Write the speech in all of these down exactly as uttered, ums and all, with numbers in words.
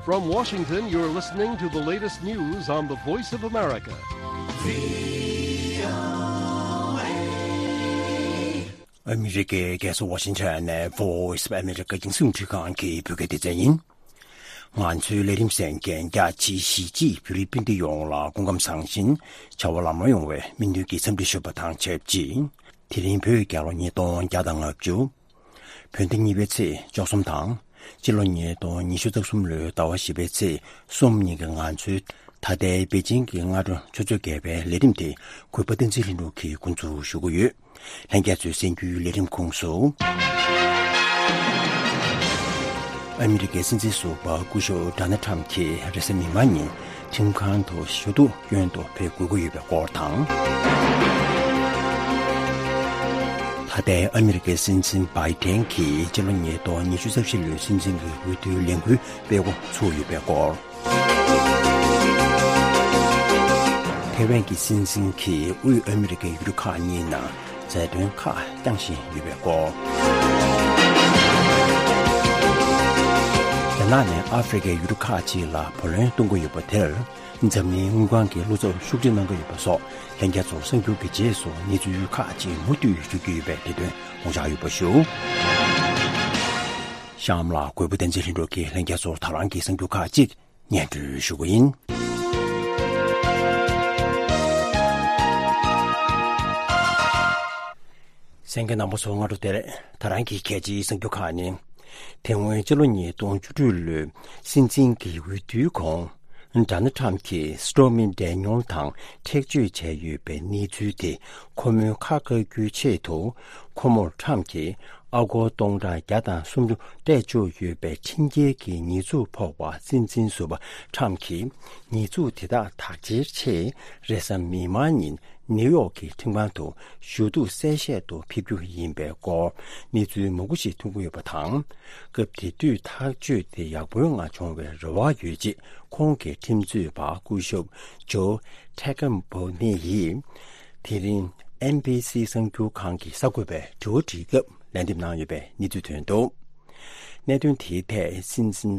From Washington, you're listening to the latest news on the Voice of America. ཨ་མི་རི་ཀའི་རྒྱལ་ས་ཝ་ཤིང་ཊོན་ནས་Voice of America་རྒྱང་སྲིང་རླུང་འཕྲིན་ཁང་གི་བོད་སྐད་སྡེ་ཚན་ཡིན། ང་ཚོའི་ལས་རིམ་གསན་མཁན་རྒྱ་ཆེའི་གཞིས་བྱེས་བོད་རིགས་སྤུན་ཟླ་ཡོངས་ལ་སྐུ་ཁམས་བཟང་ཞིང་བྱ་བ་ལམ་ལྷོང་ཡོང་བའི་སྨོན་འདུན་གྱི་འཚམས་འདྲི་ཞུ་བ་དང་ཆབས་ཅིག་དེ་རིང་བོད་རྒྱལ་ལོ་ཉིས་སྟོང་བརྒྱ་དང་ལྔ་བཅུ། བོད་ཟླ་གཉིས་པའི་ཚེས་བཅུ་གསུམ་དང་། སྤྱི་ལོ་ཉིས་སྟོང་ཉི་ཤུ་རྩ་གསུམ་ལོའི་ཟླ་བ་བཞི་པའི་ཚེས་གསུམ་ཉིན་གྱི་ང་ཚོའི་ད་ལྟའི་པེ་ཅིང་གི་སྔ་དྲོ་ཆུ་ཚོད་བརྒྱད་པའི་ལས་རིམ་དེ་གུས་པ་བསྟན་འཛིན་ལྷུན་གྲུབ་ཀྱིས་འགོ་འཛུགས་ཞུ་གི་ཡོད། ལྷན་རྒྱས་ཚོའི་གསན་རྒྱུའི་ལས་རིམ་ཁོངས་སུ། ཨ་མི་རི་ཀའི་སྲིད་འཛིན་ཟུར་པ་སྐུ་ཞབས་ཌོ་ནལ་ཊམ་གྱིས་རེས་གཟའ་མིག་དམར་ཉིན་ཁྲིམས་ཁང་དུ་ཞུ་གཏུག་སྐྱོན་དུ་ཕེབས་དགོས་ཀྱི་ཡོད་པའི་སྐོར་དང་། ད་ལྟའི་ཨ་མི་རི་ཀའི་སྲིད་འཛིན་བྷའི་ཏན་གྱིས་སྤྱི་ལོ་ཉིས་སྟོང་ཉི་ཤུ་རྩ་བཞི་ལོའི་སྲིད་འཛིན་གྱི་འོས་བསྡུའི་ལས་འགུལ་སྤེལ་འགོ་ཚུགས་ཡོད་པའི་སྐོར། ཐེ་ཝན་གྱི་སྲིད་འཛིན་གྱིས་དབུས་ཨ་མི་རི་ཀའི་ཡུལ་གྲུ་ཁག་གཉིས་ནང་མཛད་དོན་ཁག་བསྐྱངས་བཞིན་ཡོད་པའི་སྐོར། རྒྱ་ནག་ནས་ཨ་ཧྥེ་རི་ཀའི་ཡུལ་གྲུ་ཁག་ཅིག་ལ་བུ་ལོན་གཏོང་གི་ཡོད་པ་དེར། འཛམ་གླིང་དངུལ་ཁང་གི་བློ་འཚབ་ཤུགས་ཆེ་གནང་གི་ཡོད་པ་སོགས་ལྷན་རྒྱས་ཚོར་གསར་འགྱུར་གྱི་རྗེས་སུ་གནས་ཚུལ་ཁག་ཅིག་མུ་མཐུད་ཞུ་རྒྱུ་ཡོད་པས་དེ་དོན་དགོངས་འཇགས་ཡོད་པ་ཞུ། གཤམ་ལ་གུས་པ་བསྟན་འཛིན་ལྷུན་གྲུབ་ཀྱིས་ལྷན་རྒྱས་ཚོར་ད་རང་གི་གསར་འགྱུར་ཁག་ཅིག་སྙན་སྒྲོན་ཞུ་གི་ཡིན། གསན་མཁན་རྣམ་པ་ཚོ་སྔ་དྲོ་བདེ་ལེགས། ད་རང་གི་གལ་ཆེའི་གསར་འགྱུར་ཁག་ནི། དེ་སྔོན་སྤྱི་ལོ་ཉིས་སྟོང་བཅུ་དྲུག་ལོའི་སྲིད་འཛིན་གྱི་འོས་བསྡུའི་གོང་། ཌོ་ནལ་ཊམ་གྱིས་སི་ཊོར་མི་ཌེ་ནིལ་དང་ཁྲེགས་གཅོད་བྱས་ཡོད་པའི་གནས་ཚུལ་དེ་ཁོ་མོའི་ཁ་བཀག་རྒྱུའི་ཆེད་དུ། ཁོ་མོར་ཊམ་གྱིས་ཨ་སྒོར་སྟོང་ཕྲག་བརྒྱ་དང་སུམ་ཅུ་སྤྲད་ཆོག་ཡོད་པའི་ཁྲིམས་འགལ་གྱི་ཉེས་འཛུགས་ཕོག་པ། སྲིད་འཛིན་ཟུར་པ་ཊམ་གྱིས་ཉེས་འཛུགས་དེ་དག་དག་འཁྱེར་ཆེད་རེས་གཟའ་མིག་དམར་ཉིན། ནིའུ་ཡོག་གི་ཁྲིམས་ཁང་དུ་ཞུ་གཏུག་གསལ་བཤད་དུ་ཕེབས་རྒྱུ་ཡིན་པའི་སྐོར་གནས་ཚུལ་མང་པོ་ཞིག་ཐོན་གྱི་ཡོད་པ་དང་། སྐབས་དེ་དུས་ཐག་གཅོད་དེ་ཡག་པོའི་ངང་བྱུང་བའི་རེ་བ་ཡོད་ཅེས་ཁོང་གི་ཁྲིམས་རྩོད་པ་སྐུ་ཞབས་ཇོ་ཐེ་ཀམ་བོ་ནེ་ཡིས་དེ་རིང་ཨེན་བྷི་སི་གསར་འགྱུར་ཁང་གི་གསར་འགོད་པའི་དྲི་བ་དྲིས་སྐབས་ལན་འདེབས་གནང་ཡོད་པའི་གནས་ཚུལ་ཐོན་འདུག་གནད་དོན་དེའི་ཐད་སྲིད་འཛིན་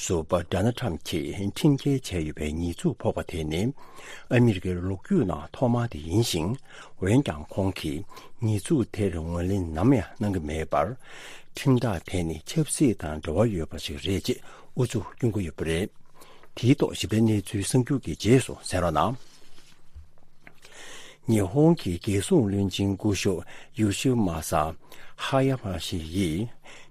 ཟུར་པ་ཌོ་ནལ་ཊམ་གྱིས་ཁྲིམས་འགལ་བྱས་ཡོད་པའི་ཉེས་འཛུགས་ཕོག་པ་དེ་ནི་ཨ་མི་རི་ཀའི་ལོ་རྒྱུས་ནང་ཐོག་མ་དེ་ཡིན་ཞིང་། འོན་ཀྱང་ཁོང་གིས་ཉེས་འཛུགས་དེར་ངོས་ལེན་ནམ་ཡང་གནང་གི་མེད་པར། ཁྲིམས་ཐག་དེ་ནི་ཆབ་སྲིད་དང་འབྲེལ་བ་ཡོད་པ་ཞིག་རེད་ཅེས་ཨུ་ཚུགས་སྐྱོན་གྱི་ཡོད་པ་རེད། དེའི་ཐོག་ཞིབ་ཕྲའི་གནས་ཚུལ་གསར་འགྱུར་གྱི་རྗེས་སུ་གསན་རོགས་གནང་། ཉི་ཧོང་གི་རྒྱལ་སྲུང་བློན་ཆེན་སྐུ་ཞབས་ཡོ་ཤི་མ་ས་ཧ་ཡ་མ་ཤི་ཡིས་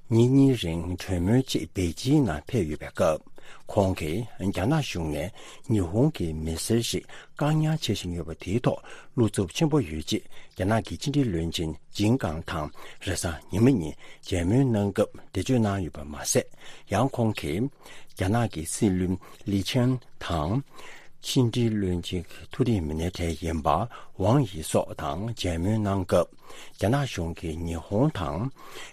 ཉིན་གཉིས་རིང་གྲོས་མོལ་ཆེད་པེ་ཅིང་ནང་ཕེབས་ཡོད་པའི་སྐབས། ཁོང་གིས་རྒྱ་ནག་གཞུང་ནས་ཉི་ཧོང་གི་མི་སེར་ཞིག་བཀག་ཉར་བྱེད་བཞིན་ཡོད་པ་དེའི་ཐོག་བློ་འཚབ་ཆེན་པོ་ཡོད་ཅེས་རྒྱ་ནག་གི་ཕྱི་འབྲེལ་བློན་ཆེན་ཇིན་ཀང་དང་རེས་གཟའ་ཉི་མ་ཉིན་མཇལ་མོལ་གནང་སྐབས་འགྲེལ་བརྗོད་གནང་ཡོད་པ་མ་ཟད། ཡང་ཁོང་གིས་རྒྱ་ནག་གི་སྲིད་བློན་ལི་ཆན་དང་། ཕྱི་འབྲེལ་བློན་ཆེན་གྱི་མཐོ་རིམ་མི་སྣའི་གྲས་ཡིན་པ་ཝང་ཡི་སོགས་དང་མཇལ་མོལ་གནང་སྐབས། རྒྱ་ནག་གཞུང་གིས་ཉི་ཧོང་དང་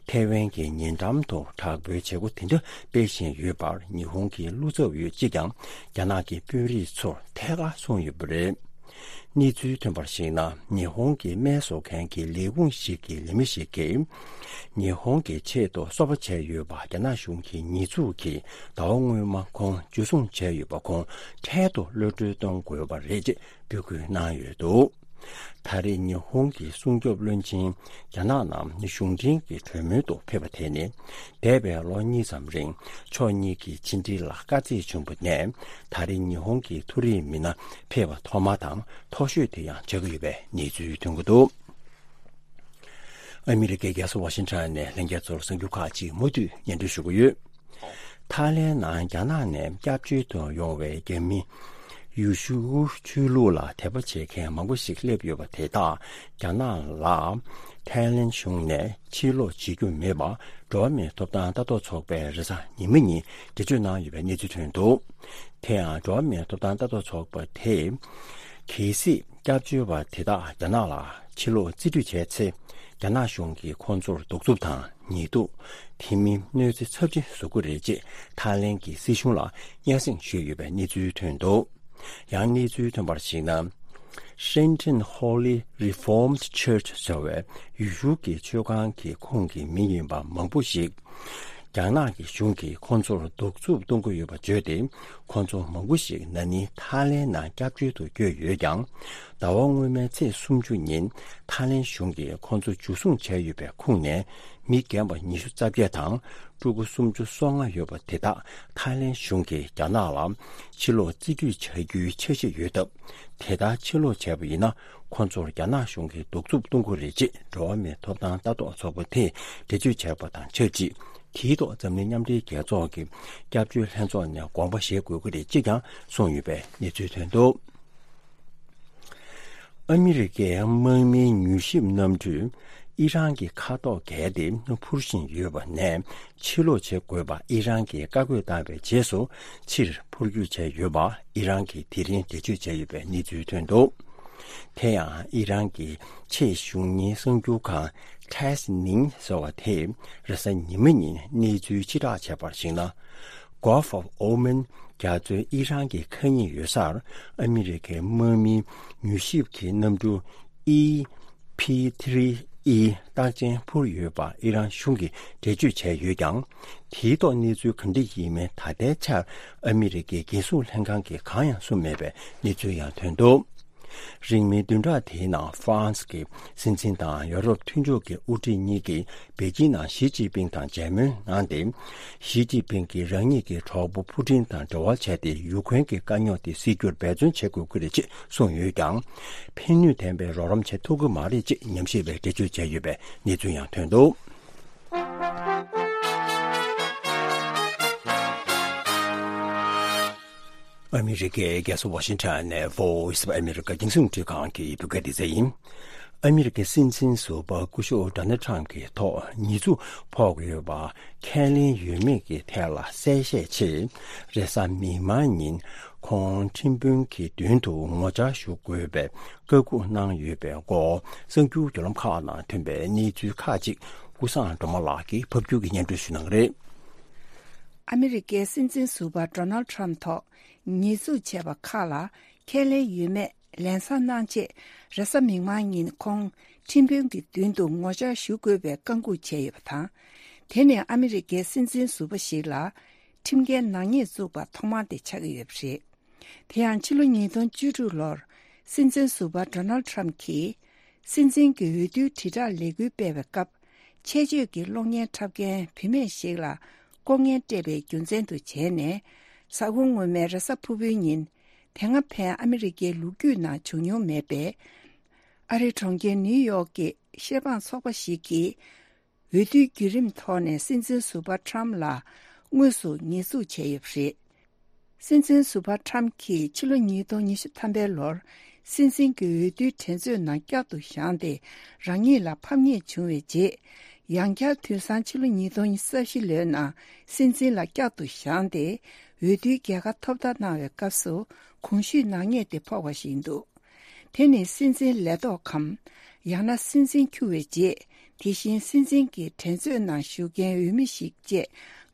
ཐའེ་ཝན་གྱི་ཉེ་འགྲམ་དུ་དྲག་པོའི་བྱེད་སྒོ་དེ་འདྲ་སྤེལ་བཞིན་ཡོད་པར་ཉི་ཧོང་གི་བློ་འཚབ་ཡོད་ཅེས་ཀྱང་རྒྱ་ནག་གི་དཔོན་རིགས་ཚོར་ཐད་ཀར་གསུངས་ཡོད་པ་རེད། གནས་ཚུལ་ཐོན་པར་གཞིགས་ན། ཉི་ཧོང་གི་སྨན་བཟོ་མཁན་གྱི་ལས་ཁུངས་ཤིག་གི་ལས་མི་ཞིག་གིས། ཉི་ཧོང་གི་ཆེད་དུ་གསོལ་པ་བྱས་ཡོད་པ་རྒྱ་ནག་གཞུང་གི་ཉེས་འཛུགས་ཀྱིས་ཟླ་བ་སྔོན་མ་ཁོང་འཇུ་བཟུང་བྱས་ཡོད་པ་ཁོང་འཕྲལ་དུ་གློད་གྲོལ་གཏོང་དགོས་པ་རེད་ཅེས་འབོད་སྐུལ་གནང་ཡོད་འདུག་ད་རེས་ཉི་ཧོང་གི་སྲུང་སྐྱོབ་བློན་ཆེན་རྒྱ་ནག་ནང་གཞུང་འབྲེལ་གྱི་གྲོས་མོལ་དུ་ཕེབས་པ་དེ་ནི། འདས་པའི་ལོ་གཉིས་ཙམ་རིང་ཕྱོགས་གཉིས་ཀྱི་ཕྱི་འབྲེལ་ལ་དཀའ་ཚེགས་བྱུང་བ་ནས། ད་རེས་ཉི་ཧོང་གི་མཐོ་རིམ་མི་སྣ་ཕེབས་པ་ཐོག་མ་དང་མཐོ་ཤོས་དེ་ཡང་ཆགས་ཀྱི་ཡོད་པའི་གནས་ཚུལ་ཐོན་གྱི་འདུག་ཨ་མི་རི་ཀའི་རྒྱལ་ས་ཝ་ཤིང་ཊོན་ནས་ལྷན་རྒྱས་ཚོར་གསར་འགྱུར་ཁག་ཅིག་མུ་མཐུད་སྙན་སྒྲོན་ཞུ་གི་ཡོད། ཐའི་ལེན་ནང་རྒྱ་ནག་ནས་སྐྱབས་བཅོལ་དུ་ཡོང་བའི་རྒྱ་མི་ཡུ་ཤུའུ་ཆོས་ལུགས་ལ་དད་པ་བྱེད་མཁན་མང་པོ་ཞིག་སླེབས་ཡོད་པ་དེ་དག་རྒྱ་ནག་ལ་ཐའི་ལེན་གཞུང་ནས་ཕྱིར་ལོག་བྱེད་རྒྱུ་མེད་པ་འགྲོ་བ་མིའི་ཐོབ་ཐང་ལྟ་རྟོག་ཚོགས་པས་རེས་གཟའ་ཉི་མ་ཉིན་འགྲེལ་བརྗོད་གནང་ཡོད་པའི་གནས་ཚུལ་ཐོན་འདུག་དེ་ཡང་འགྲོ་བ་མིའི་ཐོབ་ཐང་ལྟ་རྟོག་ཚོགས་པ་དེས། གལ་སྲིད་སྐྱབས་བཅོལ་བ་དེ་དག་རྒྱ་ནག་ལ་ཕྱིར་ལོག་རྩིས་སྤྲོད་བྱས་ཚེ། རྒྱ་ནག་གཞུང་གིས་ཁོང་ཚོར་གདུག་རྩུབ་དང་ཉེས་འདུག་དེ་མིན་གནོད་འཚེ་ཚབས་ཆེན་བཟོ་གི་རེད་ཅེས་ཐའི་ལེན་གྱི་སྲིད་གཞུང་ལ་སྙན་སེང་ཞུས་ཡོད་པའི་གནས་ཚུལ་ཐོན་འདུག་ཡང་གནས་ཚུལ་ཐོན་པར་གཞིགས་ན། Shenton Holy Reformed Church ཟེར་བའི་ཡུལ་ཤུལ་གྱི་ཆོས་ཁང་གི་ཁོངས་ཀྱི་མི་ཡིན་པ་མང་པོ་ཞིག་རྒྱ་ནག་གི་གཞུང་གིས་ཁོང་ཚོར་གདུག་རྩུབ་གཏོང་གི་ཡོད་པ་བརྗོད་དེ། ཁོང་ཚོ་མང་པོ་ཞིག་ན་ནིང་ཐའི་ལེན་ནང་སྐྱབས་བཅོལ་དུ་བསྐྱོད་ཡོད་ཀྱང་། ཟླ་བ་སྔོན་མའི་ཚེས་སུམ་ཅུ་ཉིན་ཐའི་ལེན་གཞུང་གིས་ཁོང་ཚོ་འཇུ་བཟུང་བྱས་ཡོད་པའི་ཁོངས་ནས་མི་རྒན་པ་ཉི་ཤུ་རྩ་བརྒྱད་དང་ཕྲུ་གུ་སུམ་ཅུ་སོ་ལྔ་ཡོད་པ་དེ་དག་ཐའི་ལེན་གཞུང་གིས་རྒྱ་ནག་ལ་ཕྱིར་ལོག་རྩིས་སྤྲོད་བྱ་རྒྱུའི་འཆར་གཞི་ཡོད་སྟབས། དེ་ལྟར་ཕྱིར་ལོག་བྱས་པ་ཡིན་ན། ཁོང་ཚོར་རྒྱ་ནག་གཞུང་གིས་གདུག་རྩུབ་གཏོང་གི་རེད་ཅེས་འགྲོ་བ་མིའི་ཐོབ་ཐང་ལྟ་རྟོག་ཚོགས་པ་དེས་འགྲེལ་བརྗོད་བྱས་པ་དང་ཆབས་ཅིག་དེའི་ཐོག་འཛམ་གླིང་མཉམ་འབྲེལ་རྒྱལ་ཚོགས་ཀྱི་སྐྱབས་བཅོལ་ལྷན་ཚོགས་ནས་དགོངས་པ་བཞེས་དགོས་ཀྱི་རེད་ཅེས་ཀྱང་གསུངས་ཡོད་པའི་གནས་ཚུལ་ཐོན་འདུག་ཨ་མི་རི་ཀའི་དམག་མིའི་མྱུལ་ཞིབ་གནམ་གྲུས་ཨི་རན་གྱི་མཁའ་ཐོག་བརྒལ་ཏེ་འཕུར་བཞིན་ཡོད་པ་ནས། ཕྱིར་ལོག་བྱེད་དགོས་པ་ཨི་རན་གྱིས་བཀའ་བཀོད་བཏང་བའི་རྗེས་སུ། ཕྱིར་འཕུར་སྐྱོད་བྱས་ཡོད་པ་ཨི་རན་གྱིས་དེ་རིང་འགྲེལ་བརྗོད་བྱས་ཡོད་པའི་གནས་ཚུལ་ཐོན་འདུག་དེ་ཡང་ཨི་རན་གྱི་ཆེས་གཞུང་གཉེར་གསར་འགྱུར་ཁང་ཊེས་ནིང་ཟེར་བ་དེས་རེས་གཟའ་ཉི་མ་ཉིན་གནས་ཚུལ་ཕྱིར་བསྒྲགས་བྱས་པར་གཞིགས་ན། Gulf of Oman རྒྱ་མཚོའི་ཨི་རན་གྱི་མཁའ་དབྱིངས་ཡོད་སར་ཨ་མི་རི་ཀའི་དམག་མིའི་མྱུལ་ཞིབ་ཀྱི་གནམ་གྲུ་ཨི་པི་ཐི་རི་ཨི་རྟགས་ཅན་འཕུར་ཡོད་པ་ཨི་རན་གཞུང་གིས་འགྲེལ་བརྗོད་བྱས་ཡོད་ཀྱང་། དེའི་ཐོག་གནས་ཚུལ་ག་འདྲ་ཡིན་མིན་ད་ལྟའི་ཆར་ཨ་མི་རི་ཀའི་རྒྱལ་སྲུང་ལྷན་ཁང་གིས་གང་ཡང་གསུངས་མེད་པའི་གནས་ཚུལ་ཡང་ཐོན་འདུག་རིང་མིན་བདུན་ཕྲག་དེའི་ནང་ཧྥ་རན་སི་གི་སྲིད་འཛིན་དང་ཡོ་རོབ་མཐུན་ཕྱོགས་ཀྱི་དབུ་ཁྲིད་གཉིས་ཀྱིས་པེ་ཅིན་ནང་ཞི་ཅིན་ཕིང་དང་མཇལ་མོལ་གནང་སྟེ། ཞི་ཅིན་ཕིང་གིས་རང་ཉིད་ཀྱི་གྲོགས་པོ་ཕུ་ཀྲིན་དང་འབྲེལ་བ་བྱས་ཏེ་ཡུ་ཁུ་རེན་གྱི་དཀའ་རྙོག་དེ་སེལ་རྒྱུར་འབད་བརྩོན་བྱེད་དགོས་ཀྱི་རེད་ཅེས་གསུངས་ཡོད་ཀྱང་། ཕན་ནུས་ལྡན་པའི་རོགས་རམ་བྱེད་ཐུབ་ཀྱི་མ་རེད་ཅེས་ཉམས་ཞིབ་པས་འགྲེལ་བརྗོད་བྱས་ཡོད་པའི་གནས་ཚུལ་ཡང་ཐོན་འདུག་ཨ་མི་རི་ཀའི་རྒྱལ་ས་ཝ་ཤིང་ཊོན་ནས་Voice of America རྒྱང་སྲིང་རླུང་འཕྲིན་ཁང་གི་བོད་སྐད་སྡེ་ཚན་ཡིན། ཨ་མི་རི་ཀའི་སྲིད་འཛིན་ཟུར་པ་སྐུ་ཞབས་ཌོ་ནལ་ཊམ་གྱི་ཐོག་ཉེས་འཛུགས་ཕོག་ཡོད་པ་ཁས་ལེན་ཡོད་མེད་ཀྱི་ཐད་ལ་གསལ་བཤད་ཆེད། རེས་གཟའ་མིག་དམར་ཉིན་ཁོང་ཁྲིམས་དཔོན་གྱི་མདུན་དུ་ངོ་བཅར་ཞུ་དགོས་པའི་བཀའ་འཁུར་གནང་ཡོད་པའི་སྐོར་གསར་འགྱུར་བརྒྱུད་ལམ་ཁག་ནང་ཐོན་པའི་གནས་ཚུལ་ཁག་ཅིག་ཀུན་བཟང་སྒྲོལ་མ་ལགས་ཀྱིས་ཕབ་སྒྱུར་གྱིས་སྙན་སྒྲོན་ཞུ་གནང་གི་རེད། ཨ་མི་རི་ཀའི་སྲིད་འཛིན་ཟུར་པ་ཌོ་ནལ་ཊམ་ཐོག་ཉེས་འཛུགས་བྱས་པ་ཁག་ལ་ཁས་ལེན་ཡོད་མེད་ལན་གསལ་གནང་ཆེད། རེས་གཟའ་མིག་དམར་ཉིན་ཁོང་ཁྲིམས་དཔོན་གྱི་མདུན་དུ་ངོ་བཅར་ཞུ་དགོས་པའི་བཀའ་འཁུར་བྱས་ཡོད་པ་དང་། དེ་ནི་ཨ་མི་རི་ཀའི་སྲིད་འཛིན་ཟུར་པ་ཞིག་ལ་ཁྲིམས་འགལ་ནག་ཉེས་བཙུགས་པ་ཐོག་མ་དེ་ཆགས་ཀྱི་ཡོད་པ་རེད། དེ་ཡང་ཕྱི་ལོ་ཉིས་སྟོང་བཅུ་དྲུག་ལོར་སྲིད་འཛིན་ཟུར་པ་ཌོ་ནལ་ཊམ་གྱིས། སྲིད་འཛིན་གྱི་འོས་བསྡུའི་དྲིལ་བསྒྲགས་ལས་འགུལ་སྤེལ་བའི་སྐབས། ཆེད་བརྗོད་ཀྱི་གློག་བརྙན་འཁྲབ་མཁན་བུད་མེད་ཞིག་ལ་ལྐོག་རྔན་སྤྲད་པའི་རྒྱུ་མཚན་དུ་བྱས་ནས། གཟའ་འཁོར་སྔོན་མའི་རེས་གཟའ་ཕུར་བུའི་ཉིན། དེ་སྔ་ཕན་ཨ་མི་རི་ཀའི་ལོ་རྒྱུས་ནང་བྱུང་མྱོང་མེད་པའི། ཨ་རིའི་གྲོང་ཁྱེར་ནིའུ་ཡོག་གི་ཤེས་པང་ཚོགས་པ་ཞིག་གིས། འོས་བསྡུའི་བརྒྱུད་རིམ་ཐོག་ནས་སྲིད་འཛིན་ཟུར་པ་ཊམ་ལ་དངོས་སུ་ཉེས་འཛུགས་བྱས་ཡོད་པ་རེད། སྲིད་འཛིན་ཟུར་པ་ཊམ་གྱིས་ཕྱི་ལོ་ཉིས་སྟོང་ཉི་ཤུ་ཐམ་པའི་ལོར་སྲིད་འཛིན་གྱི་འོས་བསྡུའི་འགྲན་རྩོད་ནང་བསྐྱར་དུ་བཞེངས་ཏེ་རང་ཉིད་ལ་ཕམ་ཉེས་བྱུང་བའི་རྗེས། ཡང་བསྐྱར་དུས་སང་ཕྱི་ལོ་ཉིས་སྟོང་ཉི་ཤུ་རྩ་བཞི་ལོའི་ནང་སྲིད་འཛིན་ལ་བསྐྱར་དུ་བཞེངས་ཏེ་འོས་བསྡུའི་རྒྱལ་ཁ་ཐོབ་ཐབས་གནང་བའི་སྐབས་སུ་གོང་ཞུས་ནག་ཉེས་དེ་ཕོག་པ་ཞིག་འདུག་དེ་ནི་སྲིད་འཛིན་ལས་ཐོག་གམ། ཡང་ན་སྲིད་འཛིན་འཁྱུར་བའི་རྗེས། དེ་བཞིན་སྲིད་འཛིན་གྱི་འགྲན་རྩོད་ནང་ཞུགས་མཁན་འོས་མི་ཞིག་བཅས་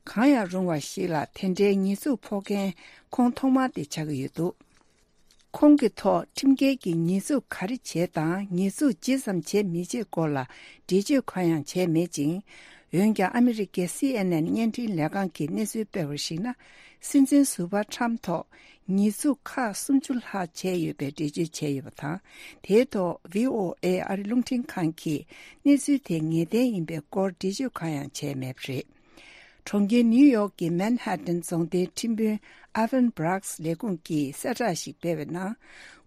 གང་ཡང་རུང་བ་ཞིག་ལ་དེ་འདྲའི་ཉེས་འཛུགས་ཕོག་མཁན་ཁོང་ཐོག་མ་དེ་ཆགས་ཀྱི་ཡོད་འདུག་ཁོང་གི་ཐོག་ཁྲིམས་འགལ་གྱི་ཉེས་འཛུགས་ག་རེ་བྱས་དང་ཉེས་འཛུགས་ཇི་ཙམ་བྱས་མི་བྱས་སྐོར་ལ་འགྲེལ་བརྗོད་གང་ཡང་བྱས་མེད་ཅིང་། འོན་ཀྱང་ཨ་མི་རི་ཀའི་སི་ཨེན་ཨེན་བརྙན་འཕྲིན་ལས་ཁང་གིས་གནས་ཚུལ་སྤེལ་བར་གཞིགས་ན། སྲིད་འཛིན་ཟུར་པ་ཁྲམ་ཐོག་ཉེས་འཛུགས་ཁག་སུམ་ཅུ་ལྷག་བྱས་ཡོད་པའི་འགྲེལ་བརྗོད་བྱས་ཡོད་པ་དང་། དེའི་ཐོག་བྷི་ཨོ་ཨེ་ཨ་རི་རླུང་འཕྲིན་ཁང་གིས་གནས་ཚུལ་དེ་ངེས་གཏན་ཡིན་པའི་སྐོར་འགྲེལ་བརྗོད་གང་ཡང་བྱས་མེད་པ་རེད། གྲོང་ཁྱེར་ནིའུ་ཡོག་གི་མན་ཧ་ཏན་རྫོང་སྡེའི་ཁྲིམས་དཔོན་ཨ་ཝན་སྦྲགས་ལས་ཁུངས་ཀྱིས་གསལ་བསྒྲགས་ཤིག་སྤེལ་བའི་ནང་།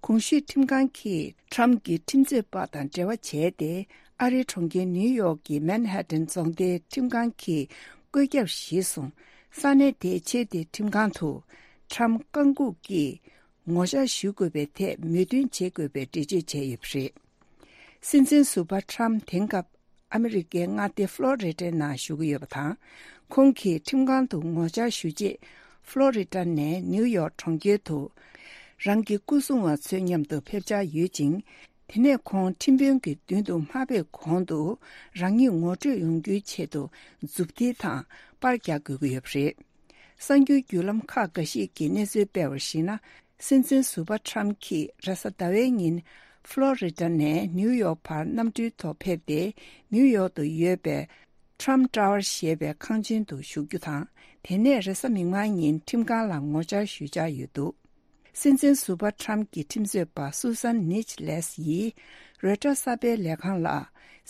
གོང་ཞུས་ཁྲིམས་ཁང་གིས་ཁྲམ་གྱི་ཁྲིམས་རྩོད་པ་དང་འབྲེལ་བ་བྱས་ཏེ། ཨ་རིའི་གྲོང་ཁྱེར་ནིའུ་ཡོག་གི་མན་ཧ་ཏན་རྫོང་སྡེའི་ཁྲིམས་ཁང་གིས་བཀོད་ཁྱབ་གཞིར་བཟུང་། ས་གནས་དེའི་ཆེས་མཐོའི་ཁྲིམས་ཁང་དུ་ཁྲམ་བཀག་འགོག་གི་ངོ་བཅར་ཞུ་དགོས་པའི་ཐད་མོས་མཐུན་བྱེད་དགོས་པའི་འགྲེལ་བརྗོད་བྱས་ཡོད་པ་རེད། སྲིད་འཛིན་ཟུར་པ་ཁྲམ་དེང་སྐབས་ཨ་མི་རི་ཀའི་མངའ་སྡེ་ཕློ་རི་ཌའི་ནང་བཞུགས་ཀྱི་ཡོད་པ་དང་། ཁོང་གིས་ཁྲིམས་ཁང་དུ་ངོ་བཅར་ཞུ་རྗེས། ཕློ་རི་ཌ་ནས་ནིའུ་ཡོག་གྲོང་ཁྱེར་དུ་རང་གི་སྐུ་སྲུང་བ་ཚོའི་མཉམ་དུ་ཕེབས་འཆར་ཡོད་ཅིང་། དེ་ནས་ཁོང་ཁྲིམས་དཔོན་གྱི་མདུན་དུ་མ་ཕེབས་གོང་དུ་རང་ཉིད་ངོ་སྤྲོད་ཡོང་རྒྱུའི་ཆེད་དུ་མཛུབ་ཐེལ་དང་པར་རྒྱག་དགོས་ཀྱི་ཡོད་པ་རེད། གསར་འགྱུར་བརྒྱུད་ལམ་ཁག་འགའ་ཞིག་གིས་གནས་ཚུལ་སྤེལ་བར་གཞིགས་ན། སྲིད་འཛིན་ཟུར་པ་ཁྲམ་གྱིས་རེས་གཟའ་ཟླ་བའི་ཉིན་ཕློ་རི་ཌ་ནས་ནིའུ་ཡོག་བར་གནམ་གྲུའི་ཐོག་ཕེབས་ཏེ། ནིའུ་ཡོག་ཏུ་ཡོད་པའི་Trump Tower ཞེས་པའི་ཁང་ཆེན་དུ་བཞུགས་རྒྱུ་དང་། དེ་ནས་རེས་གཟའ་མིག་དམར་ཉིན་ཁྲིམས་ཁང་ལ་ངོ་བཅར་ཞུ་འཆར་ཡོད་འདུག་སྲིད་འཛིན་ཟུར་པ་ཁྲམ་གྱི་ཁྲིམས་རྩོད་པ་སུ་སན་ནིཆ་ལེས་ཡིས་རོའི་ཊར་གསར་སྤེལ་ལས་ཁང་ལ།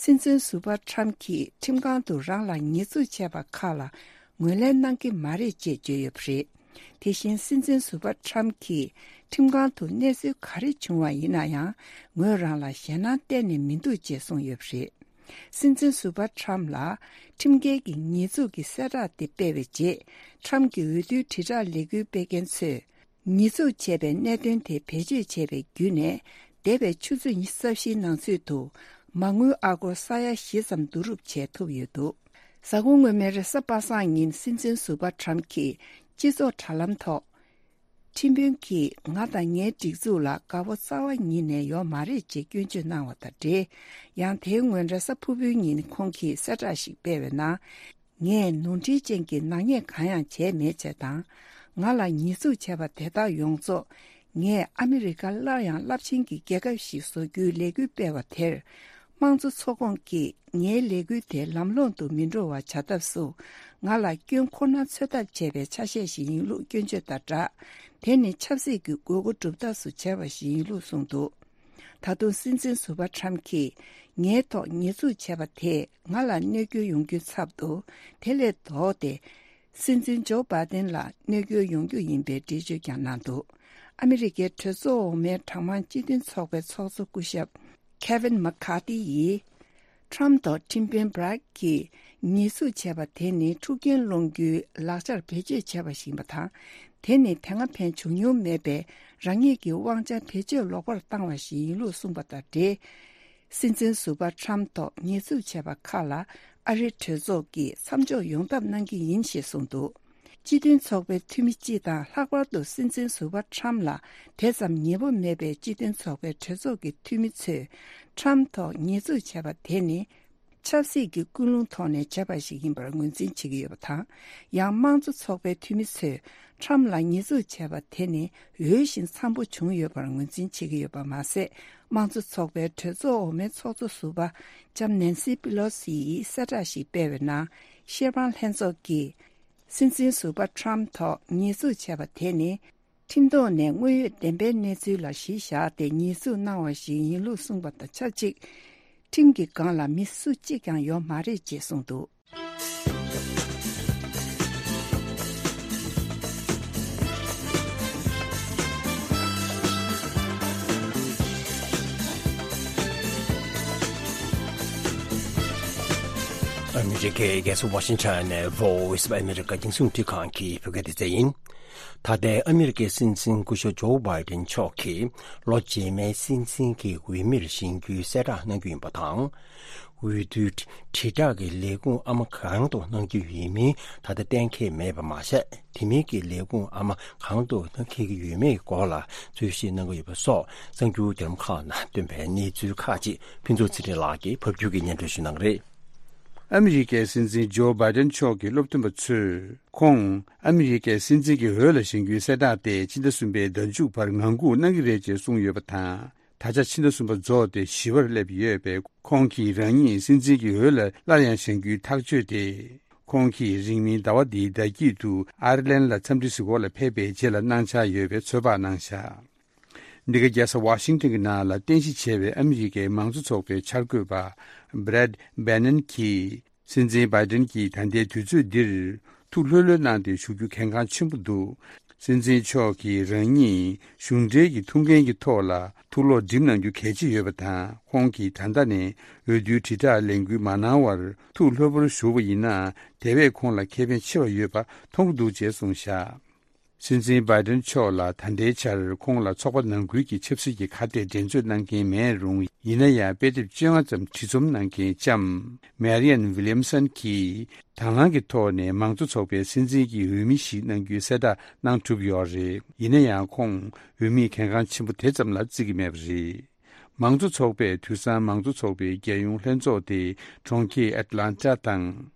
སྲིད་འཛིན་ཟུར་པ་ཁྲམ་གྱིས་ཁྲིམས་ཁང་དུ་རང་ལ་ཉེས་འཛུགས་བྱས་པ་ཁག་ལ་ངོས་ལེན་གནང་གི་མ་རེད་ཅེས་བརྗོད་ཡོད་པ་རེད། དེ་བཞིན་སྲིད་འཛིན་ཟུར་པ་ཁྲམ་གྱིས་ཁྲིམས་ཁང་དུ་གནས་ཚུལ་ག་རེ་བྱུང་བ་ཡིན་ན་ཡང་། ངོས་རང་ལ་ཞེད་སྣང་གཏན་ནས་མི་འདུག་ཅེས་གསུངས་ཡོད་པ་རེད། སྲིད་འཛིན་ཟུར་པ་ཁྲམ་ལ་ཁྲིམས་འགལ་གྱི་ཉེས་འཛུགས་ཀྱི་གསལ་བསྒྲགས་དེ་སྤེལ་བའི་རྗེས། ཁྲམ་གྱི་འོས་བསྡུའི་དྲིལ་བསྒྲགས་ལས་འགུལ་སྤེལ་མཁན་ཚོས། ཉེས་འཛུགས་བྱས་པའི་གནད་དོན་དེ་བེད་སྤྱོད་བྱས་པའི་བརྒྱུད་ནས། འདས་པའི་ཆུ་ཚོད་ཉི་ཤུ་རྩ་བཞིའི་ནང་ཚུད་དུ་མ་དངུལ་ཨ་སྒོར་ས་ཡ་བཞི་ཙམ་བསྡུ་རུབ་བྱས་ཐུབ་ཡོད་འདུག་གཟའ་འཁོར་སྔོན་མའི་རེས་གཟའ་པ་སངས་ཉིན་སྲིད་འཛིན་ཟུར་པ་ཁྲམ་གྱིས་སྤྱི་ཚོགས་དྲ་ལམ་ཐོག་ཁྲིམས་དཔོན་གྱིས་ང་དང་ངའི་སྒྲིག་འཛུགས་ལ་དགའ་པོ་རྩ་བ་ཉིད་ནས་ཡོད་མ་རེད་ཅེས་སྐྱོན་བརྗོད་གནང་བ་དང་འབྲེལ། ཡང་དེའི་སྔོན་རེས་གཟའ་ཕུར་བུའི་ཉིན་ཁོང་གིས་གསལ་བསྒྲགས་ཤིག་སྤེལ་བའི་ནང་། ངས་ནོར་འཁྲུལ་ཅན་གྱི་ནག་ཉེས་གང་ཡང་བྱས་མེད་ཅེས་དང་། ང་ལ་ཉེས་འཛུགས་བྱས་པ་དེ་དག་ཡོངས་རྫོགས། ངས་ཨ་མི་རི་ཀ་སླར་ཡང་རླབས་ཆེན་གྱི་རྒྱལ་ཁབ་ཞིག་བཟོ་རྒྱུའི་ལས་འགུལ་སྤེལ་བ་དེར། དམངས་གཙོ་ཚོགས་ཁོངས་ཀྱིས་ངའི་ལས་འགུལ་དེ་ལམ་ལྷོང་དུ་མི་འགྲོ་བ་བྱ་ཐབས་སུ། ང་ལ་སྐྱོན་ཁོ་ན་འཚོལ་ཐབས་བྱས་པའི་ཆ་ཤས་ཤིག་ཡིན་ལུགས་སྐྱོན་བརྗོད་དང་སྦྲགས། དེ་ནི་ཆབ་སྲིད་ཀྱི་དགོས་མཁོ་སྒྲུབ་ཐབས་སུ་བྱས་པ་ཞིག་ཡིན་ལུགས་གསུངས་འདུག་ད་དུང་སྲིད་འཛིན་ཟུར་པ་ཁྲམ་གྱིས་ངའི་ཐོག་ཉེས་འཛུགས་བྱས་པ་དེས་ང་ལ་གནོད་སྐྱོན་ཡོང་རྒྱུའི་ཚབ་ཏུ། དེ་ལས་ལྡོག་སྟེ། སྲིད་འཛིན་ཇོ་བྷའི་ཏིན་ལ་གནོད་སྐྱོན་ཡོང་རྒྱུ་ཡིན་པའི་འགྲེལ་བརྗོད་ཀྱང་གནང་འདུག་ཨ་མི་རི་ཀའི་གྲོས་ཚོགས་འོག་མའི་གྲངས་མང་སྤྱི་མཐུན་ཚོགས་པའི་ཚོགས་གཙོ་སྐུ་ཞབས་Kevin McCarthy ཡིས། ཁྲམ་ཐོག་ཁྲིམས་དཔོན་Bragg གྱིས་ཉེས་འཛུགས་བྱས་པ་དེ་ནི་འཁྲུག་རྐྱེན་སློང་རྒྱུའི་ལག་ཆར་བེད་སྤྱོད་བྱས་པ་ཞིག་ཡིན་པ་དང་། དེ་ནི་དེ་སྔ་ཕན་བྱུང་མྱོང་མེད་པའི་རང་ཉིད་ཀྱི་དབང་ཆ་བེད་སྤྱོད་ལོག་པར་བཏང་བ་ཞིག་ཡིན་ལུགས་གསུངས་པ་དང་འབྲེལ། སྲིད་འཛིན་ཟུར་པ་ཁྲམ་ཐོག་ཉེས་འཛུགས་བྱས་པ་ཁག་ལ་ཨ་རིའི་གྲོས་ཚོགས་ཀྱིས་མཚམས་འཇོག་ཡོང་ཐབས་གནང་གི་ཡིན་ཞེས་གསུངས་འདུག་སྤྱི་མཐུན་ཚོགས་པའི་འཐུས་མི་སྤྱི་དང་ལྷག་པར་དུ་སྲིད་འཛིན་ཟུར་པ་ཁྲམ་ལ་དེ་ཙམ་ཉེ་པོ་མེད་པའི་སྤྱི་མཐུན་ཚོགས་པའི་གྲོས་ཚོགས་ཀྱི་འཐུས་མི་ཚོས་ཁྲམ་ཐོག་ཉེས་འཛུགས་བྱས་པ་དེ་ནི། ཆབ་སྲིད་ཀྱི་ཀུན་སློང་ཐོག་ནས་བྱས་པ་ཞིག་ཡིན་པར་ངོས་འཛིན་བྱེད་ཀྱི་ཡོད་པ་དང་། ཡང་དམངས་གཙོ་ཚོགས་པའི་འཐུས་མི་ཚོས་ཁྲམ་ལ་ཉེས་འཛུགས་བྱས་པ་དེ་ནི་འོས་ཤིང་འཚམ་པོ་བྱུང་ཡོད་པར་ངོས་འཛིན་བྱེད་ཀྱི་ཡོད་པ་མ་ཟད། དམངས་གཙོ་ཚོགས་པའི་གྲོས་ཚོགས་འོག་མའི་ཚོགས་གཙོ་ཟུར་པ་ལྕམ་ནན་སི་པི་ལོ་སི་ཡིས་གསལ་བསྒྲགས་ཤིག་སྤེལ་བའི་ནང་། བཤེར་དཔང་ལྷན་ཚོགས་ཀྱིས་སྲིད་འཛིན་ཟུར་པ་ཁྲམ་ཐོག་ཉེས་འཛུགས་བྱས་པ་དེ་ནི། ཁྲིམས་ཐོག་ནས་དངོས་ཡོད་བདེན་པའི་གནས་ཚུལ་ལ་གཞི་བཞག་སྟེ་ཉེས་འཛུགས་གནང་བ་ཞིག་ཡིན་ལུགས་གསུངས་པ་དང་ཆབས་ཅིག་ཁྲིམས་ཀྱི་སྒང་ལ་མི་སུ་གཅིག་ཀྱང་ཡོད་མ་རེད་ཅེས་གསུངས་འདུག་ཨ་མི་རི་ཀའི་རྒྱལ་ས་ཝ་ཤིང་ཊོན་ནས་Voice of America་རྒྱང་སྲིང་རླུང་འཕྲིན་ཁང་གི་བོད་སྐད་སྡེ་ཚན་ཡིན། ད་ལྟའི་ཨ་མི་རི་ཀའི་སྲིད་འཛིན་སྐུ་ཞབས་ཇོ་བྷའི་ཏིན་མཆོག་གིས་ལོ་རྗེས་མའི་སྲིད་འཛིན་གྱི་འོས་མིར་བཞེངས་རྒྱུའི་གསལ་བསྒྲགས་གནང་རྒྱུ་ཡིན་པ་དང་། འོས་བསྡུའི་དྲིལ་བསྒྲགས་ཀྱི་ལས་ཁུངས་ཨ་མ་གང་དུ་གནང་རྒྱུ་ཡིན་མིན་ད་ལྟ་གཏན་འཁེལ་མེད་པ་མ་ཟད། དེ་མིན་གྱི་ལས་ཁུངས་ཨ་མ་གང་དུ་གནང་འཁེལ་གྱི་ཡོད་མེད་སྐོར་ལ་རྩོད་གཞི་གནང་གི་ཡོད་པ་སོགས་གསར་འགྱུར་བརྒྱུད་ལམ་ཁག་ནང་ཐོན་པའི་གནས་ཚུལ་ཁག་ཅིག་ཕུན་ཚོགས་ཚེ་རིང་ལགས་ཀྱིས་ཕབ་སྒྱུར་གྱིས་སྙན་སྒྲོན་ཞུ་གནང་གི་རེད། ཨ་མི་རི་ཀའི་སྲིད་འཛིན་ཇོ་བྷའི་ཏིན་མཆོག་གི་སློབ་སྟོན་པ་ཚོས་ཁོང་ཨ་མི་རི་ཀའི་སྲིད་འཛིན་གྱི་འོས་ལ་བཞེངས་རྒྱུའི་གསལ་བསྒྲགས་དེ་ཕྱི་ཟླ་གསུམ་པའི་ཟླ་མཇུག་བར་ངང་སྒུག་གནང་གི་རེད་ཅེས་གསུངས་ཡོད་པ་དང་། ད་ཆ་ཕྱི་ཟླ་གསུམ་པ་རྫོགས་ཏེ་བཞི་པར་སླེབས་ཡོད་པས། ཁོང་གིས་རང་ཉིད་སྲིད་འཛིན་གྱི་འོས་ལ་སླར་ཡང་བཞེངས་རྒྱུའི་ཐག་གཅོད་དེ། ཁོང་གིས་རིང་མིན་ཟླ་བ་འདིའི་ཟླ་དཀྱིལ་དུ་ཨར་ལན་ལ་འཚམས་འདྲི་ཞུ་སྒོ་ལ་ཕེབས་པའི་རྗེས་ལ་གནང་འཆར་ཡོད་པའི་ཚོད་དཔག་གནང་བཞག་འདི་ག་རྒྱལ་ས་ཝ་ཤིང་ཊོན་གྱི་ནང་ལ་རྟེན་གཞི་བྱས་པའི་ཨ་མི་རི་ཀའི་མང་གཙོ་ཚོགས་པའི་འཆར་འགོད་པ་Brad Bannon་གྱིས། སྲིད་འཛིན་བྷའི་ཏིན་གྱིས་ད་ལྟའི་དུས་ཚོད་འདིར་ཐུགས་ལྷོད་ལྷོད་གནང་སྟེ་བཞུགས་རྒྱུ་གལ་འགངས་ཆེན་པོ་འདུག་སྲིད་འཛིན་མཆོག་གིས་རང་ཉིད་གཞུང་འབྲེལ་གྱི་ཐུགས་འགན་གྱི་ཐོག་ལ་ཐུགས་ལོག་འགྲིམ་གནང་རྒྱུ་གལ་ཆེ་ཡོད་པ་དང་། ཁོང་གིས་ད་ལྟ་ནས་འོས་བསྡུའི་དྲིལ་བསྒྲགས་ལས་འགུལ་མ་གནང་བར་ཐུགས་ལྷོད་པོར་བཞུགས་པ་ཡིན་ན། དེ་བས་ཁོང་ལ་ཁེ་ཕན་ཆེ་བ་ཡོད་པ་མཐོང་གི་འདུག་ཅེས་གསུངས་བཞག་སྲིད་འཛིན་བྷའི་ཏིན་མཆོག་ལ་ད་ལྟའི་ཆར་ཁོང་ལ་ཚོགས་པ་ནང་ཁུལ་གྱི་ཆབ་སྲིད་ཀྱི་ཁ་གཏད་འགྲན་རྩོད་གནང་མཁན་མེད་རུང་། ཡིན་ན་ཡང་དཔེ་དེབ་བཅོ་ལྔ་ཙམ་བྲིས་རྩོམ་གནང་མཁན་ལྕམ་Marianne Williamson་གྱིས་དང་བླངས་ཀྱི་ཐོག་ནས་མང་གཙོ་ཚོགས་པའི་སྲིད་འཛིན་གྱི་འོས་མི་ཞིག་གནང་རྒྱུའི་གསལ་བསྒྲགས་གནང་གྲུབ་ཡོད་རེད། ཡིན་ན་ཡང་ཁོང་འོས་མི་གལ་འགངས་ཆེན་པོ་དེ་ཙམ་ལ་བརྩི་གི་མེད་པ་རེད། མང་གཙོ་ཚོགས་པས་དུས་སང་མང་གཙོ་ཚོགས་པའི་རྒྱལ་ཡོངས་ལྷན་ཚོགས་དེ་གྲོང་ཁྱེར་ཨེ་ཏི་ལན་ཊ་དང་།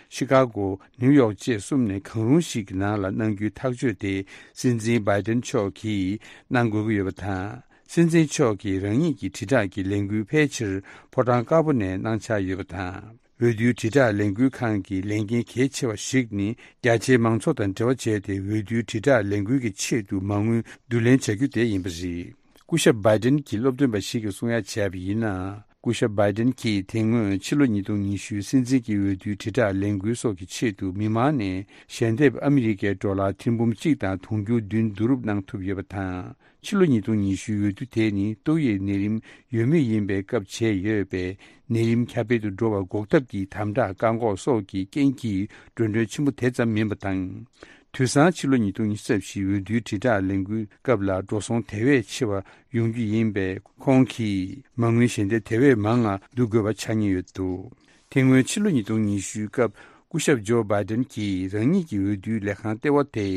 ཤི་ཀ་གོ། ནིའུ་ཡོག་བཅས་གསུམ་ནས་གང་རུང་ཞིག་གི་ནང་ལ་གནང་རྒྱུའི་ཐག་གཅོད་དེ་སྲིད་འཛིན་བྷའི་ཏན་མཆོག་གིས་གནང་དགོས་ཀྱི་ཡོད་པ་དང་། སྲིད་འཛིན་མཆོག་གིས་རང་ཉིད་ཀྱི་དྲིལ་བསྒྲགས་ཀྱི་ལས་འགུལ་ཕལ་ཆེར་ཕོ་བྲང་དཀར་པོ་ནས་གནང་འཆར་ཡོད་པ་དང་། འོས་བསྡུའི་དྲིལ་བསྒྲགས་ལས་འགུལ་ཁང་གི་ལས་འགན་གལ་ཆེ་བ་ཞིག་ནི། རྒྱ་ཆེའི་མང་ཚོགས་དང་འབྲེལ་བ་བྱས་ཏེ། འོས་བསྡུའི་དྲིལ་བསྒྲགས་ལས་འགུལ་གྱི་ཆེད་དུ་མ་དངུལ་བསྡུ་ལེན་བྱ་རྒྱུ་དེ་ཡིན་པ་རེད། སྐུ་ཞབས་བྷའི་ཏན་གྱི་སློབ་སྟོན་པ་ཞིག་གིས་གསུང་ཡ་བྱས་པ་ཡིན་ན། སྐུ་ཞབས་བྷའི་ཏན་གྱིས་དེ་སྔོན་ཕྱི་ལོ་ཉིས་སྟོང་ཉི་ཤུའི་སྲིད་འཛིན་གྱི་འོས་བསྡུའི་དྲིལ་བསྒྲགས་ལས་འགུལ་སོགས་ཀྱི་ཆེད་དུ་མི་མང་ནས་ཞལ་འདེབས་ཨ་མི་རི་ཀའི་ཌོ་ལར་ཐེར་འབུམ་གཅིག་དང་དུང་ཕྱུར་བདུན་བསྡུ་རུབ་གནང་ཐུབ་ཡོད་པ་དང་། ཕྱི་ལོ་ཉིས་སྟོང་ཉི་ཤུའི་འོས་བསྡུ་དེ་ནི་ཏོག་དབྱིབས་ནད་རིམས་ཡོད་མུས་ཡིན་པའི་སྐབས་བྱས་ཡོད་པས། ནད་རིམས་ཁྱབ་སྤེལ་དུ་འགྲོ་བར་འགོག་ཐབས་ཀྱི་དམ་དྲག་བཀག་འགོག་སོགས་ཀྱི་རྐྱེན་གྱིས་འགྲོ་གྲོན་ཆེན་པོ་དེ་ཙམ་མིན་པ་དང་། དུས་སང་ཕྱི་ལོ་ཉིས་སྟོང་ཉི་ཤུ་རྩ་བཞིའི་འོས་བསྡུའི་དྲིལ་བསྒྲགས་ལས་འགུལ་སྐབས་ལ་འགྲོ་སོང་དེ་བས་ཆེ་བ་ཡོང་རྒྱུ་ཡིན་པས། ཁོང་གིས་མ་དངུལ་ཞལ་འདེབས་དེ་བས་མང་ང་བསྡུ་དགོས་པ་ཆགས་ཉེན་ཡོད་འདུག་དེ་སྔོན་ཕྱི་ལོ་ཉིས་སྟོང་ཉི་ཤུའི་སྐབས་སྐུ་ཞབས་ཇོ་བྷའི་ཏན་གྱིས་རང་ཉིད་ཀྱི་འོས་བསྡུའི་ལས་ཁང་ལྟེ་བ་དེ་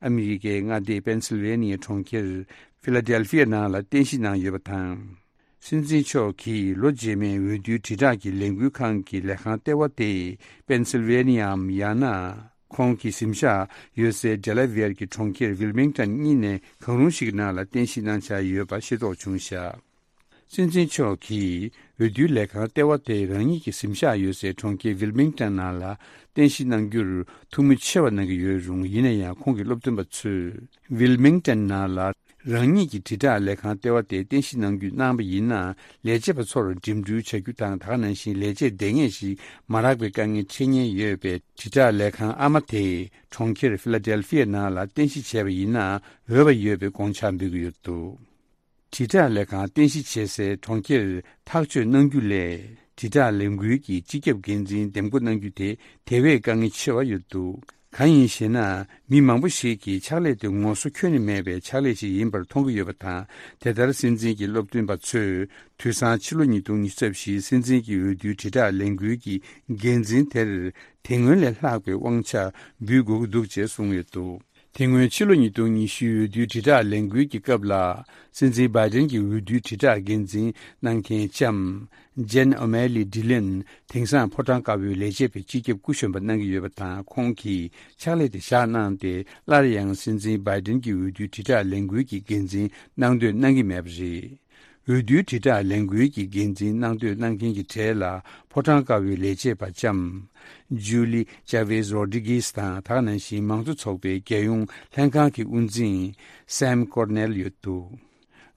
ཨ་མི་རི་ཀའི་མངའ་སྡེ་པེན་སིལ་ཝེ་ནི་ཡའི་གྲོང་ཁྱེར་ཕི་ལ་ཌེལ་ཕི་ཡ་ནང་ལ་རྟེན་གཞི་གནང་ཡོད་པ་དང་། སྲིད་འཛིན་མཆོག་གིས་ལོ་རྗེས་མའི་འོས་བསྡུའི་དྲིལ་བསྒྲགས་ཀྱི་ལས་འགུལ་ཁང་གི་ལས་ཁང་ལྟེ་བ་དེ་པེན་སིལ་ཝེ་ནི་ཡའམ་ཡང་ན་ཁོང་གི་གཟིམ་ཤག་ཡོད་སའི་ཌེ་ལ་ཝེར་གྱི་གྲོང་ཁྱེར་ཝིལ་མིང་ཊོན་གཉིས་ནས་གང་རུང་ཞིག་གི་ནང་ལ་རྟེན་གཞི་གནང་འཆར་ཡོད་པ་ཤེས་རྟོགས་བྱུང་བཞག་སྲིད་འཛིན་མཆོག་གིས་འོས་བསྡུའི་ལས་ཁང་ལྟེ་བ་དེ་རང་ཉིད་ཀྱི་གཟིམ་ཤག་ཡོད་སའི་གྲོང་ཁྱེར་ཝིལ་མིང་ཊོན་ནང་ལ་རྟེན་གཞི་གནང་རྒྱུར་ཐུགས་མོས་ཆེ་བ་གནང་གི་ཡོད་རུང་། ཡིན་ན་ཡང་ཁོང་གི་སློབ་སྟོན་པ་ཚོས་ཝིལ་མིང་ཊོན་ནང་ལ་རང་ཉིད་ཀྱི་དྲིལ་བསྒྲགས་ལས་ཁང་ལྟེ་བ་དེ་རྟེན་གཞི་གནང་རྒྱུ་གནང་པ་ཡིན་ན། ལས་བྱེད་པ་ཚོར་འགྲིམ་འགྲུལ་བྱ་རྒྱུ་དང་། ད་ག་ནང་བཞིན་ལས་བྱེད་བདེ་ངེས་ཤིག་མ་རག་པའི་དཀའ་ངལ་འཕྲད་ཉེན་ཡོད་པས། དྲིལ་བསྒྲགས་ལས་ཁང་ཨ་མ་དེ་གྲོང་ཁྱེར་ཕི་ལ་ཌེལ་ཕི་ཡ་ནང་ལ་རྟེན་གཞི་བྱས་པ་ཡིན་ན་འོས་པ་ཡོད་པའི་དགོངས་འཆར་འབུལ་གྱི་ཡོད་འདུག་དྲིལ་བསྒྲགས་ལས་ཁང་རྟེན་གཞི་བྱེད་སའི་གྲོང་ཁྱེར་ཐག་གཅོད་གནང་རྒྱུ་ལས། དྲིལ་བསྒྲགས་ལས་འགུལ་གྱི་སྤྱི་ཁྱབ་འགན་འཛིན་འདེམས་བསྐོ་གནང་རྒྱུ་དེ་དེ་བས་དཀའ་ངལ་ཆེ་བ་ཡོད་འདུག་གང་ཡིན་ཞེ་ན། མི་མང་པོ་ཞིག་གིས་ཕྱག་ལས་དེ་ངོ་སོ་ཁྱོན་ནས་མེད་པའི་ཕྱག་ལས་ཤིག་ཡིན་པར་མཐོང་གི་ཡོད་པ་དང་། དེ་ལྟར་སྲིད་འཛིན་གྱི་སློབ་སྟོན་པ་ཚོས་དུས་སང་ཕྱི་ལོ་ཉིས་སྟོང་ཉི་ཤུ་རྩ་བཞིའི་སྲིད་འཛིན་གྱི་འོས་བསྡུའི་དྲིལ་བསྒྲགས་ལས་འགུལ་གྱི་འགན་འཛིན་དེར་དེ་སྔོན་ལས་ལྷག་པའི་དབང་ཆ་འབུལ་དགོས་ཀྱི་འདུག་ཅེས་གསུངས་ཡོད་འདུག་དེ་སྔོན་ཕྱི་ལོ་ཉིས་སྟོང་ཉི་ཤུའི་འོས་བསྡུའི་དྲིལ་བསྒྲགས་ལས་འགུལ་གྱི་སྐབས་ལ། སྲིད་འཛིན་བྷའི་ཏན་གྱི་འོས་བསྡུའི་དྲིལ་བསྒྲགས་འགན་འཛིན་གནང་མཁན་ལྕམ་ཇེན་ཨོ་མེ་ལི་ཌི་ལན་དེང་སང་ཕོ་བྲང་དཀར་པོའི་ལས་བྱེད་པའི་སྤྱི་ཁྱབ་སྐུ་གཞོན་པ་གནང་གི་ཡོད་པ་དང་། ཁོང་གིས་ཕྱག་ལས་དེ་བཞག་གནང་སྟེ། སླར་ཡང་སྲིད་འཛིན་བྷའི་ཏན་གྱི་འོས་བསྡུའི་དྲིལ་བསྒྲགས་ལས་འགུལ་གྱི་འགན་འཛིན་གནང་འདོད་གནང་གི་མེད་པ་རེད། འོས་བསྡུའི་དྲིལ་བསྒྲགས་ལས་འགུལ་གྱི་འགན་འཛིན་གནང་འདོད་གནང་མཁན་གྱི་གྲས་ལ། ཕོ་བྲང་དཀར་པོའི་ལས་བྱེད་པ་ལྕམ་ཇུ་ལི་ཅཱ་ཝེས་རོ་ཌི་གིས་དང་། ད་ག་ནང་བཞིན་མང་གཙོ་ཚོགས་པའི་རྒྱལ་ཡོངས་ལྷན་ཁང་གི་དབུ་འཛིན་སེམ་ཀོར་ནེལ་ཡོད་འདུག་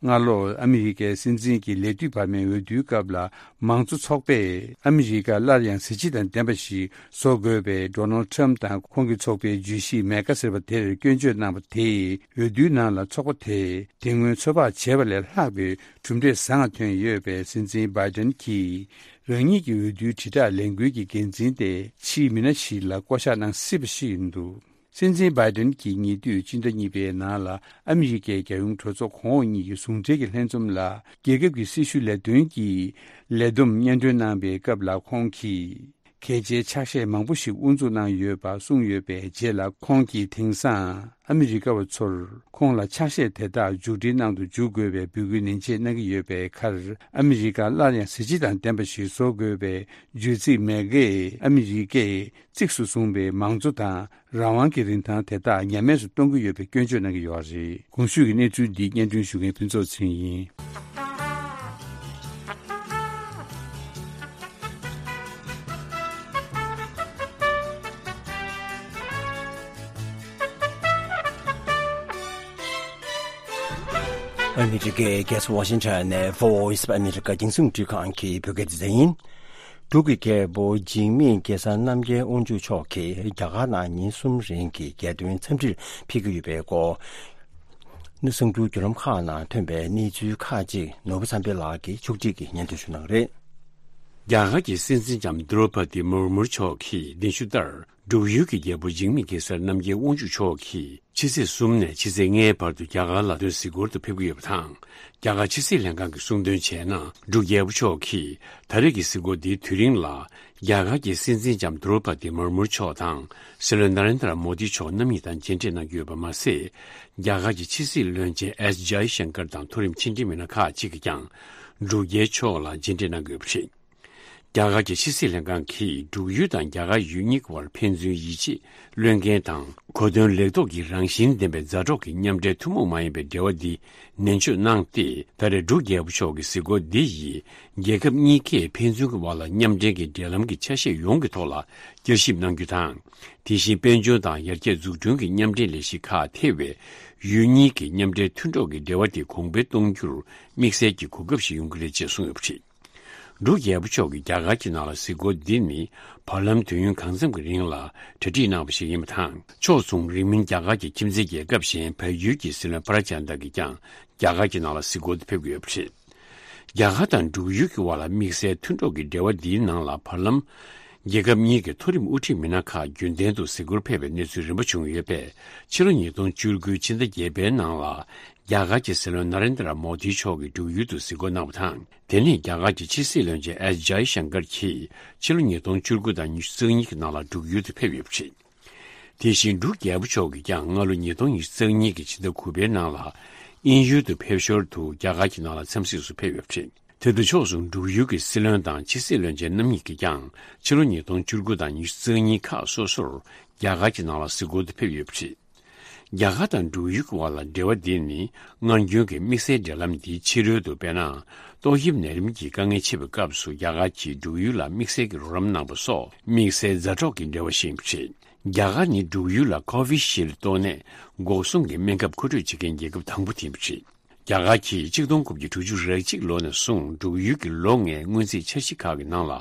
སྔ་ལོར་ཨ་མི་རི་ཀའི་སྲིད་འཛིན་གྱི་ལས་དུས་བར་མའི་འོས་བསྡུའི་སྐབས་ལ། མང་གཙོ་ཚོགས་པས་ཨ་མི་རི་ཀ་སླར་ཡང་གཟི་བརྗིད་དང་ལྡན་པ་ཞིག་བཟོ་དགོས་པའི་ཌོ་ནལ་ཌི་ཊརམ་ཕི་དང་ཁོང་གི་ཚོགས་པའི་བརྗོད་གཞི་མེ་གྷ་ཟེར་བ་དེར་སྐྱོན་བརྗོད་གནང་བ་དེས། འོས་བསྡུའི་ནང་ལ་ཚོགས་པ་དེས་དེ་སྔོན་ཚོད་དཔག་བྱས་པ་ལས་ལྷག་པའི་གྲུབ་འབྲས་བཟང་ང་ཐོན་ཡོད་པས། སྲིད་འཛིན་བྷའི་ཏན་གྱིས་རང་ཉིད་ཀྱི་འོས་བསྡུའི་དྲིལ་བསྒྲགས་ལས་འགུལ་གྱི་འགན་འཛིན་དེ་ཕྱིའི་མི་སྣ་ཞིག་ལ་བསྐོ་གཞག་གནང་སྲིད་པ་ཞིག་ཡིན་འདུག་སྲིད་འཛིན་བྷའི་ཏན་གྱིས་ཉེ་དུས་སྤྱི་ཟླ་གཉིས་པའི་ནང་ལ་ཨ་མི་རི་ཀའི་རྒྱལ་ཡོངས་གྲོས་ཚོགས་གོང་འོག་གཉིས་ཀྱི་ཟུང་འབྲེལ་གྱི་ལྷན་འཛོམས་ལ། རྒྱལ་ཁབ་ཀྱི་སྲི་ཞུ་ལས་དོན་གྱི་ལས་བསྡོམས་སྙན་སྒྲོན་གནང་པའི་སྐབས་ལ། ཁོང་གིས་གལ་ཆེའི་ཕྱག་བཞེས་མང་པོ་ཞིག་དབུ་འཛུགས་གནང་ཡོད་པ་གསུངས་ཡོད་པའི་རྗེས་ལ། ཁོང་གིས་དེང་སང་ཨ་མི་རི་ཀ་བ་ཚོར་ཁོང་ལ་ཕྱག་བཞེས་དེ་དག་མཇུག་སྒྲིལ་གནང་དུ་འཇུག་དགོས་པའི་འབོད་སྐུལ་ནན་ཆེ་གནང་གི་ཡོད་པའི་ཁར། ཨ་མི་རི་ཀ་སླར་ཡང་གཟི་བརྗིད་དང་ལྡན་པ་ཞིག་བཟོ་དགོས་པའི་བརྗོད་ཚིག་མེ་གྷས་ཨ་མི་རི་ཀས་གཙིགས་སུ་བཟུང་པའི་མང་གཙོ་དང་རང་དབང་གི་རིན་ཐང་དེ་དག་ཉམས་དམས་སུ་གཏོང་གི་ཡོད་པའི་སྐྱོན་བརྗོད་གནང་གི་ཡོད་པ་རེད། གོང་ཞུས་ཀྱི་གནས་ཚུལ་འདི་སྙན་སྒྲོན་ཞུ་མཁན་ཕུན་ཚོགས་ཚེ་རིང་ཡིན། ཨ་མི་རི་ཀའི་རྒྱལ་ས་ཝ་ཤིང་ཊོན་ནས་Voice of America་རྒྱང་སྲིང་རླུང་འཕྲིན་ཁང་གི་བོད་སྐད་སྡེ་ཚན་ཡིན། འབྲུག་གི་རྒྱལ་པོ་འཇིགས་མེད་གེ་སར་རྣམ་རྒྱལ་དབང་ཕྱུག་མཆོག་གིས་རྒྱ་གར་ནང་ཉིན་གསུམ་རིང་གི་རྒྱལ་སྟོན་འཚམས་འདྲིར་ཕེབས་ཀྱི་ཡོད་པའི་སྐོར། གསར་འགྱུར་བརྒྱུད་ལམ་ཁག་ནང་ཐོན་པའི་གནས་ཚུལ་ཁག་ཅིག་ནོར་བུ་བསམ་འཕེལ་ལགས་ཀྱིས་ཕྱོགས་སྒྲིག་གིས་སྙན་སྒྲོན་ཞུ་གནང་གི་རེད། རྒྱ་གར་གྱི་སྲིད་འཛིན་ལྕམ་དྲོ་པ་ཏི་མུར་མུར་མཆོག་གིས་གདན་ཞུ་ལྟར། འབྲུག་ཡུལ་གྱི་རྒྱལ་པོ་འཇིགས་མེད་གེ་སར་རྣམ་རྒྱལ་དབང་ཕྱུག་མཆོག་གིས་ཕྱི་ཚེས་གསུམ་ནས་ཕྱི་ཚེས་ལྔའི་བར་དུ་རྒྱ་གར་ལ་སྡོད་གཟིགས་སྐོར་དུ་ཕེབས་ཀྱི་ཡོད་པ་དང་། རྒྱ་གར་ཕྱི་སྲིད་ལྷན་ཁང་གིས་གསུངས་དོན་བྱས་ན། འབྲུག་རྒྱལ་པོ་མཆོག་གིས་ད་རེས་ཀྱི་གཟིགས་སྐོར་འདིའི་དུས་རིང་ལ། རྒྱ་གར་གྱི་སྲིད་འཛིན་ལྕམ་དྲོ་པ་ཏི་མུར་མུར་མཆོག་དང་། སྲིད་བློན་ན་རེན་དྲ་མོ་དི་མཆོག་རྣམ་གཉིས་དང་མཇལ་འཕྲད་གནང་གི་ཡོད་པ་མ་ཟད། རྒྱ་གར་གྱི་ཕྱི་སྲིད་བློན་ཆེན་ཨེས་ཇའི་ཤང་ཀར་དང་མཐོ་རིམ་ཕྱི་འབྲེལ་མི་སྣ་ཁག་ཅིག་གིས་ཀྱང་། འབྲུག་རྒྱལ་མཆོག་ལ་མཇལ་འཕྲད་གནང་གི་ཡོད་པ་རེད། རྒྱ་གར་གྱི་ཕྱི་སྲིད་ལྷན་ཁང་གིས་འབྲུག་ཡུལ་དང་རྒྱ་གར་ཡུལ་གཉིས་ཀྱི་བར་ཕན་ཚུན་ཡིད་ཆེས་བློས་འགེལ་དང་གོ་དོན་ལེགས་རྟོགས་ཀྱི་རང་བཞིན་ལྡན་པའི་མཛའ་གྲོགས་ཀྱི་མཉམ་འབྲེལ་ཐུན་མོང་མ་ཡིན་པའི་འབྲེལ་བ་འདི་ནན་བརྗོད་གནང་སྟེ། ད་རེས་འབྲུག་རྒྱལ་པོ་མཆོག་གི་གཟིགས་སྐོར་འདི་ཡིས་རྒྱལ་ཁབ་གཉིས་ཀས་ཕན་ཚུན་གྱི་བར་ལ་མཉམ་འབྲེལ་གྱི་འབྲེལ་ལམ་གྱི་ཆ་ཤས་ཡོངས་ཀྱི་ཐོག་ལ་བསྐྱར་ཞིབ་གནང་རྒྱུ་དང་། དེ་བཞིན་དཔལ་འབྱོར་དང་ཡར་རྒྱས་འཛུགས་སྐྲུན་གྱི་མཉམ་འབྲེལ་ལས་གཞི་ཁག་ཐེ་བའི་ཡུལ་གཉིས་ཀྱི་མཉམ་འབྲེལ་མཐུན་གྲོགས་ཀྱི་འབྲེལ་བ་དེ་གོང་འཕེལ་གཏོང་རྒྱུར་དམིགས་བསལ་གྱི་གོ་སྐབས་ཤིག་ཡོང་གི་རེད་ཅེས་གསུངས་ཡོད་པ་རེད། འབྲུག་རྒྱལ་པོ་མཆོག་གིས་རྒྱ་གར་གྱི་ནང་ལ་གཟིགས་སྐོར་འདི་ནི་བར་ལམ་དུས་ཡུན་གང་འཚམ་གྱི་རིང་ལ་གྲ་སྒྲིག་གནང་བ་ཞིག་ཡིན་པ་དང་། ཕྱོགས་མཚུངས་རིང་མིན་རྒྱ་གར་གྱི་ཁྱིམ་མཚེས་རྒྱལ་ཁབ་གཞན་བལ་ཡུལ་གྱི་སྲིད་བློན་པྲ་ཅན་དག་གིས་ཀྱང་རྒྱ་གར་གྱི་ནང་ལ་གཟིགས་སྐོར་དུ་ཕེབས་ཀྱི་ཡོད་པ་རེད། རྒྱ་གར་དང་འབྲུག་ཡུལ་གྱི་བར་ལ་དམིགས་བསལ་མཐུན་གྲོགས་ཀྱི་འབྲེལ་བ་འདིའི་ནང་ལ་བར་ལམ། རྒྱལ་ཁབ་གཉིས་ཀྱི་མཐོ་རིམ་དབུ་ཁྲིད་མི་སྣ་ཁག་རྒྱུན་ལྡན་དུ་གཟིགས་སྐོར་ཕེབས་པའི་གནས་ཚུལ་རིམ་པ་བྱུང་ཡོད་པས། ཕྱི་ལོ་ཉིས་སྟོང་བཅུ་དགུ་ཕྱི་ཟླ་བརྒྱད་པའི་ནང་ལ། རྒྱ་གར་གྱི་སྲིད་བློན་ན་རེན་དྲ་མོ་དི་མཆོག་གིས་འབྲུག་ཡུལ་དུ་གཟིགས་སྐོར་གནང་བ་དང་། དེ་ནས་རྒྱ་གར་གྱི་ཕྱི་སྲིད་བློན་ཆེན་ཨེས་ཇའི་ཤང་ཀར་གྱིས་ཕྱི་ལོ་ཉིས་སྟོང་བཅུ་དགུ་དང་ཉི་ཤུ་རྩ་གཉིས་ཀྱི་ནང་ལ་འབྲུག་ཡུལ་དུ་ཕེབས་ཡོད་པ་རེད། དེ་བཞིན་འབྲུག་རྒྱལ་པོ་མཆོག་གིས་ཀྱང་སྔ་ལོ་ཉིས་སྟོང་ཉི་ཤུ་རྩ་གཉིས་ཀྱི་ཕྱི་ཟླ་དགུ་པའི་ནང་ལ་དབྱིན་ཡུལ་དུ་ཕེབས་ཞོར་དུ་རྒྱ་གར་གྱི་ནང་ལ་འཚམས་གཟིགས་སུ་ཕེབས་ཡོད་པ་རེད། དེ་དུས་ཕྱོགས་སུ་འབྲུག་ཡུལ་གྱི་སྲིད་བློན་དང་ཕྱི་སྲིད་བློན་ཆེན་རྣམ་གཉིས་ཀྱིས་ཀྱང་ཕྱི་ལོ་ཉིས་སྟོང་བཅུ་དགུ་དང་ཉི་ཤུ་རྩ་གཉིས་ཁག་སོ་སོར་རྒྱ་གར་གྱི་ནང་ལ་གཟིགས་སྐོར་དུ་ཕེབས་ཡོད་པ་རེད། རྒྱ་གར་དང་འབྲུག་ཡུལ་གྱི་བར་ལ་འབྲེལ་བ་འདི་ནི་སྔར་རྒྱུན་གྱི་དམིགས་བསལ་འབྲེལ་ལམ་འདིའི་ཕྱི་རོལ་དུ། དཔེར་ན། ཏོག་དབྱིབས་ནད་རིམས་ཀྱི་དཀའ་ངལ་ཆེ་བའི་སྐབས་སུ་རྒྱ་གར་གྱིས་འབྲུག་ཡུལ་ལ་དམིགས་བསལ་གྱི་རོགས་རམ་གནང་པ་སོགས་དམིགས་བསལ་མཛའ་གྲོགས་ཀྱི་འབྲེལ་བ་ཞིག་ཡིན་པ་རེད། རྒྱ་གར་ནི་འབྲུག་ཡུལ་ལ་ཀོ་ཝི་ཤིལ་ཏོག་ནད་འགོག་སྲུང་གི་སྨན་ཁབ་མཁོ་སྤྲོད་བྱེད་མཁན་རྒྱལ་ཁབ་དང་པོ་དེ་ཡིན་པ་རེད། རྒྱ་གར་གྱིས་ཆིག་སྟོང་དགུ་བརྒྱ་དྲུག་ཅུ་རེ་གཅིག་ལོ་ནས་བཟུང་འབྲུག་ཡུལ་གྱི་ལོ་ལྔའི་སྔོན་རྩིས་འཆར་གཞི་ཁག་གི་ནང་ལ་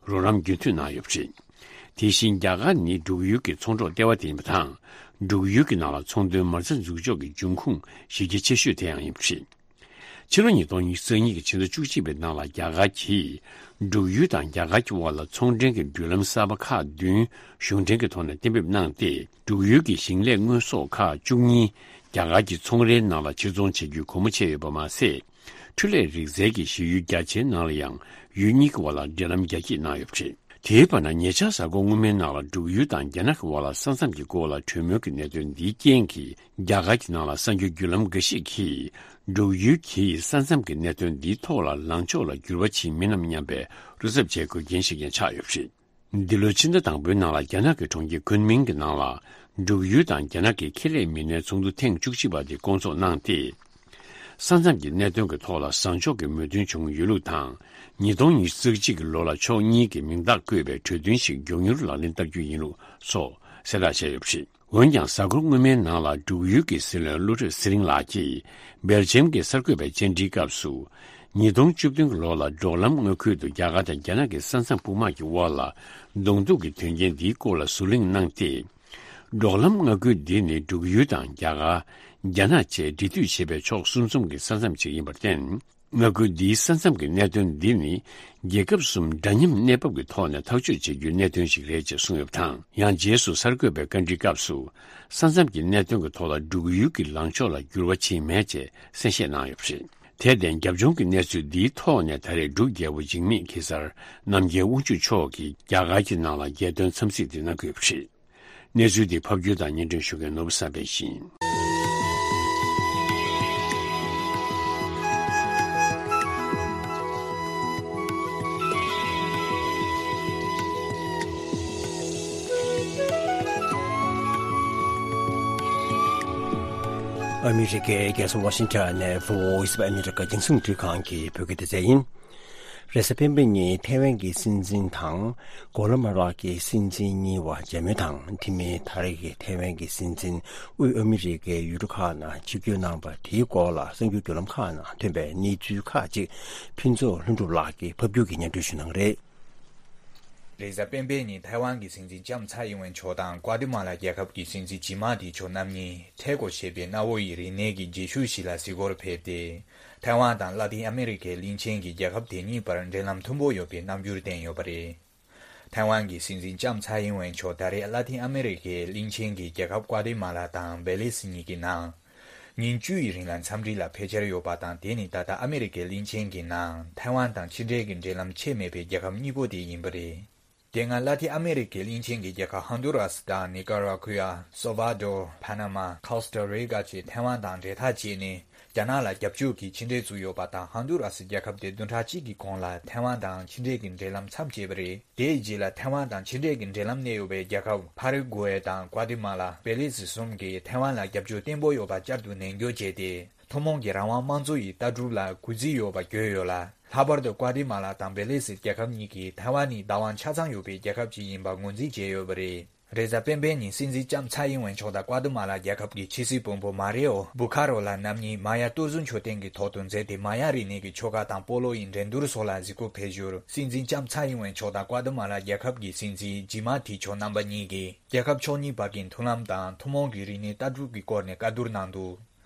རོགས་རམ་རྒྱུན་མཐུད་གནང་ཡོད་པ་རེད། དེ་བཞིན་རྒྱ་གར་ནི་འབྲུག་ཡུལ་གྱི་ཚོང་གྲོགས་ལྟེ་བ་དེ་ཡིན་པ་དང་། འབྲུག་ཡུལ་གྱི་ནང་ལ་ཚོང་དོན་མ་རྩ་འཛུགས་འཇོག་གི་འབྱུང་ཁུངས་གཞི་རྒྱ་ཆེ་ཤོས་དེ་ཡང་ཡིན་པ་རེད། ཕྱི་ལོ་ཉིས་སྟོང་ཉི་ཤུ་རྩ་གཉིས་ཀྱི་ཕྱི་ཟླ་བཅུ་གཅིག་པའི་ནང་ལ་རྒྱ་གར་གྱིས་འབྲུག་ཡུལ་དང་རྒྱ་གར་གྱི་དབར་ལ་ཚོང་འབྲེལ་གྱི་མདུན་ལམ་གསར་པ་ཁག་བདུན་གཞུང་འབྲེལ་གྱི་ཐོག་ནས་གཏན་འབེབས་གནང་སྟེ། འབྲུག་ཡུལ་གྱི་ཞིང་ལས་དངོས་ཟོག་ཁག་བཅུ་གཉིས་རྒྱ་གར་གྱི་ཚོང་རའི་ནང་ལ་ཕྱིར་ཚོང་བྱེད་རྒྱུའི་སྒོ་མོ་ཕྱེ་ཡོད་པ་མ་ཟད། འཕྲུལ་ལས་རིག་རྩལ་གྱི་གཞི་ཡུལ་རྒྱ་ཆེའི་ནང་ལ་ཡང་ཡུལ་གཉིས་ཀྱི་བར་ལ་འབྲེལ་ལམ་རྒྱ་སྐྱེད་གནང་ཡོད་པ་རེད། དེའི་བར་ན་ཉེ་ཆར་གཟའ་འཁོར་སྔོན་མའི་ནང་ལ་འབྲུག་ཡུལ་དང་རྒྱ་ནག་གི་དབར་ལ་ས་མཚམས་ཀྱི་སྐོར་ལ་གྲོས་མོལ་གྱི་གནད་དོན་འདིའི་རྐྱེན་གྱིས། རྒྱ་གར་གྱི་ནང་ལ་གསར་འགྱུར་བརྒྱུད་ལམ་འགའ་ཞིག་གིས། འབྲུག་ཡུལ་གྱིས་ས་མཚམས་ཀྱི་གནད་དོན་འདིའི་ཐོག་ལ་ལངས་ཕྱོགས་ལ་འགྱུར་བ་ཕྱིན་མིན་ནམ་སྙམ་པའི་བློ་འཚབ་བྱེད་དགོས་རྐྱེན་ཞིག་ཀྱང་ཆགས་ཡོད་པ་རེད། འདི་ལོའི་ཕྱི་ཟླ་དང་པོའི་ནང་ལ་རྒྱ་ནག་གི་གྲོང་ཁྱེར་ཁུན་མིང་གི་ནང་ལ། འབྲུག་ཡུལ་དང་རྒྱ་ནག་གི་ཁེ་ལས་མི་སྣའི་ཚོགས་འདུ་ཐེངས་བཅུ་གཅིག་པ་དེ་བསྐོང་ཚོགས་གནང་སྟེ། ས་མཚམས་ཀྱི་གནད་དོན་གྱི་ཐོག་ལ་བཟང་ཕྱོགས་ཀྱི་མོས་མཐུན་བྱུང་ཡོད་ལུགས་དང་། ཉིས་སྟོང་ཉི་ཤུ་རྩ་གཅིག་གི་ལོ་ལ་ཕྱོགས་གཉིས་ཀྱིས་མིང་རྟགས་བཀོད་པའི་གྲོས་མཐུན་ཞིག་མགྱོགས་མྱུར་ལག་ལེན་བསྟར་རྒྱུ་ཡིན་ལུགས་སོགས་གསལ་བསྒྲགས་བྱས་ཡོད་པ་རེད། འོན་ཀྱང་། གཟའ་འཁོར་སྔོན་མའི་ནང་ལ་འབྲུག་ཡུལ་གྱི་སྲིད་བློན་བློ་གྲོས་ཚེ་རིང་ལགས་ཀྱིས་སྦེལ་ཇམ་གྱི་གསར་འགོད་པའི་བཅར་འདྲིའི་སྐབས་སུ། ཉིས་སྟོང་བཅུ་བདུན་གྱི་ལོ་ལ་འབྲོག་ལམ་མངའ་ཁུལ་དུ་རྒྱ་གར་དང་རྒྱ་ནག་གི་ས་མཚམས་དཔུང་དམག་གི་དབར་ལ་གདོང་ཐུག་གི་དོན་རྐྱེན་འདིའི་སྐོར་ལ་ཟུར་གླེང་གནང་སྟེ། འབྲོག་ལམ་མངའ་ཁུལ་འདི་ནི་འབྲུག་ཡུལ་དང་རྒྱ་གར། རྒྱ་ནག་བཅས་འབྲེལ་མཐུད་བྱེད་པའི་ཕྱོགས་གསུམ་གསུམ་གྱི་ས་མཚམས་ཤིག་ཡིན་པར་བརྟེན། མངའ་ཁུལ་འདིའི་ས་མཚམས་ཀྱི་གནད་དོན་འདི་ནི། རྒྱལ་ཁབ་གསུམ་འདྲ་མཉམ་གནས་བབ་ཀྱི་ཐོག་ནས་ཐག་གཅོད་བྱེད་རྒྱུའི་གནད་དོན་ཞིག་རེད་ཅེས་གསུངས་ཡོད་པ་དང་། ཡང་རྗེས་སུ་གསར་འགོད་པའི་བཀའ་འདྲིའི་སྐབས་སུ། ས་མཚམས་ཀྱི་གནད་དོན་གྱི་ཐོག་ལ་འབྲུག་ཡུལ་གྱི་ལངས་ཕྱོགས་ལ་འགྱུར་བ་ཕྱིན་མེད་ཅེས་གསལ་བཤད་གནང་ཡོད་པ་རེད། དེར་བརྟེན། རྒྱབ་ལྗོངས་ཀྱི་གནས་ཚུལ་འདིའི་ཐོག་ནས་ད་རེས་འབྲུག་རྒྱལ་པོ་འཇིགས་མེད་གེ་སར་རྣམ་རྒྱལ་དབང་ཕྱུག་མཆོག་གིས་རྒྱ་གར་གྱི་ནང་ལ་རྒྱལ་དོན་འཚམས་གཟིགས་དེ་གནང་གི་ཡོད་པ་རེད། གནས་ཚུལ་འདི་ཕབ་སྒྱུར་དང་སྙན་སྒྲོན་ཞུ་མཁན་ནོར་བུ་བསམ་འཕེལ་ཡིན། ཨ་མི་རི་ཀའི་རྒྱལ་ས་ཝ་ཤིང་ཊོན་ནས་Voice of America རྒྱང་སྲིང་རླུང་འཕྲིན་ཁང་གི་བོད་སྐད་སྡེ་ཚན་ཡིན། རེས་གཟའ་སྤེན་པ་ཉིན་ཐའེ་ཝན་གྱི་སྲིད་འཛིན་དང་གོ་ལ་མ་རག་གི་སྲིད་འཛིན་གཉིས་བར་མཇལ་མོལ་དང་། དེ་མིན་ད་རེས་ཀྱི་ཐའེ་ཝན་གྱི་སྲིད་འཛིན་དབུས་ཨ་མི་རི་ཀའི་ཡུལ་གྲུ་ཁག་ནང་ཆིབས་བསྒྱུར་གནང་བ་དེའི་སྐོར་ལ་གསར་འགྱུར་བརྒྱུད་ལམ་ཁག་ནང་ཐོན་པའི་གནས་ཚུལ་ཁག་ཅིག་ཕུན་ཚོགས་ལྷུན་གྲུབ་ལགས་ཀྱིས་ཕབ་སྒྱུར་གྱིས་སྙན་སྒྲོན་ཞུ་གནང་གི་རེད། རེས་གཟའ་སྤེན་པའི་ཉིན་ཐའེ་ཝན་གྱི་སྲིད་འཛིན་ལྕམ་ཚའེ་ཨིན་ཝེན་མཆོག་དང་ཀྭ་ཏི་མ་ལ་རྒྱལ་ཁབ་ཀྱི་སྲིད་འཛིན་ཇི་མ་ཏི་མཆོག་རྣམ་གཉིས་ཐེ་གོ་ཞེས་པའི་གནའ་བོ་ཡི་རིག་གནས་ཀྱི་རྗེས་ཤུལ་ཞིག་ལ་གཟིགས་སྐོར་ཕེབས་ཏེ། ཐའེ་ཝན་དང་ལ་ཏིན་ཨ་མེ་རི་ཁའི་གླིང་ཆེན་གྱི་རྒྱལ་ཁབ་དེ་གཉིས་བར་འབྲེལ་ལམ་མཐུན་པོ་ཡོད་པའི་རྣམ་འགྱུར་བསྟན་ཡོད་པ་རེད། ཐའེ་ཝན་གྱི་སྲིད་འཛིན་ལྕམ་ཚའེ་ཨིན་ཝེན་མཆོག་ད་རེས་ལ་ཏིན་ཨ་མེ་རི་ཁའི་གླིང་ཆེན་གྱི་རྒྱལ་ཁབ་ཀྭ་ཏི་མ་ལ་དང་བེ་ལི་སི་གཉིས་ཀྱི་ནང་ཉིན་བཅུ་ཡི་རིང་ལ་འཚམས་འདྲི་ལ་ཕེབས་འཆར་ཡོད་པ་དང་། དེ་ནི་ད་ལྟ་ཨ་མེ་རི་ཁའི་གླིང་ཆེན་གྱི་ནང་ཐའེ་ཝན་དང་ཕྱི་འབྲེལ་གྱི་འབྲེལ་ལམ་ཆད་མེད་པའི་རྒྱལ་ཁབ་གཉིས་པོ་དེ་ཡིན་པ་རེད། དེ་སྔ་ལ་ཏིན་ཨ་མེ་རི་ཀའི་གླིང་ཆེན་གྱི་རྒྱལ་ཁབ་ཧོན་དུ་ར་སི་དང་ནི་ཀ་ར་གུ་ཡ། སོལ་ཝ་དོར། པ་ན་མ། ཁོ་སྟ་རི་ཀ་བཅས་ཐའེ་ཝན་དང་འབྲེལ་ཐག་བཅད་ནས། རྒྱ་ནག་ལ་རྒྱབ་སྐྱོར་གྱི་ཕྱི་འབྲེལ་བཙུགས་ཡོད་པ་དང་། ཧོན་དུ་ར་སི་རྒྱལ་ཁབ་དེ་བདུན་ཕྲག་གཅིག་གི་གོང་ལ་ཐའེ་ཝན་དང་ཕྱི་འབྲེལ་གྱི་འབྲེལ་ལམ་མཚམས་བཅད་པ་རེད། དེའི་རྗེས་ལ་ཐའེ་ཝན་དང་ཕྱི་འབྲེལ་གྱི་འབྲེལ་ལམ་གནས་ཡོད་པའི་རྒྱལ་ཁབ་ཕ་ར་གུ་ཝེ་དང་ཀོ་ཏི་མ་ལ། བེ་ལི་སི་གསུམ་གྱིས་ཐའེ་ཝན་ལ་རྒྱབ་སྐྱོར་བརྟན་པོ་ཡོད་པ་བསྐྱར་དུ་ནན་སྐྱོར་བྱས་ཏེ། ཐུན་མོང་གི་རང་དབང་དམངས་གཙོ་ཡི་ལྟ་གྲུབ་ལ་གུས་བརྩི་ཡོད་པ་བརྗོད་ཡོད་ལ། ལྷག་པར་དུ་ཀོ་ཏི་མ་ལ་དང་བེ་ལི་སི་རྒྱལ་ཁབ་གཉིས་ཀྱིས་ཐའེ་ཝན་ནི་བདག་དབང་ཆ་ཚང་ཡོད་པའི་རྒྱལ་ཁབ་ཅིག་ཡིན་པ་ངོས་འཛིན་བྱས་ཡོད་པ་རེད། རེས་གཟའ་སྤེན་པའི་ཉིན་སྲིད་འཛིན་ལྕམ་ཚའེ་ཨིན་ཝེན་མཆོག་དང་ཀོ་ཏི་མ་ལ་རྒྱལ་ཁབ་ཀྱི་ཕྱི་སྲིད་བློན་པོ་མ་རི་ཨོ་བུ་ཁ་རོ་ལ་རྣམ་གཉིས་མ་ཡ་སྟོད་གཟུགས་མཆོད་རྟེན་གྱི་ཐོག་ཏུ་འཛུལ་ཏེ། མ་ཡ་རིག་གནས་ཀྱི་ཆོ་ག་དང་སྤོ་ལོ་ཡི་འགྲན་བསྡུར་སོགས་ལ་གཟིགས་སྐོར་ཕེབས་ཞོར། སྲིད་འཛིན་ལྕམ་ཚའེ་ཨིན་ཝེན་མཆོག་དང་ཀོ་ཏི་མ་ལ་རྒྱལ་ཁབ་ཀྱི་སྲིད་འཛིན་ཇི་མ་ཐི་མཆོག་རྣམ་པ་གཉིས་ཀྱིས་རྒྱལ་ཁབ་ཕྱོགས་གཉིས་བར་གྱི་མཐུན་ལམ་དང་ཐུན་མོང་གི་རིག་གནས་ལྟ་གྲུབ་ཀྱི་སྐོར་ནས་བཀའ་བསྡུར་གནང་འདུག་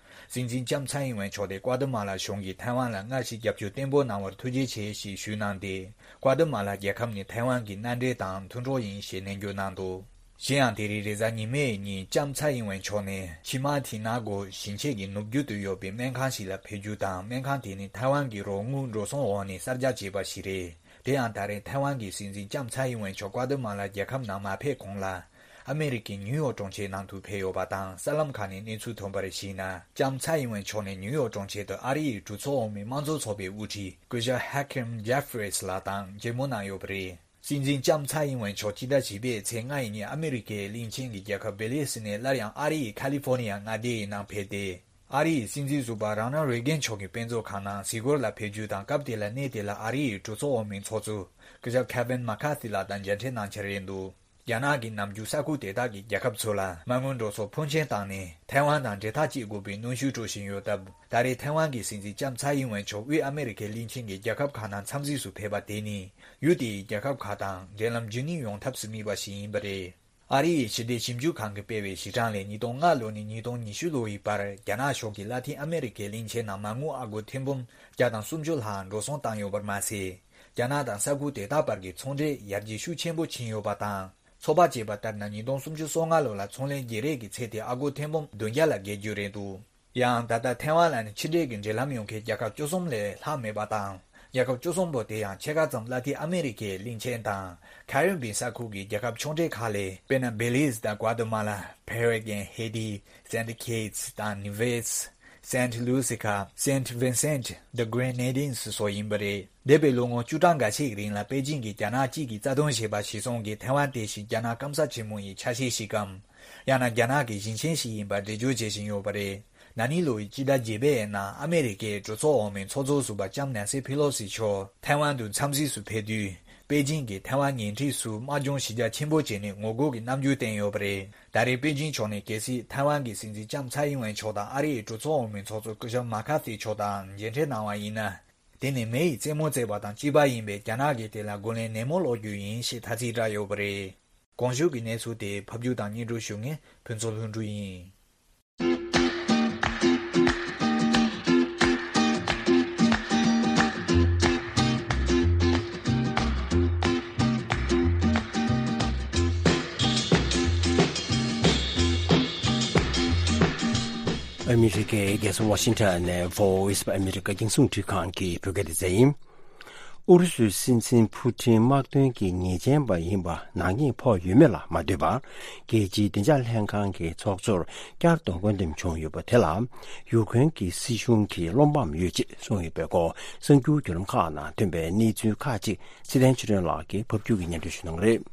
སྲིད་འཛིན་ལྕམ་ཚའེ་ཨིན་ཝེན་མཆོག་དེ་ཀོ་ཏི་མ་ལ་གཞུང་གིས་ཐའེ་ཝན་ལ་སྔར་བཞིན་རྒྱབ་སྐྱོར་བརྟན་པོ་གནང་བར་ཐུགས་རྗེ་ཆེ་ཞེས་ཞུས་གནང་སྟེ། ཀོ་ཏི་མ་ལ་རྒྱལ་ཁབ་ནི་ཐའེ་ཝན་གྱི་མནའ་འབྲེལ་དང་མཐུན་གྲོགས་ཡིན་ཞེས་ནན་བརྗོད་གནང་འདུག་གཞན་ཡང་དེ་རིང་རེས་གཟའ་ཉི་མའི་ཉིན་ལྕམ་ཚའེ་ཨིན་ཝེན་མཆོག་ནས་ཆི་མ་ཐི་ན་གོ་ཞིང་ཆེན་གྱི་ནུབ་རྒྱུད་དུ་ཡོད་པའི་སྨན་ཁང་ཞིག་ལ་ཕེབས་རྒྱུ་དང་། སྨན་ཁང་དེ་ནི་ཐའེ་ཝན་གྱི་རོགས་དངུལ་འགྲོ་སོང་འོག་ནས་གསར་རྒྱག་བྱས་པ་ཞིག་རེད། དེ་ཡང་ད་རེས་ཐའེ་ཝན་གྱི་སྲིད་འཛིན་ལྕམ་ཚའེ་ཨིན་ཝེན་མཆོག་ཀོ་ཏི་མ་ལ་རྒྱལ་ཁབ་ནང་མ་ཕེབས་གོང་ལ། ཨ་མེ་རི་ཀའི་ནིའུ་ཡོག་གྲོང་ཁྱེར་ནང་དུ་ཕེབས་ཡོད་པ་དང་། གསར་ལམ་ཁག་ནས་གནས་ཚུལ་ཐོན་པར་གཞིགས་ན། ལྕམ་ཚའེ་ཨིན་ཝེན་མཆོག་ནས་ནིའུ་ཡོག་གྲོང་ཁྱེར་དུ་ཨ་རི་ཡི་གྲོས་ཚོགས་འོག་མའི་དམངས་གཙོ་ཚོགས་པའི་དབུ་ཁྲིད་སྐུ་ཞབས་ཧེ་ཁིམ་ཇེ་ཧྥི་རིས་ལགས་དང་མཇལ་མོལ་གནང་ཡོད་པ་རེད། སྲིད་འཛིན་ལྕམ་ཚའེ་ཨིན་ཝེན་མཆོག་སྤྱི་ཟླ་བཞི་པའི་ཚེས་ལྔ་ཡི་ཉིན་ཨ་མེ་རི་ཀའི་གླིང་ཆེན་གྱི་རྒྱལ་ཁབ་བྷི་ལི་སི་ནས་སླར་ཡང་ཨ་རི་ཡི་ཁ་ལི་ཧྥོ་ནི་ཡ་མངའ་སྡེའི་ནང་ཕེབས་ཏེ། ཨ་རི་ཡི་སྲིད་འཛིན་ཟུར་པ་རོ་ནལ་རེ་གན་མཆོག་གི་དཔེ་མཛོད་ཁང་ནང་གཟིགས་སྐོར་ལ་ཕེབས་རྒྱུ་དང་། སྐབས་དེ་ལ་གནས་དེ་ལ་ཨ་རི་ཡི་གྲོས་ཚོགས་འོག་མའི་ཚོགས་གཙོ་སྐུ་ཞབས་ཁེ་ཝིན་མ་ཁ་ཐི་ལགས་དང་མཇལ་འཕྲད་གནང་འཆར་ཡོད་འདུག་རྒྱ་ནག་གིས་ནམ་རྒྱུན་ས་ཁུལ་དེ་དག་གི་རྒྱལ་ཁབ་ཚོ་ལ་མ་དངུལ་འགྲོ་སོང་ཕོན་ཆེན་བཏང་ནས་ཐའེ་ཝན་དང་འབྲེལ་ཐག་བཅད་དགོས་པའི་གནོན་ཤུགས་སྤྲོད་བཞིན་ཡོད་སྟབས། ད་རེས་ཐའེ་ཝན་གྱི་སྲིད་འཛིན་ལྕམ་ཚའེ་ཨིན་ཝེན་མཆོག་དབུས་ཨ་མེ་རི་ཁའི་གླིང་ཆེན་གྱི་རྒྱལ་ཁབ་ཁག་ནང་འཚམས་གཟིགས་སུ་ཕེབས་པ་དེ་ནི། ཡུལ་དེའི་རྒྱལ་ཁབ་ཁག་དང་འབྲེལ་ལམ་རྒྱུན་སྙིང་ཡོང་ཐབས་སུ་དམིགས་པ་ཞིག་ཡིན་པ་རེད། ཨ་རི་ཡི་ཕྱི་འབྲེལ་ཞིབ་འཇུག་ཁང་གིས་སྤེལ་བའི་གཞི་གྲངས་ལས། ཉིས་སྟོང་ལྔ་ལོ་ནས་ཉིས་སྟོང་ཉི་ཤུ་ལོ་ཡི་བར་རྒྱ་ནག་གཞུང་གིས་ལ་ཏིན་ཨ་མེ་རི་ཁའི་གླིང་ཆེན་ནང་མ་དངུལ་ཨ་སྒོར་ཐེར་འབུམ་བརྒྱ་དང་སུམ་ཅུ་ལྷག་འགྲོ་སོང་བཏང་ཡོད་པར་མ་ཟད། རྒྱ་ནག་དང་ས་ཁུལ་དེ་དག་བར་གྱི་ཚོང་འབྲེལ་ཡར་རྒྱས་ཤུགས་ཆེན་པོ་ཕྱིན་ཡོད་པ་དང་། ཚོད་དཔག་བྱས་པ་ལྟར་ན། ཉིས་སྟོང་སུམ་ཅུ་སོ་ལྔ་ལོ་ལ་ཚོང་ལས་བརྗེ་རེས་ཀྱི་ཚད་དེ་ཨ་སྒོར་ཐེར་འབུམ་བདུན་བརྒྱ་ལ་བརྒལ་རྒྱུ་རེད་འདུག་ཡང་ད་ལྟ་ཐའེ་ཝན་ལ་ནི་ཕྱི་འབྲེལ་གྱི་འབྲེལ་ལམ་ཡོད་མཁན་རྒྱལ་ཁབ་བཅུ་གསུམ་ལས་ལྷག་མེད་པ་དང་། རྒྱལ་ཁབ་བཅུ་གསུམ་པོ་དེ་ཡང་ཕྱེད་ཀ་ཙམ་ལ་ཏིན་ཨ་མེ་རི་ཁའི་གླིང་ཆེན་དང་ཁ་རི་བི་ཡན་ས་ཁུལ་གྱི་རྒྱལ་ཁབ་ཆུང་གྲས་ཁག་ལས། དཔེར་ན། བྷེ་ལི་སི་དང་ཀོ་ཏི་མ་ལ། ཕེ་ར་གུ་ཝེ། ཧེ་ཏི། སེན་ཊི་ཀིཊ་སི་དང་ནི་ཝེ་སི། སེན་ཊི་ལུ་སི་ཁ། སེན་ཊི་ཝིན་སེན་ཊི། ད་གྷི་རེ་ནེ་ཌིན་སི་སོགས་ཡིན་པ་རེད། འདས་པའི་ལོ་ངོ་བཅུ་གྲངས་འགའ་ཤས་ཀྱི་རིང་ལ་པེ་ཅིང་གིས་རྒྱ་ནག་གཅིག་གི་རྩ་དོན་ཞེས་པ་གཞིར་བཟུང་གིས་ཐའེ་ཝན་དེ་བཞིན་རྒྱ་ནག་སྐམ་ས་ཆེན་མོ་ཡི་ཆ་ཤས་ཤིག་གམ། ཡང་ན་རྒྱ་ནག་གི་ཞིང་ཆེན་ཞིག་ཡིན་པར་འགྲེལ་བརྗོད་བྱེད་བཞིན་ཡོད་པ་རེད། ན་ནིང་ལོ་ཡི་སྤྱི་ཟླ་བརྒྱད་པའི་ནང་ཨ་མེ་རི་ཁའི་གྲོས་ཚོགས་འོག་མའི་ཚོགས་གཙོ་ཟུར་པ་ལྕམ་ནན་སི་ཕེ་ལོ་སི་མཆོག་ཐའེ་ཝན་དུ་འཚམས་གཟིགས་སུ་ཕེབས་དུས། པེ་ཅིང་གིས་ཐའེ་ཝན་ཉེ་འཁྲིས་སུ་དམག་སྦྱོང་གཞི་རྒྱ་ཆེན་པོ་བྱས་ནས་ངོ་རྒོལ་གྱི་རྣམ་འགྱུར་བསྟན་ཡོད་པ་རེད། ད་རེས་པེ་ཅིང་ཕྱོགས་ནས་གལ་སྲིད་ཐའེ་ཝན་གྱི་སྲིད་འཛིན་ལྕམ་ཚའེ་ཨིན་ཝེན་མཆོག་དང་ཨ་རི་ཡི་གྲོས་ཚོགས་འོག་མའི་ཚོགས་གཙོ་སྐུ་ཞབས་མ་ཁ་ཐི་མཆོག་དང་མཇལ་འཕྲད་གནང་བ་ཡིན་ན། དེ་ནི་མེ་ཡི་རྩེད་མོ་རྩེ་བ་དང་གཅིག་པ་ཡིན་པས། རྒྱ་ནག་གིས་དེ་ལ་རྒོལ་ལན་ནན་མོ་སློག་རྒྱུ་ཡིན་ཞེས་ཐ་ཚིག་བསྒྲགས་ཡོད་པ་རེད། གོང་ཞུས་ཀྱི་གནས་ཚུལ་དེ་ཕབ་སྒྱུར་དང་སྙན་སྒྲོན་ཞུ་མཁན་ཕུན་ཚོགས་ལྷུན་གྲུབ་ཡིན། ཨ་མི་རི་ཀའི་རྒྱལ་ས་ཝ་ཤིང་ཊོན་ནས་Voice of America རྒྱང་སྲིང་འཕྲིན་ཁང་གི་བོད་སྐད་སྡེ་ཚན་ཡིན། ཨུ་རུ་སུའི་སྲིད་འཛིན་ཕུ་ཊིན་དམག་དོན་གྱི་ཉེས་ཅན་པ་ཡིན་པ་ནག་ཉེས་ཕོག་ཡོད་མེད་ལ་མ་ལྟོས་པར། རྒྱལ་སྤྱིའི་བདེ་འཇགས་ལྷན་ཁང་གི་ཚོགས་གཙོར་བསྐྱར་དུ་བསྐོ་འདེམས་བྱུང་ཡོད་པ་དེ་ལ། ཡུཀ་རེན་གྱི་སྲིད་གཞུང་གིས་བློ་ཕམ་ཡོད་ཅེས་གསུངས་ཡོད་པའི་སྐོར། གསར་འགྱུར་བརྒྱུད་ལམ་ཁག་ནང་ཐོན་པའི་གནས་ཚུལ་ཁག་ཅིག་ཚེ་བརྟན་ཆོས་སྒྲོན་ལགས་ཀྱིས་ཕབ་སྒྱུར་གྱིས་སྙན་སྒྲོན་ཞུ་གནང་གི་རེད།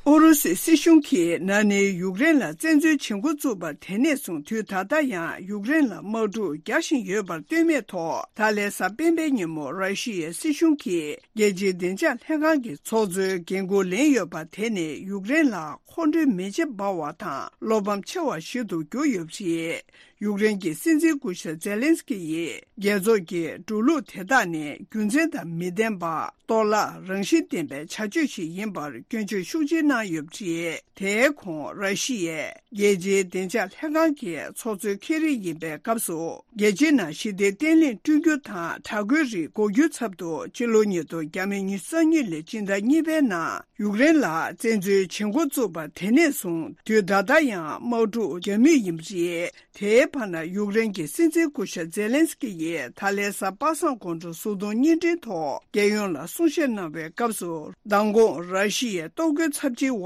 ཨུ་རུ་སུའི་སྲིད་གཞུང་གིས་ན་ནིང་ཡུཀ་རེན་ལ་བཙན་འཛུལ་བྱེད་འགོ་བཙུགས་པ་དེ་ནས་བཟུང་དུས་ད་ལྟ་ཡང་ཡུཀ་རེན་ལ་དམག་འཁྲུག་རྒྱག་བཞིན་ཡོད་པར་ལྟོས་མེད་ཐོག་ད་ལན་གཟའ་སྤེན་པའི་ཉིན་མོ་ར་ཤི་ཡའི་སྲིད་གཞུང་གིས་རྒྱལ་སྤྱིའི་བདེ་འཇགས་ལྷན་ཁང་གི་ཚོགས་གཙོའི་འགན་འཁུར་ལེན་ཡོད་པ་དེ་ནི་ཡུཀ་རེན་ལ་མཁོ་འདོན་མེ་ལྕེ་འབར་བ་དང་བློ་ཕམ་ཆེ་བ་ཞིག་ཏུ་གྱུར་ཡོད་པ་རེད། ཡུཀ་རེན་གྱི་སྲིད་འཛིན་སྐུ་ཞབས་ཛེ་ལན་སི་ཀི་ཡིས་རྒྱལ་ཚོགས་ཀྱི་འགྲོ་ལུགས་དེ་དག་ནི་རྒྱུ་མཚན་དང་མི་ལྡན་པ། གཏོར་བརླག་རང་བཞིན་ལྡན་པའི་བྱ་སྤྱོད་ཞིག་ཡིན་པར་སྐྱོན་བརྗོད་ཤུགས་ཆེ་གནང་ཡོད་པ་རེད། དེའི་གོང་ར་ཤི་ཡས་རྒྱལ་སྤྱིའི་བདེ་འཇགས་ལྷན་ཁང་གི་ཚོགས་གཙོའི་ཁེ་རིང་ཡིན་པའི་སྐབས་སུ། རྒྱལ་སྤྱིའི་ནང་ཞི་བདེ་བརྟན་ལྷིང་བསྐྲུན་རྒྱུ་དང་དྲག་རྒོལ་རིགས་འགོག་རྒྱུའི་ཚབ་ཏུ་སྤྱི་ལོ་ཉིས་སྟོང་ཉི་ཤུ་རྩ་གཉིས་ལོའི་སྤྱི་ཟླ་གཉིས་པའི་ནང་ཡུཀ་རེན་ལ་བཙན་འཛུལ་བྱེད་འགོ་བཙུགས་པ་དེ་ནས་བཟུང་དུས་ད་ལྟ་ཡང་དམག་འཁྲུག་རྒྱག་མུས་ཡིན་པ་རེད། དེའི་བར་ན་ཡུཀ་རེན་གྱི་སྲིད་འཛིན་སྐུ་ཞབས་ཛེ་ལན་སི་ཀི་ཡིས་ད་ལན་གཟའ་པ་སངས་དགོང་དྲོ་གཟུགས་མཐོང་བརྙན་འཕྲིན་ཐོག་རྒྱལ་ཡོངས་ལ་ གསུང་བཤད་གནང་བའི་སྐབས་སུ། མདང་དགོང་ར་ཤི་ཡའི་གཏོར་རྒོལ་ཚབས་ཆེ་བ་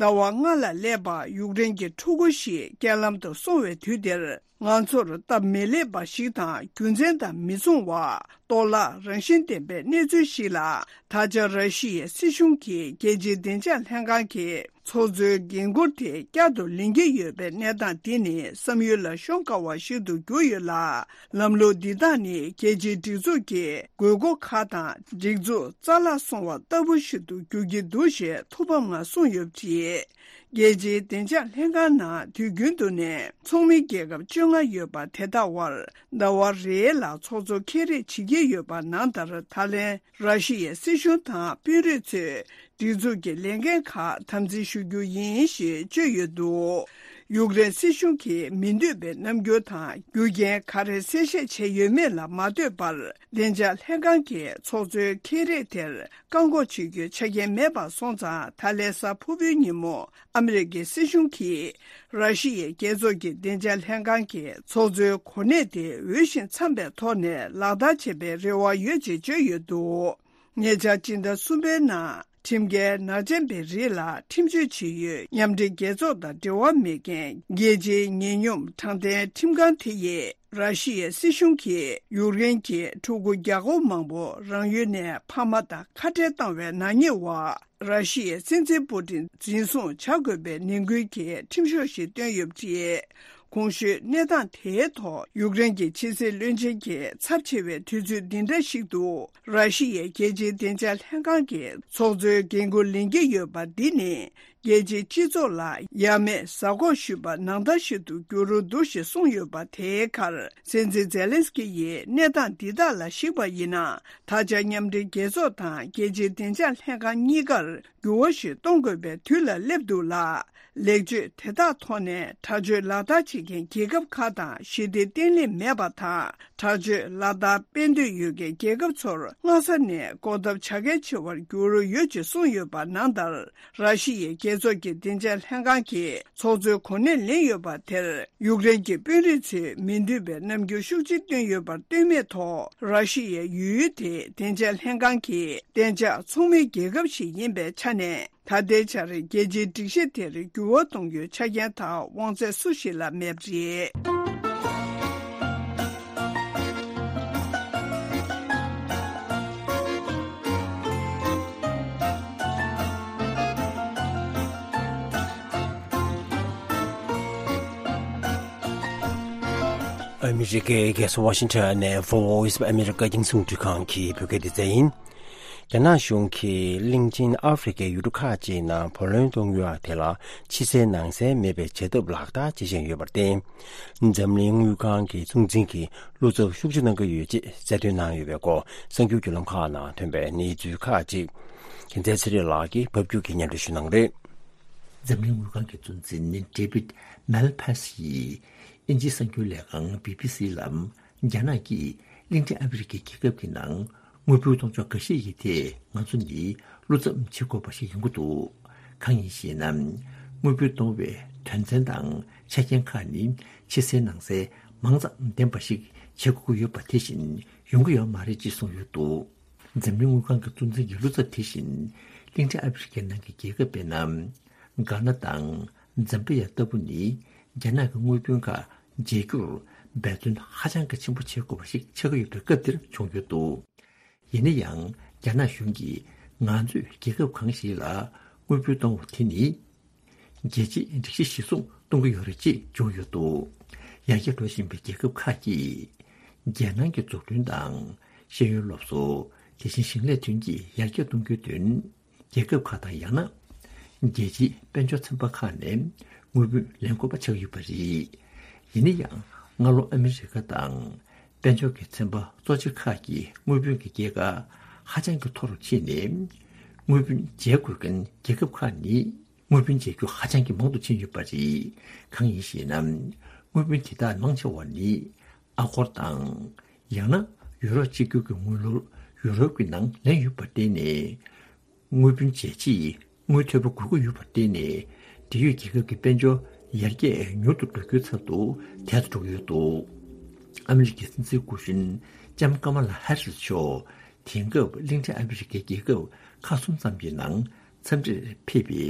ཟླ་བ་ལྔ་ལ་སླེབས་པ་ཡུཀ་རེན་གྱི་ཕྲུ་གུ་ཞིག་རྐྱེན་ལམ་དུ་སོང་བའི་དུས་དེར། ང་ཚོར་སྟབས་མི་ལེགས་པ་ཞིག་དང་རྒྱུ་མཚན་དང་མི་མཚུངས་བ། གཏོར་བརླག་རང་བཞིན་ལྡན་པའི་གནས་ཚུལ་ཞིག་ལ། ད་ཆ་ར་ཤི་ཡའི་སྲིད་གཞུང་གིས་རྒྱལ་སྤྱིའི་བདེ་འཇགས་ལྷན་ཁང་གི་ཚོགས་གཙོའི་འགན་འཁུར་དེ་བསྐྱར་དུ་ལེན་གྱི་ཡོད་པའི་གནས་སྟངས་འདི་ནི་བསམ་ཡུལ་ལ་ཤོང་དཀའ་བ་ཞིག་ཏུ་གྱུར་ཡོད་ལ། ལམ་ལུགས་འདི་དག་ནི་རྒྱལ་སྤྱིའི་སྒྲིག་འཛུགས་ཀྱི་དགོས་མཁོ་ཁག་དང་སྒྲིག་འཛུགས་རྩ་བརླག་སོང་བ་ལྟ་བུ་ཞིག་ཏུ་འགྱུར་གྱི་འདུག་ཞེས་ཐུགས་ཕམ་ངང་གསུངས་ཡོད་པ་རེད། རྒྱལ་སྤྱིའི་བདེ་འཇགས་ལྷན་ཁང་ནང་དུས་རྒྱུན་དུ་ནས་ཚོགས་མི་རྒྱལ་ཁབ་བཅོ་ལྔ་ཡོད་པ་དེ་དག་བར་ཟླ་བ་རེ་ལ་ཚོགས་གཙོ་ཁྱེད་རེས་བྱེད་ཀྱི་ཡོད་པ་ནང་ལྟར། ད་ལན་ར་ཤི་ཡའི་སྲིད་གཞུང་དང་དཔོན་རིགས་ཚོས་སྒྲིག་འཛུགས་ཀྱི་ལས་འགན་ཁག་དམ་འཛིན་ཞུ་རྒྱུ་ཡིན་ཞེས་བརྗོད་ཡོད་འདུག་ཡུཀ་རེན་སྲིད་གཞུང་གིས་མི་འདོད་པའི་རྣམ་འགྱུར་དང་རྒྱུ་རྐྱེན་ག་རེ་གསལ་བཤད་བྱས་ཡོད་མེད་ལ་མ་ལྟོས་པར། བདེ་འཇགས་ལྷན་ཁང་གི་ཚོགས་གཙོའི་ཁྱེད་རེས་དེར་བཀག་འགོག་བྱེད་རྒྱུའི་ཆ་རྐྱེན་མེད་པ་སོང་ཙང་། ད་ལན་གཟའ་ཕུར་བུའི་ཉིན་མོ་ཨ་མི་རི་ཀའི་སྲིད་གཞུང་གིས་ར་ཤི་ཡའི་རྒྱལ་ཚོགས་ཀྱི་བདེ་འཇགས་ལྷན་ཁང་གི་ཚོགས་གཙོའི་གོ་གནས་དེ་འོས་ཤིང་འཚམ་པའི་ཐོག་ནས་ལག་བསྟར་བྱེད་པའི་རེ་བ་ཡོད་ཅེས་བརྗོད་ཡོད་འདུག་ཉེ་ཆར་སྤྱི་ཟླ་གསུམ་པའི་ནང་ཁྲིམས་འགལ་ནག་ཅན་པའི་རིགས་ལ་ཁྲིམས་གཅོད་བྱེད་ཡུལ་མཉམ་འབྲེལ་རྒྱལ་ཚོགས་དང་འབྲེལ་བ་མེད་མཁན་རྒྱལ་སྤྱིའི་ཉེས་གཉོམ་དྲང་བདེན་ཁྲིམས་ཁང་དེ་ཡིས། ར་ཤི་ཡའི་སྲིད་གཞུང་གིས་ཡུཀ་རེན་གྱི་ཕྲུ་གུ་བརྒྱ་སྐོར་མང་པོ་རང་ཡུལ་ནས་ཕ་མ་དང་ཁ་བྲལ་བཏང་བའི་ནག་ཉེས་འོག་ར་ཤི་ཡའི་སྲིད་འཛིན་པུ་ཏིན་འཛིན་བཟུང་བྱ་དགོས་པའི་ནན་སྐུལ་གྱི་ཁྲིམས་ཤོག་ཞིག་བཏོན་ཡོད་པ་རེད། གོང་ཞུས་གནས་སྟངས་དེའི་ཐོག་ཡུཀ་རེན་གྱི་ཕྱི་སྲིད་བློན་ཆེན་གྱི་ཚབས་ཆེ་བའི་དུས་ཚོད་འདི་འདྲ་ཞིག་ཏུ། ར་ཤི་ཡའི་རྒྱལ་སྤྱིའི་བདེ་འཇགས་ལྷན་ཁང་གི་ཚོགས་གཙོའི་འགན་འཁུར་ལེན་གྱི་ཡོད་པ་འདི་ནི། རྒྱལ་སྤྱིའི་སྤྱི་ཚོགས་ལ་ཡ་མེད་གཟའ་འཁོར་ཞུས་པ་ནང་ལྟར་ཞིག་ཏུ་འགྱུར་འགྲོ་འདུག་ཞེས་གསུངས་ཡོད་པ་དེའི་ཁར། སྲིད་འཛིན་ཛེ་ལན་སི་ཀི་ཡིས་གནས་སྟངས་འདི་དག་ལ་གཞིགས་པ་ཡིན་ན། ད་ཆ་མཉམ་འབྲེལ་རྒྱལ་ཚོགས་དང་རྒྱལ་སྤྱིའི་བདེ་འཇགས་ལྷན་ཁང་གཉིས་ཀར་འགྱུར་བ་ཞིག་གཏོང་དགོས་པའི་དུས་ལ་སླེབས་འདུག་ལ། ལེགས་བཅོས་དེ་དག་ཐོག་ནས་དྲག་སྤྱོད་ལག་བསྟར་བྱེད་མཁན་རྒྱལ་ཁབ་ཁག་དང་ཞི་བདེ་བརྟན་ལྷིང་མེད་པ་དང་། དྲག་སྤྱོད་ལག་བསྟར་སྤེལ་འདོད་ཡོད་མཁན་རྒྱལ་ཁབ་ཚོར་སྔ་ས་ནས་གོ་ཐབས་བྱ་གལ་ཆེ་བར་འགྱུར་ཡོད་ཅེས་གསུངས་ཡོད་པ་ནང་ལྟར། ར་ཤི་ཡའི་རྒྱལ་ཚོགས་ཀྱི་བདེ་འཇགས་ལྷན་ཁང་གི་ཚོགས་གཙོའི་གོ་གནས་ལེན་ཡོད་པ་དེར། ཡུཀ་རེན་གྱི་དཔོན་རིགས་ཚོས་མི་འདོད་པའི་རྣམ་འགྱུར་ཤུགས་ཆེ་བཏོན་ཡོད་པར་ལྟོས་མེད་ཐོག་ར་ཤི་ཡའི་ཡུལ་དེའི་བདེ་འཇགས་ལྷན་ཁང་གི་གཏན་འཇགས་ཚོགས་མི་རྒྱལ་ཁབ་ཞིག་ཡིན་པའི་ཆ་ནས། ད་ལྟའི་ཆར་རྒྱལ་སྤྱིའི་སྒྲིག་གཞི་དེར་འགྱུར་བ་གཏོང་རྒྱུའི་ཆ་རྐྱེན་དང་དབང་ཚད་སུ་ཞིག་ལ་མེད་པ་རེད། ཨ་མི་རི་ཀའི་རྒྱལ་ས་ཝ་ཤིང་ཊོན་ནས་Voice of America རྒྱང་སྲིང་རླུང་འཕྲིན་ཁང་གི་བོད་སྐད་སྡེ་ཚན་ཡིན། རྒྱ་ནག་གཞུང་གིས་གླིང་ཆེན་ཨ་ཧྥེ་རི་ཁའི་ཡུལ་གྲུ་ཁག་ཅིག་ནང་བུ་ལོན་གཏོང་ཡུལ་དེ་ལ་ཕྱི་གསལ་ནང་གསལ་མེད་པའི་བྱེད་ཐབས་ལག་བསྟར་བྱེད་བཞིན་ཡོད་པར་བརྟེན། འཛམ་གླིང་དངུལ་ཁང་གི་གཙོ་འཛིན་གྱིས་བློ་འཚབ་ཤུགས་ཆེ་གནང་གི་ཡོད་ཅེས་གསལ་སྟོན་གནང་ཡོད་པའི་སྐོར། གསར་འགྱུར་བརྒྱུད་ལམ་ཁག་ནང་ཐོན་པའི་གནས་ཚུལ་ཁག་ཅིག་རྒྱལ་མཚན་ཚེ་རིང་ལགས་ཀྱིས་ཕབ་སྒྱུར་གྱིས་སྙན་སྒྲོན་ཞུ་གནང་གི་རེད། འཛམ་གླིང་དངུལ་ཁང་གི་གཙོ་འཛིན་David Malpass ཡིས་དབྱིན་ཇིའི་གསར་འགྱུར་ལས་ཁང་B B C ལ། རྒྱ་ནག་གིས་གླིང་ཕྲན་ཨ་ཧྥེ་རི་ཁའི་རྒྱལ་ཁབ་ཀྱི་ནང་དངུལ་འབོར་གཏོང་ཕྱོགས་འགའ་ཤས་ཀྱི་ཐད་ང་ཚོ་ནི་བློ་འཚབ་བྱེད་དགོས་པ་ཞིག་ཡོང་གི་འདུག་གང་ཡིན་ཞེ་ན། དངུལ་འབོར་གཏོང་བའི་དོན་ཚན་དང་ཆ་རྐྱེན་ཁག་ནི་ཕྱི་གསལ་ནང་གསལ་མང་ཙམ་ལྡན་པ་ཞིག་བྱེད་དགོས་ཀྱི་ཡོད་པ་དེ་བཞིན་ཡོང་གི་ཡོད་མ་རེད་ཅེས་གསུངས་ཡོད་འདུག་འཛམ་གླིང་དངུལ་ཁང་གི་གཙོ་འཛིན་གྱི་བློ་འཚབ་དེ་བཞིན་གླིང་ཕྲན་ཨ་ཧྥེ་རི་ཁའི་ནང་གི་རྒྱལ་ཁབ་དཔེར་ན། གྷ་ན་དང་ཛམ་བི་ཡ་ལྟ་བུ་ནི་རྒྱ་ནག་གི་དངུལ་བུན་ཁག་འཇལ་རྒྱུར་འབད་བརྩོན་ཧ་ཅང་གི་ཆེན་པོ་བྱེད་དགོས་པ་ཞིག་ཆགས་ཀྱི་ཡོད་པའི་སྐབས་འདིར་བྱུང་ཡོད་འདུག་ཡིན་ན་ཡང་རྒྱ་ནག་གཞུང་གིས་ང་ཚོས་རྒྱལ་ཁབ་གང་ཞིག་ལ་དངུལ་བུན་གཏོང་བ་དེ་ནི། རྒྱལ་སྤྱིའི་སྒྲིག་གཞི་གཞིར་བཟུང་གཏོང་གི་ཡོད་རེད་ཅེས་བརྗོད་ཡོད་འདུག་ཡར་རྒྱས་འགྲོ་བཞིན་པའི་རྒྱལ་ཁབ་ཁག་གིས་རྒྱལ་ནང་གི་འཛུགས་སྐྲུན་དང་ཤེས་ཡོན་སློབ་གསོ། དེ་བཞིན་ཞིང་ལས་ཐོན་སྐྱེད་ཡར་རྒྱས་གཏོང་རྒྱུའི་དོན། རྒྱལ་ཁབ་ཁག་དང་ཡང་ན་རྒྱལ་སྤྱིའི་དཔལ་འབྱོར་ཚན་པ་ཁག་ནས་དངུལ་བུན་ལེན་དགོས་པ་ཆགས་ཡོད་པ་རེད། ཡིན་ན་ཡང་སྔ་ལོ་ཨ་མི་རི་ཀ་དང་དཔལ་འབྱོར་གྱི་ཚན་པ་གཙོ་ཆེ་ཁག་གིས་དངུལ་བུན་གྱི་སྐྱེད་ཀ་ཧ་ཅང་གི་མཐོ་རུ་ཕྱིན་ནས་དངུལ་བུན་འཇལ་དགོས་མཁན་རྒྱལ་ཁབ་ཁག་ནི། དངུལ་བུན་འཇལ་རྒྱུ་ཧ་ཅང་གི་མང་དུ་ཕྱིན་ཡོད་པ་རེད། གང་ཡིན་ཞེ་ན། དངུལ་བུན་དེ་དག་མང་ཆེ་བ་ནི་ཨ་སྒོར་དང་། ཡང་ན་ཡུ་རོ་གཅིག་གྱུར་གྱི་དངུལ་ལོར་ཡུ་རོབ་ཀྱི་ནང་ལེན་ཡོད་པར་བརྟེན་ནས། དངུལ་བུན་འཇལ་ཆེད་དངུལ་ཐོལ་པ་དགོས་ཀྱི་ཡོད་པར་བརྟེན་ནས། འབྲེལ་ཡོད་རྒྱལ་ཁབ་ཀྱི་དཔལ་འབྱོར་ཡར་རྒྱས་མྱུར་དུ་འགྲོ་རྒྱུའི་ཚབ་ཏུ་དལ་དུ་འགྲོ་གི་ཡོད་འདུག་ཨ་མི་རི་ཀའི་སྲིད་འཛིན་སྐུ་གཞོན་ལྕམ་ཀ་མ་ལ་ཧེ་རི་སི་མཆོག་དེང་སྐབས་གླིང་ཕྲན་ཨ་ཧྥེ་རི་ཁའི་རྒྱལ་ཁབ་ཁག་གསུམ་ཙམ་གྱི་ནང་འཚམས་འདྲིར་ཕེབས་པའི་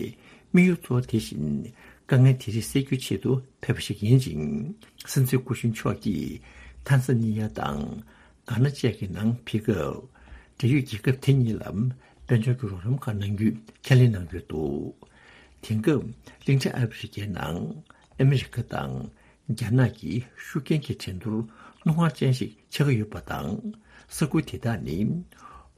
དམིགས་ཡུལ་གཙོ་བོ་དེ་བཞིན་དཀའ་ངལ་དེ་རིགས་སེལ་རྒྱུའི་ཆེད་དུ་ཕེབས་པ་ཞིག་ཡིན་ཅིང་། སྲིད་འཛིན་སྐུ་གཞོན་མཆོག་གིས་ཐན་ས་ནི་ཡ་དང་གྷ་ན་བཅས་ཀྱི་ནང་ཕེབས་སྐབས་འབྲེལ་ཡོད་རྒྱལ་ཁབ་དེ་གཉིས་ལ་དཔལ་འབྱོར་གྱི་རོགས་རམ་ཁག་གནང་རྒྱུའི་ཁས་ལེན་གནང་ཡོད་འདུག་དེང་སྐབས་གླིང་ཕྲན་ཨ་ཧྥེ་རི་ཁའི་ནང་ཨ་མི་རི་ཀ་དང་རྒྱ་ནག་གི་ཤུགས་རྐྱེན་གྱི་འགྲན་བསྡུར་རྣོ་ངར་ཅན་ཞིག་ཆགས་ཀྱི་ཡོད་པ་དང་། ས་ཁུལ་དེ་དག་ནི་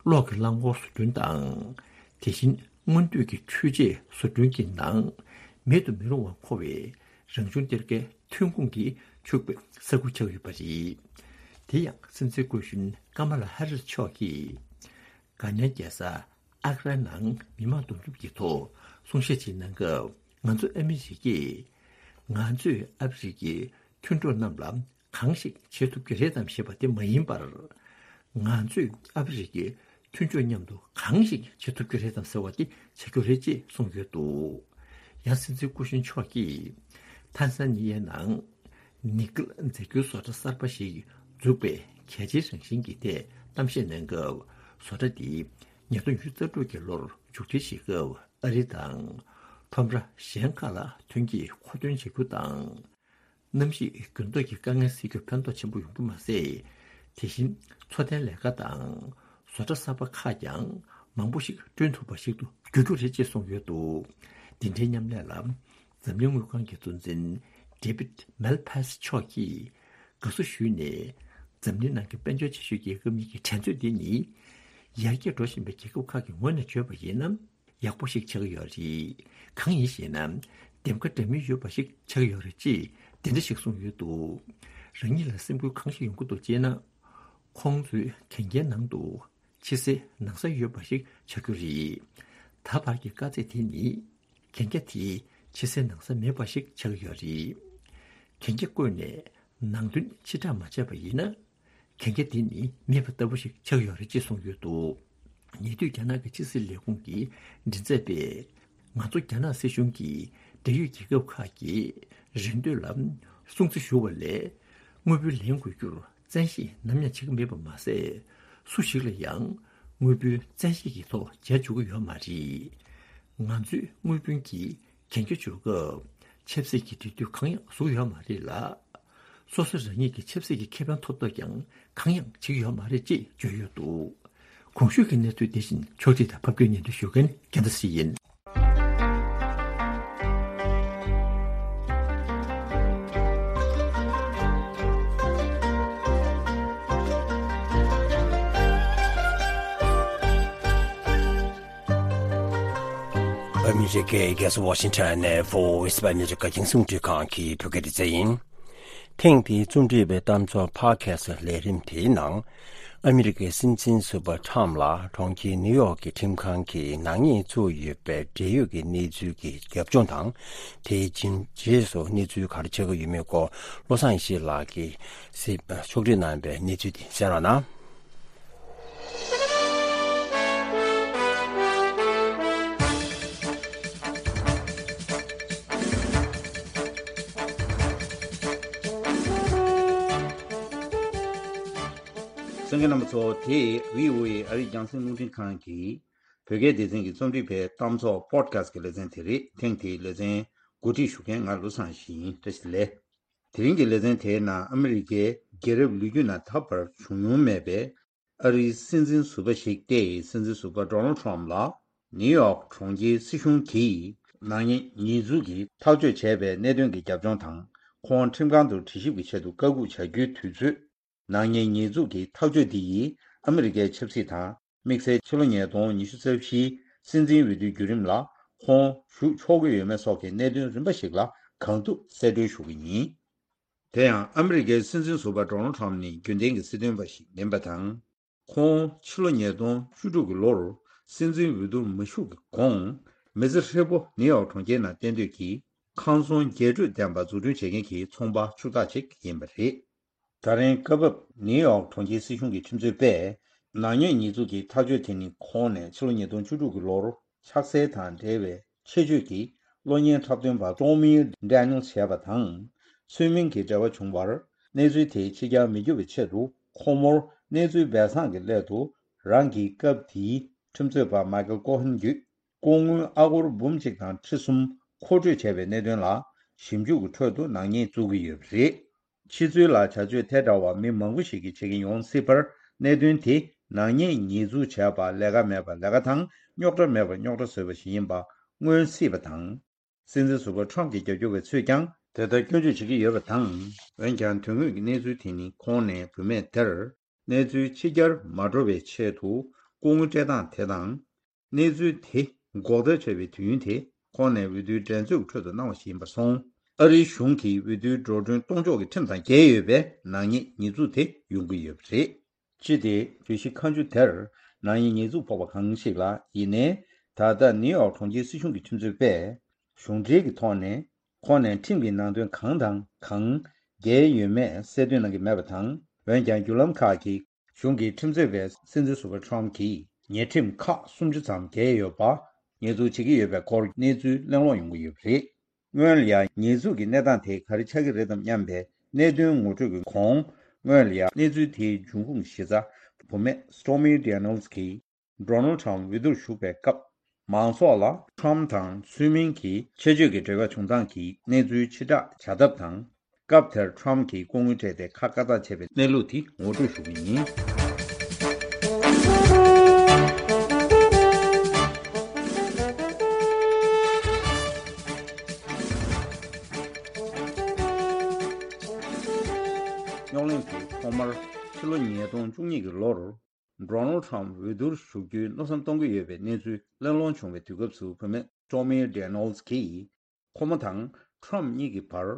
གློག་གི་རླངས་འཁོར་བཟོ་སྐྲུན་དང་། དེ་བཞིན་སྔོན་སྡོད་ཀྱི་འཕྲུལ་ཆས་བཟོ་སྐྲུན་གྱི་ནང་མེད་དུ་མི་རུང་བར་མཁོ་བའི་རང་བྱུང་གཏེར་ཁའི་ཐོན་ཁུངས་ཀྱིས་ཕྱུག་པའི་ས་ཁུལ་ཆགས་ཡོད་པ་རེད། དེ་ཡང་སྲིད་འཛིན་སྐུ་གཞོན་ཀ་མ་ལ་ཧ་རིས་མཆོག་གིས་དགའ་ཉེ་རྒྱལ་ས་ཨག་རའི་ནང་མི་མང་འདུ་འཛོམས་ཀྱི་ཐོག་གསུང་བཤད་ཅིག་གནང་སྐབས། ང་ཚོ་ཨ་མི་རི་ཀས་ང་ཚོས་ཨ་ཧྥེ་རི་ཁའི་མཐུན་གྲོགས་རྣམས་ལ་གང་ཞིག་བྱེད་ཐུབ་ཀྱི་རེད་དམ་ཞེས་པ་དེ་མ་ཡིན་པར། ང་ཚོས་ཨ་ཧྥེ་རི་ཁའི་མཐུན་ཕྱོགས་མཉམ་དུ་གང་ཞིག་བྱེད་ཐུབ་ཀྱི་རེད་དམ་ཟེར་བ་དེ་བྱ་རྒྱུ་རེད་ཅེས་གསུངས་ཡོད་འདུག་ཡང་སྲིད་འཛིན་སྐུ་གཞོན་མཆོག་གིས་ཐན་ས་ནི་ཡའི་ནང་ནི་ཀེལ་རྫས་འགྱུར་བཟོ་གྲྭ་གསར་པ་ཞིག་འཛུགས་པའི་གལ་ཆེའི་རང་བཞིན་གྱི་ཐད་གཏམ་བཤད་གནང་སྐབས། བཟོ་གྲྭ་འདི་ཉིས་སྟོང་ཉི་ཤུ་རྩ་དྲུག་གི་ལོར་མཇུག་སྒྲིལ་བྱེད་སྐབས་ཨ་རི་དང་ཁྲོམ་ར་གཞན་ཁག་ལ་ཐོན་སྐྱེད་མཁོ་འདོན་བྱ་རྒྱུ་དང་། གནམ་གཤིས་འགྱུར་ལྡོག་གི་དཀའ་ངལ་སེལ་རྒྱུར་ཕན་ཐོགས་ཆེན་པོ་ཡོང་རྒྱུ་མ་ཟད། དེ་བཞིན་འཚོ་རྟེན་ལས་ཀ་དང་བཟོ་གྲྭ་གསར་པ་ཁག་ཀྱང་མང་པོ་ཞིག་བསྐྲུན་ཐུབ་པ་ཞིག་ཏུ་འགྱུར་རྒྱུ་རེད་ཅེས་གསུངས་ཡོད་འདུག་འདི་འདྲའི་མཉམ་ལས་ལ་འཛམ་གླིང་དངུལ་ཁང་གི་གཙོ་འཛིན་David Malpass་མཆོག་གིས་དགའ་བསུ་ཞུས་ནས། འཛམ་གླིང་ནང་གི་དཔལ་འབྱོར་ཆེ་ཤོས་རྒྱལ་ཁབ་གཉིས་ཀྱི་འགྲན་རྩོད་འདི་ནི་ཡར་རྒྱས་འགྲོ་བཞིན་པའི་རྒྱལ་ཁབ་ཁག་གི་ངོས་ནས་བརྗོད་པ་ཡིན་ན། ཡག་པོ་ཞིག་ཆགས་ཀྱི་ཡོད་རེད། གང་ཡིན་ཞེ་ན། འདེམས་ཀ་འདྲ་མིན་ཡོད་པ་ཞིག་ཆགས་ཀྱི་ཡོད་རེད་ཅེས་དེ་འདྲ་ཞིག་གསུངས་ཡོད་འདུག་རང་ཉིད་ལ་སེམས་འགུལ་གང་ཞིག་ཡོང་གི་འདུག་ཅེ་ན། ཁོང་ཚོའི་གན་རྒྱའི་ནང་དུ་ཕྱི་གསལ་ནང་གསལ་ཡོད་པ་ཞིག་ཆགས་རྒྱུ་རེད། ད་བར་གྱི་དཀའ་ཚེགས་དེ་ནི་གན་རྒྱ་དེ་ཕྱི་གསལ་ནང་གསལ་མེད་པ་ཞིག་ཆགས་ཀྱི་ཡོད་རེད། གན་རྒྱ་བཀོད་ནས་ནང་དོན་ཕྱིར་བསྒྲགས་མ་བྱས་པ་ཡིན་ན། གན་རྒྱ་འདི་ནི་མེད་པ་ལྟ་བུ་ཞིག་ཆགས་ཡོད་རེད་ཅེས་གསུངས་ཡོད་འདུག་ཉེ་དུས་རྒྱ་ནག་གི་ཕྱི་སྲིད་ལས་ཁུངས་ཀྱི་མགྲིན་ཚབ་པས། ང་ཚོ་རྒྱ་ནག་སྲིད་གཞུང་གིས་འབྲེལ་ཡོད་རྒྱལ་ཁབ་ཁག་གི་རེ་འདོད་ལ་སྲུང་བརྩི་ཞུ་བ་ལས། དངུལ་བུན་ལེན་དགོས་རྒྱུར་བཙན་ཤེད་ནམ་ཡང་བྱེད་ཀྱི་མེད་པ་མ་ཟད། སུ་ཞིག་ལ་ཡང་དངུལ་བུན་བཙན་ཤེད་ཀྱི་ཐོག་འཇལ་བཅུག་གི་ཡོད་མ་རེད། ང་ཚོས་དངུལ་བུན་གྱི་གན་རྒྱ་འཇོག་སྐབས་ཆབ་སྲིད་ཀྱི་འབྲེལ་མཐུད་གང་ཡང་བཟོ་གི་ཡོད་མ་རེད་ལ། སོ་སོ་རང་ཉིད་ཀྱི་ཆབ་སྲིད་ཀྱི་ཁེ་ཕན་ཐོབ་ཐབས་ཀྱང་གང་ཡང་བྱེད་ཀྱི་ཡོད་མ་རེད་ཅེས་བརྗོད་ཡོད་འདུག་གོང་ཞུས་ཀྱི་གནས་ཚུལ་དེ་བཞིན་ཕྱོགས་སྒྲིག་དང་ཕབ་སྒྱུར་སྙན་སྒྲོན་ཞུ་མཁན་རྒྱལ་མཚན་ཡིན། ཨ་མི་རི་ཀའི་རྒྱལ་ས་ཝ་ཤིང་ཊོན་ནས་Voice of America་རྒྱང་སྲིང་རླུང་འཕྲིན་ཁང་གི་བོད་སྐད་སྡེ་ཚན་ཡིན། ཐེངས་འདིའི་རྩོམ་སྒྲིག་པའི་གཏམ་ཚོགས་Podcast་ལས་རིམ་དེའི་ནང་། ཨ་མི་རི་ཀའི་སྲིད་འཛིན་ཟུར་པ་ཁྲམ་ལ་གྲོང་ཁྱེར་ནིའུ་ཡོག་གི་ཁྲིམས་ཁང་གིས་ནག་ཉེས་བཙུགས་ཡོད་པའི་འབྲེལ་ཡོད་ཀྱི་གནས་ཚུལ་གྱི་རྒྱབ་ལྗོངས་དང་། དེའི་རྗེས་སུ་གནས་ཚུལ་ག་རེ་ཆགས་ཀྱི་ཡོད་མེད་སྐོར་བློ་བཟང་ཡེ་ཤེས་ལགས་ཀྱིས་གཟིགས་ཕྱོགས་སྒྲིག་གནང་བའི་གནས་ཚུལ་དེ་གསན་རོགས་གནང་། གསན་མཁན་རྣམ་པ་ཚོ། དེ་བྷི་ཨོ་ཨེ་ཨ་རིའི་རྒྱང་སྲིང་རླུང་འཕྲིན་ཁང་གི་བོད་སྐད་སྡེ་ཚན་གྱི་རྩོམ་སྒྲིག་པའི་གཏམ་ཚོགས་Podcast་གི་ལེ་ཚན་དེ་རེད། ཐེངས་དེའི་ལེ་ཚན་གོ་སྒྲིག་ཞུ་མཁན་ང་བློ་བཟང་ཡེ་ཤེས་ཡིན། བཀྲ་ཤིས་བདེ་ལེགས། དེ་རིང་གི་ལེ་ཚན་དེའི་ནང་ཨ་མི་རི་ཀའི་རྒྱལ་རབས་ལོ་རྒྱུས་ནང་ད་བར་བྱུང་མྱོང་མེད་པའི་ཨ་རིའི་སྲིད་འཛིན་ཟུར་པ་ཞིག་སྟེ། སྲིད་འཛིན་ཟུར་པ་Donald Trump་ལ་ནིའུ་ཡོག་གྲོང་ཁྱེར་སྲིད་གཞུང་གིས་ནག་ཉེས་ཉེས་འཛུགས་ཀྱི་ཐག་གཅོད་བྱས་པའི་གནད་དོན་གྱི་རྒྱབ་ལྗོངས་དང་། ཁོང་ཁྲིམས་ཁང་དུ་དྲི་ཞིབ་ཀྱི་ཆེད་དུ་བཀའ་འགུག་བྱ་རྒྱུའི་དུས་ཚོད། ནག་ཉེས་ཉེས་འཛུགས་ཀྱི་ཐག་གཅོད་འདི་ཡིས་ཨ་མི་རི་ཀའི་ཆབ་སྲིད་དང་། དམིགས་བསལ་ཕྱི་ལོ་ཉིས་སྟོང་ཉི་ཤུ་རྩ་བཞིའི་སྲིད་འཛིན་འོས་བསྡུའི་བརྒྱུད་རིམ་ལ་ཁོང་ཞུགས་ཆོག་གི་ཡོད་མེད་སོགས་ཀྱི་གནད་དོན་རིམ་པ་ཞིག་ལ་གང་ཐུབ་གསལ་འགྲེལ་ཞུ་གི་ཡིན། དེ་ཡང་ཨ་མི་རི་ཀའི་སྲིད་འཛིན་ཟུར་པ་Donald Trump་ནི་རྒྱུན་ལྡན་གྱི་སྲིད་དོན་པ་ཞིག་མིན་པ་དང་། ཁོང་ཕྱི་ལོ་ཉིས་སྟོང་བཅུ་དྲུག་གི་ལོར་སྲིད་འཛིན་འོས་བསྡུར་མ་ཞུགས་ཀྱི་གོང་མི་ཚེ་ཧྲིལ་པོ་ནིའུ་ཡོག་གྲོང་ཁྱེར་ནང་གཏན་སྡོད་ཀྱིས་ཁང་ཚོང་རྒྱས་སྤྲོས་ལྡན་པ་འཛུགས་སྐྲུན་བྱེད་མཁན་གྱི་ཚོང་པ་ཕྱུག་བདག་ཅིག་ཡིན་པ་རེད། ད་རིང་སྐབས་བབ་ནིའུ་ཡོག་གྲོང་ཁྱེར་སྲིད་གཞུང་གི་ཁྲིམས་རྩོད་པས་ནག་ཉེས་ཉེས་འཛུགས་ཀྱི་ཐག་གཅོད་དེ་ནི་ཁོང་ནས་ཕྱི་ལོ་ཉིས་སྟོང་བཅུ་དྲུག་གི་ལོར་ཆགས་སྲེད་དང་འབྲེལ་བའི་ཆེད་བརྗོད་ཀྱིས་གློག་བརྙན་འཁྲབ་སྟོན་པ་Stormy Daniels་བྱས་པ་དང་། ཚུལ་མིན་གྱི་འབྲེལ་བ་བྱུང་བར་གནས་ཚུལ་དེ་ཕྱི་གྱར་མི་འགྱུར་བའི་ཆེད་དུ་ཁོ་མོར་གནས་ཚུལ་སྦས་གསང་གི་སླད་དུ་ རང་གིས་སྐབས་དེའི་ཁྲིམས་རྩོད་པ་མའི་ཁལ་ཀོ་ཧན་བརྒྱུད། ལྐོག་དངུལ་ཨ་སྒོར་འབུམ་གཅིག་དང་ཁྲི་གསུམ་མཁོ་སྤྲོད་བྱས་པའི་གནད་དོན་ལ་ཞིབ་འཇུག་གི་ཁྲོད་དུ་ནག་ཉེས་བཙུགས་ཀྱི་ཡོད་པ་རེད། ཕྱི་ཚུལ་ལ་བྱ་སྤྱོད་དེ་འདྲ་བ་མི་མང་པོ་ཞིག་གིས་བྱེད་ཀྱིན་ཡོང་སྲིད་པར། གནད་དོན་དེ་ནག་ཉེས་ཉེས་འཛུགས་བྱས་པ་ལས་ཀ་མེད་པ་ལས་ཀ་དང་རྙོག་དྲ་མེད་པ་རྙོག་དྲ་བཟོས་པ་ཞིག་ཡིན་པ་མངོན་སྲིད་པ་དང་། སྲིད་འཛིན་ཟུར་པ་ཁྲོམ་གྱི་རྒྱབ་སྐྱོར་བའི་ཚོས་ཀྱང་དེ་ལྟར་སྐྱོན་བརྗོད་བྱེད་ཀྱི་ཡོད་པ་དང་། འོན་ཀྱང་དོན་དངོས་ཀྱི་གནས་ཚུལ་དེ་ནི་ཁོང་ནས་བུད་མེད་དེར། གནས་ཚུལ་ཕྱི་གྱར་མ་འགྲོ་བའི་ཆེད་དུ་ལྐོག་དངུལ་སྤྲད་སྟངས་དེ་དང་། གནས་ཚུལ་དེ་འགོག་ཐབས་བྱས་པའི་དུས་ཡུན་དེ་ཁོང་ནས་འོས་བསྡུའི་འགྲན་རྩོད་ཁྲོད་དུ་གནང་བ་ཞིག་ཡིན་པར་སོང་། ཨ་རིའི་གཞུང་གིས་འོས་བསྡུའི་འགྲོ་གྲོན་གཏོང་ཕྱོགས་ཀྱི་ཁྲིམས་དང་འགལ་ཡོད་པས་ནག་ཉེས་ཉེས་འཛུགས་དེ་ཡོང་གི་ཡོད་པ་རེད། སྤྱི་དེ་བརྗོད་གཞི་ཁ་མཆུ་དེར་ནག་ཉེས་ཉེས་འཛུགས་ཕོག་པ་གང་ཞིག་ལ་ཡིན་ནའི། ད་ལྟ་ནིའུ་ཡོག་གྲོང་ཁྱེར་སྲིད་གཞུང་གི་ཁྲིམས་རྩོད་པས། གཞུང་འབྲེལ་གྱི་ཐོག་ནས་ཁོང་ནས་ཁྲིམས་ཀྱི་ནང་དོན་གང་དང་གང་འགལ་ཡོད་མེད་གསལ་སྟོན་གནང་གི་མེད་པ་དང་། འོན་ཀྱང་བརྒྱུད་ལམ་ཁག་གིས་གཞུང་གི་ཁྲིམས་རྩོད་པས་སྲིད་འཛིན་ཟུར་པ་ཁྲོམ་གྱིས་ཉེས་ཁྲིམས་ཁག་སུམ་ཅུ་ཙམ་འགལ་ཡོད་པ་ཉེས་འཛུགས་བྱེད་ཀྱི་ཡོད་པའི་སྐོར་གནས་ཚུལ་གླེང་སློང་ཡོང་གི་ཡོད་པ་རེད། སྔོན་ལ་ཡང་ཉེས་འཛུགས་ཀྱི་གནས་སྟངས་དེ་ག་རེ་ཆགས་ཀྱི་རེད་དམ་སྙམ་པའི་གནད་དོན་ངོ་སྤྲོད་ཀྱི་གོང་། སྔོན་ལ་ཡང་གནས་ཚུལ་དེའི་འབྱུང་ཁུངས་གཞི་རྩ་བུད་མེད་Stormy Daniels་གྱིས་Donald Trump་འོས་བསྡུར་ཞུགས་པའི་སྐབས། མང་ཚོགས་ལ་Trump་དང་ཚུལ་མིན་གྱི་ཆེད་སྤྱོད་ཀྱི་འབྲེལ་བ་བྱུང་སྟངས་ཀྱི་གནས་ཚུལ་ཕྱིར་བསྒྲགས་བྱ་ཐབས་དང་། སྐབས་དེར་Trump་གྱིས་ལྐོག་དངུལ་སྤྲད་དེ་ཁ་བཀག་ཐབས་བྱས་པའི་གནས་ལུགས་དེ་ངོ་སྤྲོད་ཞུ་གི་ཡིན། རྙོག་གླེང་དེ་ཐོག་མར་ཕྱི་ལོ་ཉིས་སྟོང་བཅུ་གཉིས་ཀྱི་ལོར། Donald Trump་འོས་བསྡུར་ཞུགས་རྒྱུའི་མནོ་བསམ་གཏོང་གི་ཡོད་པའི་གནས་ཚུལ་གླེང་སློང་བྱུང་བའི་དུས་སྐབས་སུ། བུད་མེད་Stormy Daniels་གྱིས། ཁོ་མོ་དང་Trump་གཉིས་ཀྱི་བར་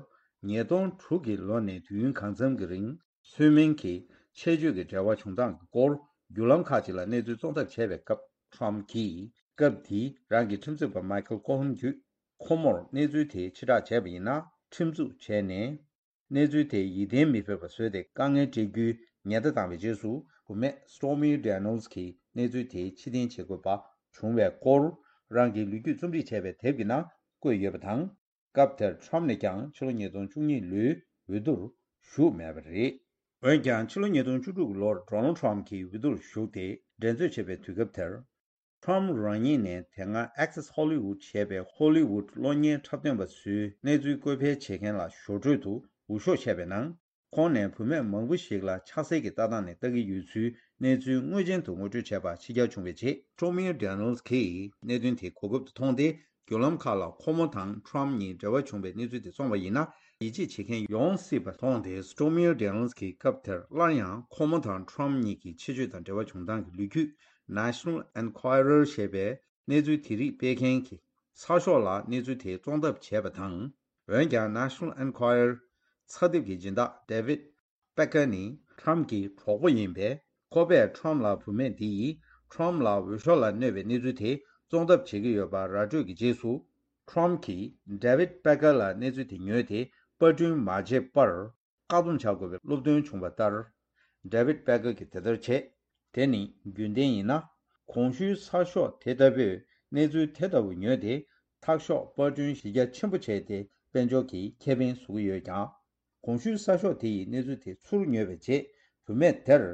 ཉིས་སྟོང་དྲུག་གི་ལོ་ནས་དུས་ཡུན་གང་འཚམ་གྱི་རིང་ཚུལ་མིན་གྱི་ཆེད་སྤྱོད་ཀྱི་འབྲེལ་བ་བྱུང་སྟངས་ཀྱི་སྐོར་བརྒྱུད་ལམ་ཁག་ཅིག་ལ་གནས་ཚུལ་བཙོང་ཐབས་བྱས་པའི་སྐབས། Trump་གྱིས་སྐབས་དེའི་རང་གི་ཁྲིམས་རྩོད་པ་Michael Cohen་བརྒྱུད་ཁོ་མོར་གནས་ཚུལ་དེ་ཕྱིར་བསྒྲགས་བྱས་པ་ཡིན་ན་ཁྲིམས་འཛུགས་བྱས་ནས། གནས་ཚུལ་དེ་ཡིད་བརྟན་མི་ཕོད་པ་བཟོས་ཏེ་དཀའ་ངལ་སྤྲད་རྒྱུའི་ཉེན་བརྡ་བཏང་བའི་རྗེས་སུ། བུད་མེད་Stormy Daniels་གྱིས་གནས་ཚུལ་དེའི་ཕྱིར་འཐེན་བྱེད་དགོས་པ་བྱུང་བའི་སྐོར། རང་གི་ལོ་རྒྱུས་རྩོམ་སྒྲིག་བྱས་པའི་དེབ་ཀྱི་ནང་བཀོད་ཡོད་པ་དང་། སྐབས་དེར་Trump་ནས་ཀྱང་ཕྱི་ལོ་ཉིས་སྟོང་བཅུ་གཉིས་ལོའི་འོས་བསྡུར་ཞུགས་མེད་པ་རེད། འོན་ཀྱང་ཕྱི་ལོ་ཉིས་སྟོང་བཅུ་དྲུག་ལོར་Donald Trump་གྱིས་འོས་བསྡུར་ཞུགས་ཏེ་འགྲན་རྩོད་བྱེད་པའི་དུས་སྐབས་དེར། Trump་རང་ཉིད་ནས་དེ་སྔ་Access Hollywood་ཞེས་པའི་ཧོ་ལི་ཝུད་གློག་བརྙན་འཁྲབ་སྟོན་པ་ཚོའི་གནས་ཚུལ་བཀོད་འཕེལ་བྱེད་མཁན་ལ་ཞོར་འཕྲོས་དུ་འུར་ཤོག་བཤད་པའི་ནང་། ཁོང་ནས་བུད་མེད་མང་པོ་ཞིག་ལ་ཕྱག་འཚལ་གྱི་ལྟ་སྟངས་ནས་ལྟ་གི་ཡོད་ཚུལ་གནས་ཚུལ་དངོས་ཅན་དུ་ངོ་སྤྲོད་བྱས་པ་ཕྱི་གྱར་བྱུང་བའི་རྗེས། Stormy Daniels་གྱིས་གནད་དོན་དེ་གོ་སྐབས་དུ་མཐོང་སྟེ། བརྒྱུད་ལམ་ཁག་ལ་ཁོ་མོ་དང་Trump་གཉིས་འབྲེལ་བ་བྱུང་བའི་གནས་ཚུལ་དེ་བཙོང་བ་ཡིན་ན། ཡིད་ཆེས་བྱེད་མཁན་ཡོང་སྲིད་པ་མཐོང་སྟེ། Stormy Daniels་གྱིས་སྐབས་དེར་སླར་ཡང་ཁོ་མོ་དང་Trump་གཉིས་ཀྱི་ཆེད་སྤྱོད་དང་འབྲེལ་བ་བྱུང་སྟངས་ཀྱི་ལོ་རྒྱུས་National Enquirer་ཞེས་པའི་གནས་ཚུལ་དེ་རིགས་སྤེལ་མཁན་གྱི་ཚགས་ཤོག་ལ་གནས་ཚུལ་དེ་བཙོང་ཐབས་བྱས་པ་དང་། འོན་ཀྱང་National Enquirer་ཚགས་དེབ་ཀྱི་སྦྱིན་བདག་David Packer་ནི་Trump་གྱི་གྲོགས་པོ་ཡིན་པས། ཁོ་པས་Trump་ལ་བུད་མེད་འདི་ཡིས་Trump་ལ་འོས་ཤོག་ལ་གནོད་པའི་གནས་ཚུལ་དེ་བཙོང་ཐབས་བྱེད་ཀྱི་ཡོད་པ་ར་སྤྲོད་ཀྱི་རྗེས་སུ། Trump་གྱིས་David Packer་ལ་གནས་ཚུལ་དེ་ཉོས་ཏེ་པར་སྐྲུན་མ་བྱས་པར་བཀག་སྡོམ་བྱ་དགོས་པའི་སློབ་སྟོན་བྱུང་བ་ལྟར། David Packer་གྱིས་དེ་ལྟར་བྱས། དེ་ནི་རྒྱུན་ལྡན་ཡིན་ན། གོང་ཞུས་ཚགས་ཤོག་དེ་ལྟ་བུས་གནས་ཚུལ་དེ་ལྟ་བུ་ཉོས་ཏེ། ཚགས་ཤོག་པར་སྐྲུན་གཞི་རྒྱ་ཆེན་པོ་བྱས་ཏེ། དཔལ་འབྱོར་གྱི་ཁེ་ཕན་བཟོ་གི་ཡོད་ཀྱང་། གོང་ཞུས་གསར་ཤོག་དེ་ཡི་གནས་ཚུལ་དེ་ཚུར་ཉོས་པའི་རྗེས། བུད་མེད་དེར་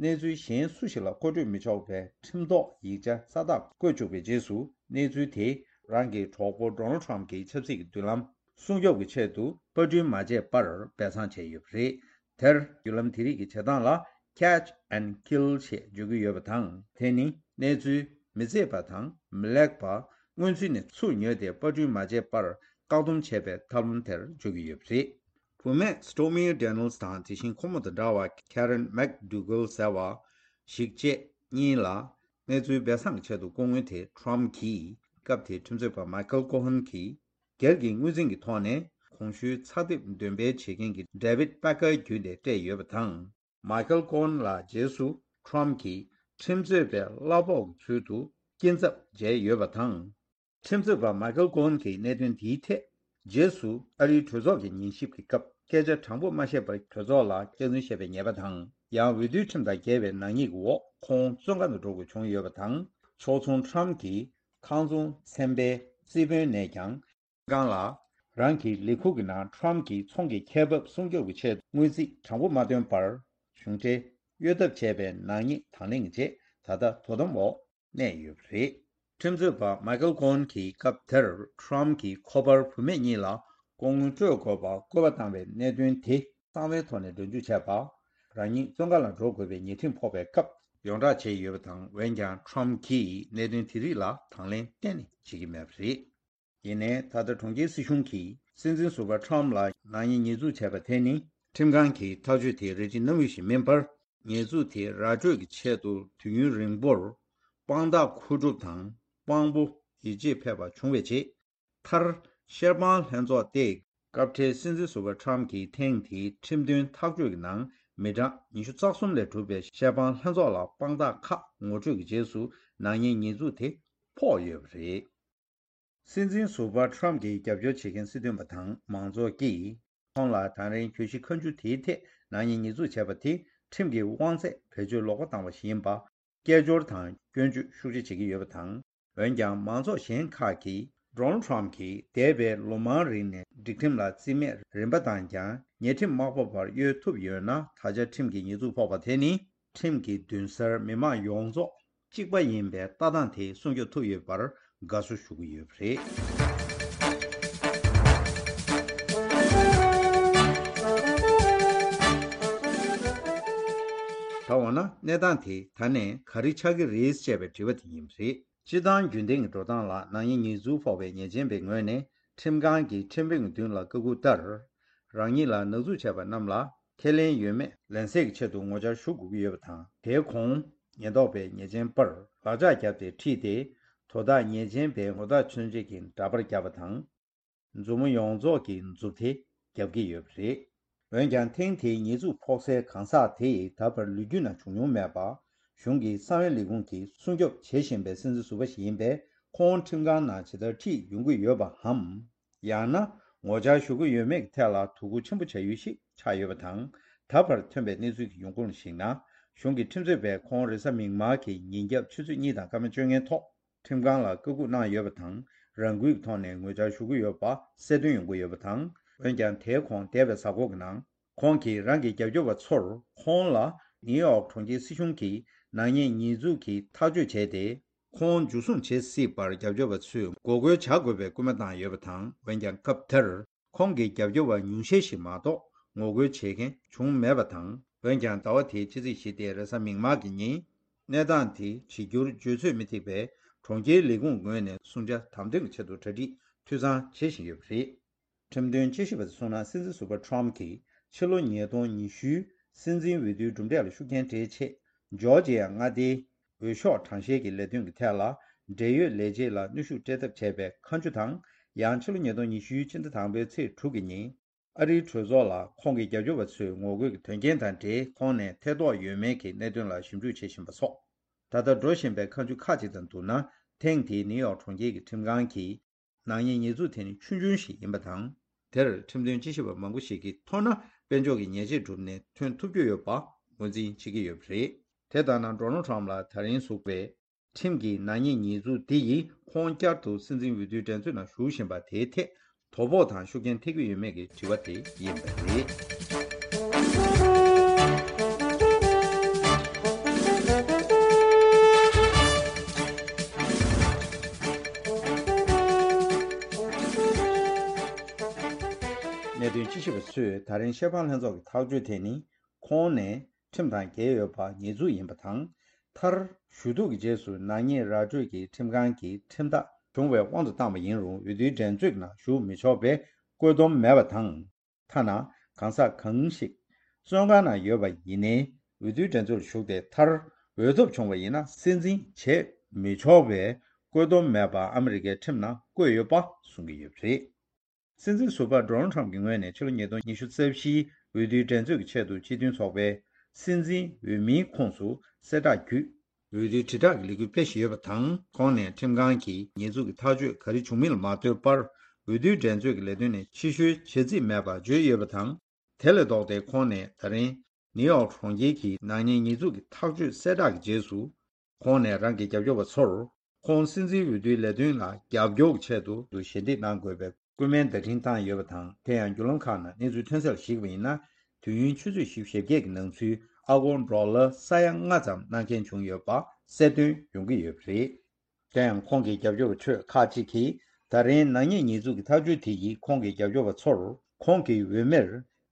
གནས་ཚུལ་གཞན་སུ་ཞིག་ལ་མཁོ་སྤྲོད་མི་ཆོག་པའི་ཁྲིམས་ཐོག་ཡིག་ཆ་གསལ་བསྒྲགས་བཀོད་བཅུག་པའི་རྗེས་སུ། གནས་ཚུལ་དེ་རང་གི་གྲོགས་པོ་Donald Trump་གྱི་ཆབ་སྲིད་ཀྱི་མདུན་ལམ་སྲུང་སྐྱོབ་ཀྱི་ཆེད་དུ་པར་སྐྲུན་མ་བྱས་པར་སྦས་གསང་བྱས་ཡོད་པ་རེད། དེར་བརྒྱུད་ལམ་དེ་རིགས་ཀྱི་བྱེད་སྟངས་ལ་Catch and Kill་ཞེས་བརྗོད་ཀྱི་ཡོད་པ་དང་། དེ་ནི་གནས་ཚུལ་མི་གཙིགས་པ་དང་མི་ལེགས་པ། སྔོན་ཚུད་ནས་ཚུར་ཉོས་ཏེ་པར་སྐྲུན་མ་བྱས་པར་བཀག་སྡོམ་བྱས་པའི་ཐབས་ལམ་དེར་བརྗོད་ཀྱི་ཡོད་པ་རེད། བུད་མེད་Stormy Daniels་དང་དེ་བཞིན་ཁོ་མོ་དང་འདྲ་བ་Karen McDougal་ཟེར་བ་ཞིག་བཅས་གཉིས་ལ་གནས་ཚུལ་སྦས་གསང་གི་ཆེད་དུ་ལྐོག་དངུལ་དེ་Trump་གྱིས་སྐབས་དེའི་ཁྲིམས་རྩོད་པ་Michael Cohen་གྱིས་སྒེར་གྱི་དངུལ་འཛིན་གྱི་ཐོག་ནས་གོང་ཞུས་ཚགས་དེབ་འདོན་སྤེལ་བྱེད་མཁན་གྱི་David Packer་བརྒྱུད་ནས་སྤྲད་ཡོད་པ་དང་། Michael Cohen་ལ་རྗེས་སུ་Trump་གྱིས་ཁྲིམས་རྩོད་པའི་གླ་ཕོགས་ཀྱི་ཚུལ་དུ་སྐྱིན་ཚབ་འཇལ་ཡོད་པ་དང་། ཁྲིམས་རྩོད་པ་Michael Cohen་གྱིས་གནད་དོན་དེའི་ཐད་རྗེས་སུ་ཨ་རིའི་གྲོས་ཚོགས་ཀྱི་ཉན་ཞིབ་ཀྱི་སྐབས་སྐད་ཆ་དྲང་པོ་མ་བཤད་པར་གྲོས་ཚོགས་ལ་སྐྱག་རྫུན་བཤད་པའི་ཉེས་པ་དང་། ཡང་འོས་བསྡུའི་ཁྲིམས་དང་འགལ་བའི་ནག་ཉེས་ཀྱི་འོག་ཁོང་བཙོན་ཁང་དུ་འགྲོ་དགོས་བྱུང་ཡོད་པ་དང་། ཕྱོགས་མཚུངས་Trump་གྱིས་ཁང་ཚོང་ཚན་པའི་རྩིས་དཔོན་ནས་ཀྱང་། ཁང་ལ། རང་གི་ལས་ཁུངས་ཀྱི་ནང་Trump་གྱི་ཚོང་གི་ཁེ་འབབ་སྲུང་སྐྱོབ་ཀྱི་ཆེད་དུ་དངུལ་རྩིས་དྲང་པོ་མ་བཏོན་པར། གཞུང་འབྲེལ་གཡོ་ཐབས་བྱས་པའི་ནག་ཉེས་དང་ལེན་གྱི་རྗེས། ད་ལྟ་དོ་དམ་འོག་གནས་ཡོད་པ་རེད། ཁྲིམས་རྩོད་པ་མའི་ཀལ་ཀོ་ཧན་གྱིས་སྐབས་དེར་ཁྲོམ་གྱི་ཁོ་པར་བུད་མེད་གཉིས་ལ་ལྐོག་དངུལ་སྤྲོད་དགོས་པར་བཀོད་པ་བཏང་བའི་གནད་དོན་དེ་གསང་བའི་ཐོག་ནས་སྒྲ་འཇུག་བྱས་པ། རང་ཉིད་བཙོན་ཁང་ལ་འགྲོ་དགོས་པའི་ཉེས་ཁྲིམས་ཕོག་པའི་སྐབས་ཡོངས་བསྒྲགས་བྱས་ཡོད་པ་དང་། འོན་ཀྱང་ཁྲོམ་གྱིས་གནད་དོན་དེ་རིགས་ལ་དང་ལེན་གཏན་ནས་བྱེད་ཀྱི་མེད་པ་རེད། ཡིན་ནའི་ད་ལྟ་གྲོང་ཁྱེར་སྲིད་གཞུང་གིས་སྲིད་འཛིན་ཟུར་པ་ཁྲོམ་ལ་ནག་ཉེས་ཉེས་འཛུགས་བྱས་པ་དེ་ནི་ཁྲིམས་ཁང་གིས་ཐག་གཅོད་དེ་རེ་ཞིག་གནང་ཡུལ་ཞིག་མིན་པར། ཉེས་འཛུགས་དེ་ར་སྤྲོད་ཀྱི་ཆེད་དུ་དུས་ཡུན་རིང་པོར་དཔང་རྟགས་མཁོ་སྒྲུབ་དང་དཔང་པོ་ཡིད་ཆེས་ཕེབས་པ་བྱུང་བའི་རྗེས། མཐར་ཤེར་པང་ལྷན་ཚོགས་ཏེ་སྐབས་འཕྲལ་སྲིད་འཛིན་ཟུར་པ་ཁྲོམ་གྱིས་ཐེངས་འདིའི་ཁྲིམས་དོན་ཐག་གཅོད་ཀྱི་ནང་མི་གྲངས་ཉི་ཤུ་རྩ་གསུམ་ལས་གྲུབ་པའི་ཤེར་པང་ལྷན་ཚོགས་ལ་དཔང་རྟགས་ཁག་ངོ་སྤྲོད་ཀྱི་རྗེས་སུ་ནག་ཉེས་ཉེས་འཛུགས་དེ་ཕོག་ཡོད་པ་རེད། སྲིད་འཛིན་ཟུར་པ་ཁྲོམ་གྱི་རྒྱབ་སྐྱོར་བྱེད་མཁན་སྲིད་དོན་པ་དང་མང་ཚོགས་ཀྱིས་ཁོང་ལ་ད་རིང་གྱོད་གཞི་ཁ་མཆུ་དེའི་ཐད་ནག་ཉེས་ཉེས་འཛུགས་བྱས་པ་དེ་ཁྲིམས་ཀྱི་དབང་ཚད་བེད་སྤྱོད་ལོག་པ་བཏང་བ་ཞིག་ཡིན་པ་སྐད་ཅོར་དང་སྐྱོན་བརྗོད་ཤུགས་ཆེ་བྱེད་ཀྱི་ཡོད་པ་དང་། འོན་ཀྱང་མང་ཚོགས་གཞན་ཁག་གིས་ཌོ་ནལ་ཁྲོམ་གྱིས་འདས་པའི་ལོ་མང་རིང་ནས་སྒྲིག་ཁྲིམས་ལ་རྩིས་མེད་རིམ་པ་བཏང་ཀྱང་ཉེས་ཁྲིམས་མ་ཕོག་པར་གཡོལ་ཐུབ་ཡོད་ན། ད་ཆ་ཁྲིམས་ཀྱི་ཉེས་འཛུགས་ཕོག་པ་དེ་ནི་ཁྲིམས་ཀྱི་མདུན་སར་མི་མང་ཡོངས་རྫོགས་གཅིག་པ་ཡིན་པའི་ལྟ་སྟངས་དེ་སྲུང་སྐྱོབ་ཐུབ་ཡོད་པར་དགའ་བསུ་ཞུ་གི་ཡོད་པ་རེད། ད་འོ་ན་གནས་སྟངས་དེ་ད་ནས་ག་རེ་ཆགས་ཀྱི་རེད་ཅེས་པའི་དྲི་བ་དེ་ཡིན་པ་རེད། སྤྱིར་བཏང་རྒྱུན་ལྡན་གྱི་འགྲོ་སྟངས་ལ་ནག་ཉེས་ཉེས་འཛུགས་ཕོག་པའི་ཉེས་ཅན་པའི་ངོས་ནས་ཁྲིམས་ཁང་གིས་ཁྲིམས་དཔོན་གྱི་མདུན་ལ་བཀའ་བཀོད་ལྟར། རང་ཉིད་ལ་ནག་འཛུགས་བྱས་པ་རྣམས་ལ་ཁས་ལེན་ཡོད་མེད་ལན་གསལ་གྱི་ཆེད་དུ་ངོ་བཅར་ཞུ་དགོས་ཀྱི་ཡོད་པ་དང་། དེའི་གོང་ཉེན་རྟོག་པས་ཉེས་ཅན་པར་ལག་ཆ་བརྒྱབ་སྟེ་ཁྲིད་དེ། དོ་བདག་ཉེས་ཅན་པའི་ངོ་རྟགས་མཚོན་བྱེད་ཀྱི་འདྲ་པར་བརྒྱབ་པ་དང་། མཛུབ་མོ་ཡོངས་རྫོགས་ཀྱི་མཛུབ་ཐེལ་བརྒྱབ་ཀྱི་ཡོད་པ་རེད། འོན་ཀྱང་ཐེངས་དེའི་ཉེས་འཛུགས་ཕོག་སའི་གང་ཟག་དེ་ཡིས་ད་བར་ལོ་རྒྱུས་ནང་བྱུང་མྱོང་མེད་པ། གཞུང་གི་གསང་བའི་ལས་ཁུངས་ཀྱིས་སྲུང་སྐྱོབ་བྱེད་བཞིན་པའི་སྲིད་འཛིན་ཟུར་པ་ཞིག་ཡིན་པས། ཁོང་ཁྲིམས་ཁང་ནང་ཇི་ལྟར་ཁྲིད་ཡོང་གི་ཡོད་པའམ། ཡང་ན་ངོ་བཅར་ཞུ་གི་ཡོད་མེད་ཀྱི་ཐད་ལ་དོ་ཁུར་ཆེན་པོ་བྱ་ཡུལ་ཞིག་ཆགས་ཡོད་པ་དང་། ད་བར་ཐོན་པའི་གནས་ཚུལ་གྱི་ཡོང་ཁུངས་ལ་གཞིགས་ན། གཞུང་གི་ཁྲིམས་རྩོད་པས་ཁོང་རེས་གཟའ་མིག་དམར་གྱི་ཉིན་རྒྱབ་ཆུ་ཚོད་གཉིས་དང་སྐར་མ་བཅོ་ལྔའི་ཐོག་ཁྲིམས་ཁང་ལ་བཀའ་བཀོད་གནང་ཡོད་པ་དང་། རང་འགུལ་གྱི་ཐོག་ནས་ངོ་བཅར་ཞུ་གི་ཡོད་པ་གསལ་སྟོན་ཡོང་གི་ཡོད་པ་དང་། འོན་ཀྱང་དེའི་གོང་འདས་པའི་གཟའ་འཁོར་གྱི་ནང་ཁོང་གིས་རང་གི་རྒྱབ་སྐྱོར་བ་ཚོར་ཁོང་ལ་ནིའུ་ཡོག་གྲོང་ཁྱེར་སྲིད་གཞུང་གིས་ནག་ཉེས་ཉེས་འཛུགས་ཀྱི་ཐག་གཅོད་བྱས་ཏེ། ཁོང་འཇུ་བཟུང་བྱེད་སྲིད་པར་རྒྱབ་སྐྱོར་བ་ཚོས་འགོག་རྒོལ་བྱ་དགོས་པའི་སྐུལ་མ་བཏང་ཡོད་པ་དང་། འོན་ཀྱང་སྐབས་དེར་ཁོང་གི་རྒྱབ་སྐྱོར་བ་ཉུང་ཤས་ཤིག་མ་གཏོགས་ངོ་རྒོལ་བྱེད་མཁན་བྱུང་མེད་པ་དང་། འོན་ཀྱང་ཟླ་བ་དེའི་ཕྱི་ཚེས་བཞི་སྟེ་རེས་གཟའ་མིག་དམར་གྱི་ཉིན། གནས་སྟངས་དེ་བྱེད་རྒྱུར་བརྗོད་ཚོད་མི་ཐིག་པས། གྲོང་ཁྱེར་ལས་ཁུངས་ངོས་ནས་སྲུང་བྱ་དམ་དོན་གྱི་ཆེད་དུ་གྲ་སྒྲིག་འཐུས་ཚང་བྱེད་བཞིན་ཡོད་པ་རེད། ཁྲིམས་དོན་དཔྱད་ཞིབ་པ་ཚོས་གསུངས་ན། སྲིད་འཛིན་ཟུར་པ་ཁྲོམ་གྱིས་ཕྱི་ལོ་ཉིས་སྟོང་ཉི་ཤུའི་སྲིད་འཛིན་འོས་བསྡུའི་གྲུབ་འབྲས་ལ་ཤུགས་རྐྱེན་སྤྲད་ཆེད། ཇོར་ཇི་ཡ་མངའ་སྡེའི་འོས་ཤོག་གྲངས་བཤེར་གྱི་ལས་དོན་གྱི་ཐད་ལ། འབྲེལ་ཡོད་ལས་བྱེད་ལ་གནོན་ཤུགས་སྤྲད་ཐབས་བྱས་པའི་ཁ་མཆུ་དང་། ཡང་ཕྱི་ལོ་ཉིས་སྟོང་ཉི་ཤུའི་ཕྱི་ཟླ་དང་པོའི་ཚེས་དྲུག་གི་ཉིན། ཨ་རིའི་གྲོས་ཚོགས་ལ་ཁོང་གི་རྒྱབ་སྐྱོར་བ་ཚོས་ངོ་རྒོལ་གྱི་དོན་རྐྱེན་དང་འབྲེལ་ཁོང་ནས་ཐེ་གཏོགས་ཡོད་མེད་ཀྱི་གནད་དོན་ལ་ཞིབ་འཇུག་བྱེད་བཞིན་པ་སོགས། ད་ལྟ་འགྲོ་བཞིན་པའི་ཁ་མཆུ་ཁག་ཅིག་དང་བསྡུར་ན། ཐེངས་འདིའི་ནིའུ་ཡོག་གྲོང་ཁྱེར་གྱི་ཁྲིམས་ཁང་གིས་ནག་ཉེས་ཉེས་འཛུགས་དེ་ནི་ཆུང་ཆུང་ཞིག་ཡིན་པ་དང་། དེར་ཁྲིམས་དོན་དཔྱད་ཞིབ་པ་མང་པོ་ཞིག་གིས་མཐོང་ན་དཔལ་འབྱོར་གྱི་ཉེས་ཆད་བསྒྲུབས་ནས་ཐོན་ཐུབ་རྒྱུ་ཡོད་པ་ངོས་འཛིན་བྱེད་ཀྱི་ཡོད་པ་རེད། དེ་ལྟར་ན། ཌོ་ནལ་ཁྲོམ་ལ་ད་རིང་ཟུག་པའི་ཁྲིམས་ཀྱི་ནག་ཉེས་ཉེས་འཛུགས་འདི་ཡིས་ཁོང་བསྐྱར་དུ་སྲིད་འཛིན་འོས་བསྡུའི་འགྲན་རྩོད་ནང་ཞུགས་བཞིན་པ་དེའི་ཐད་དོ་ཕོག་དང་ཤུགས་རྐྱེན་ཐེབས་ཀྱི་ཡོད་མེད་ཀྱི་དྲི་བ་དེ་ཡིན་པ་རེད། གནད་དོན་དཔྱད་ཞིབ་པ་ཚོས་ད་རིང་ཤེར་ཕང་ལྷན་ཚོགས་ཀྱི་ཐག་གཅོད་དེ་ནི། ཁོང་ནས་ཁྲིམས་དང་འགལ་ཡོད་པ་ཉེས་འཛུགས་ཡིན་པ་དང་། མཐར་ཞུ་གཏུག་གི་རྗེས་སུ་ནག་ཉེས་ར་སྤྲོད་ཀྱི་ཁྲིམས་ཁང་གིས་ཁྲིམས་ཐག་བྱུང་བའི་དབང་དུ་བཏང་བ་ཡིན་རུང་། འོས་བསྡུའི་འགྲན་རྩོད་ནང་ཞུགས་མི་ཆོག་པའི་བཀོད་འདོམས་མེད་པ་དང་། ཐ་ན་གང་ཟག་གང་ཞིག་བཙོན་ཁང་ནང་ཡོད་པ་ཡིན་ནའི། འོས་བསྡུའི་འགྲན་རྩོད་ལ་ཞུགས་ཏེ་མཐར་འོས་ཐོབ་བྱུང་བ་ཡིན་ན། སྲིད་འཛིན་བྱེད་མི་ཆོག་པའི་བཀོད་འདོམས་མེད་པ་ཨ་མི་རི་ཀའི་ཁྲིམས་ནང་བཀོད་ཡོད་པ་གསུང་གི་ཡོད་པ་རེད། སྲིད་འཛིན་ཟུར་པ་ཌོ་ནལ་ཁྲམ་གྱི་ངོས་ནས་ཕྱི་ལོ་ཉིས་སྟོང་ཉི་ཤུ་རྩ་བཞིའི་འོས་བསྡུའི་འགྲན་རྩོད་ཀྱི་ཆེད་དུ་སྤྱི་མཐུན་ཚོགས་པའི་སྲིད་འཛིན་འོས་མིའི་ཁོངས་སུ་གསལ་བསྒྲགས་བརྒྱུད། འོས་བསྡུའི་དྲིལ་བསྒྲགས་ཀྱི་ལས་འགུལ་སྤེལ་བཞིན་ཡོད་པ་དང་། ཁོང་ནས་ཁྲིམས་ཁང་གིས་ཉེས་འཛུགས་ཀྱི་ཐག་གཅོད་ག་རེ་བྱུང་མིན་ལ་མ་ལྟོས་པར། འོས་བསྡུའི་འགྲན་རྩོད་ཀྱི་ལས་དོན་ནས་ཕྱི་བཤོལ་བྱེད་རྩིས་མེད་པ་བརྗོད་ཡོད་པ་དང་། དེ་ལས་ལྡོག་སྟེ། ཁོང་ནས་ད་རིང་ནིའུ་ཡོག་གྲོང་ཁྱེར་གྱི་ནག་ཉེས་ཉེས་འཛུགས་ཀྱི་ཐག་གཅོད་གསལ་བསྒྲགས་ཀྱི་རྗེས་སུ། ཁོང་ནས་རང་གི་རྒྱབ་སྐྱོར་བ་ཚོར། ཁོང་སྲིད་འཛིན་འོས་བསྡུའི་ལས་དོན་ལ་རྒྱབ་སྐྱོར་གྱི་ཆེད་དུ་ཞལ་འདེབས་གནང་དགོས་པའི་སྐུལ་མའི་བརྡ་འཕྲིན་བཏང་ཡོད་པ་དང་། དེ་ཡང་བརྒྱུད་ལམ་ཁག་ནང་གནས་ཚུལ་ཐོན་གསལ་ལ་གཞིགས་པ་ཡིན་ན། དུས་ཡུན་ཆུ་ཚོད་བཞི་བཅུ་ཞེ་བརྒྱད་ཀྱི་ནང་ཚུད། ཨ་སྒོར་ཌོ་ལར་ས་ཡ་ལྔ་ཙམ་གནང་མཁན་བྱུང་ཡོད་པ་གསལ་སྟོན་ཡོང་གི་ཡོད་པ་རེད། དེ་ཡང་ཁོང་གི་རྒྱབ་སྐྱོར་བ་ཁྲོད་ཁག་ཅིག་གིས་ད་རིང་ནག་ཉེས་ཉེས་འཛུགས་ཀྱི་ཐག་གཅོད་དེ་ཡིས་ཁོང་གི་རྒྱབ་སྐྱོར་བ་ཚོར་ཁོང་གི་འོས་མིར་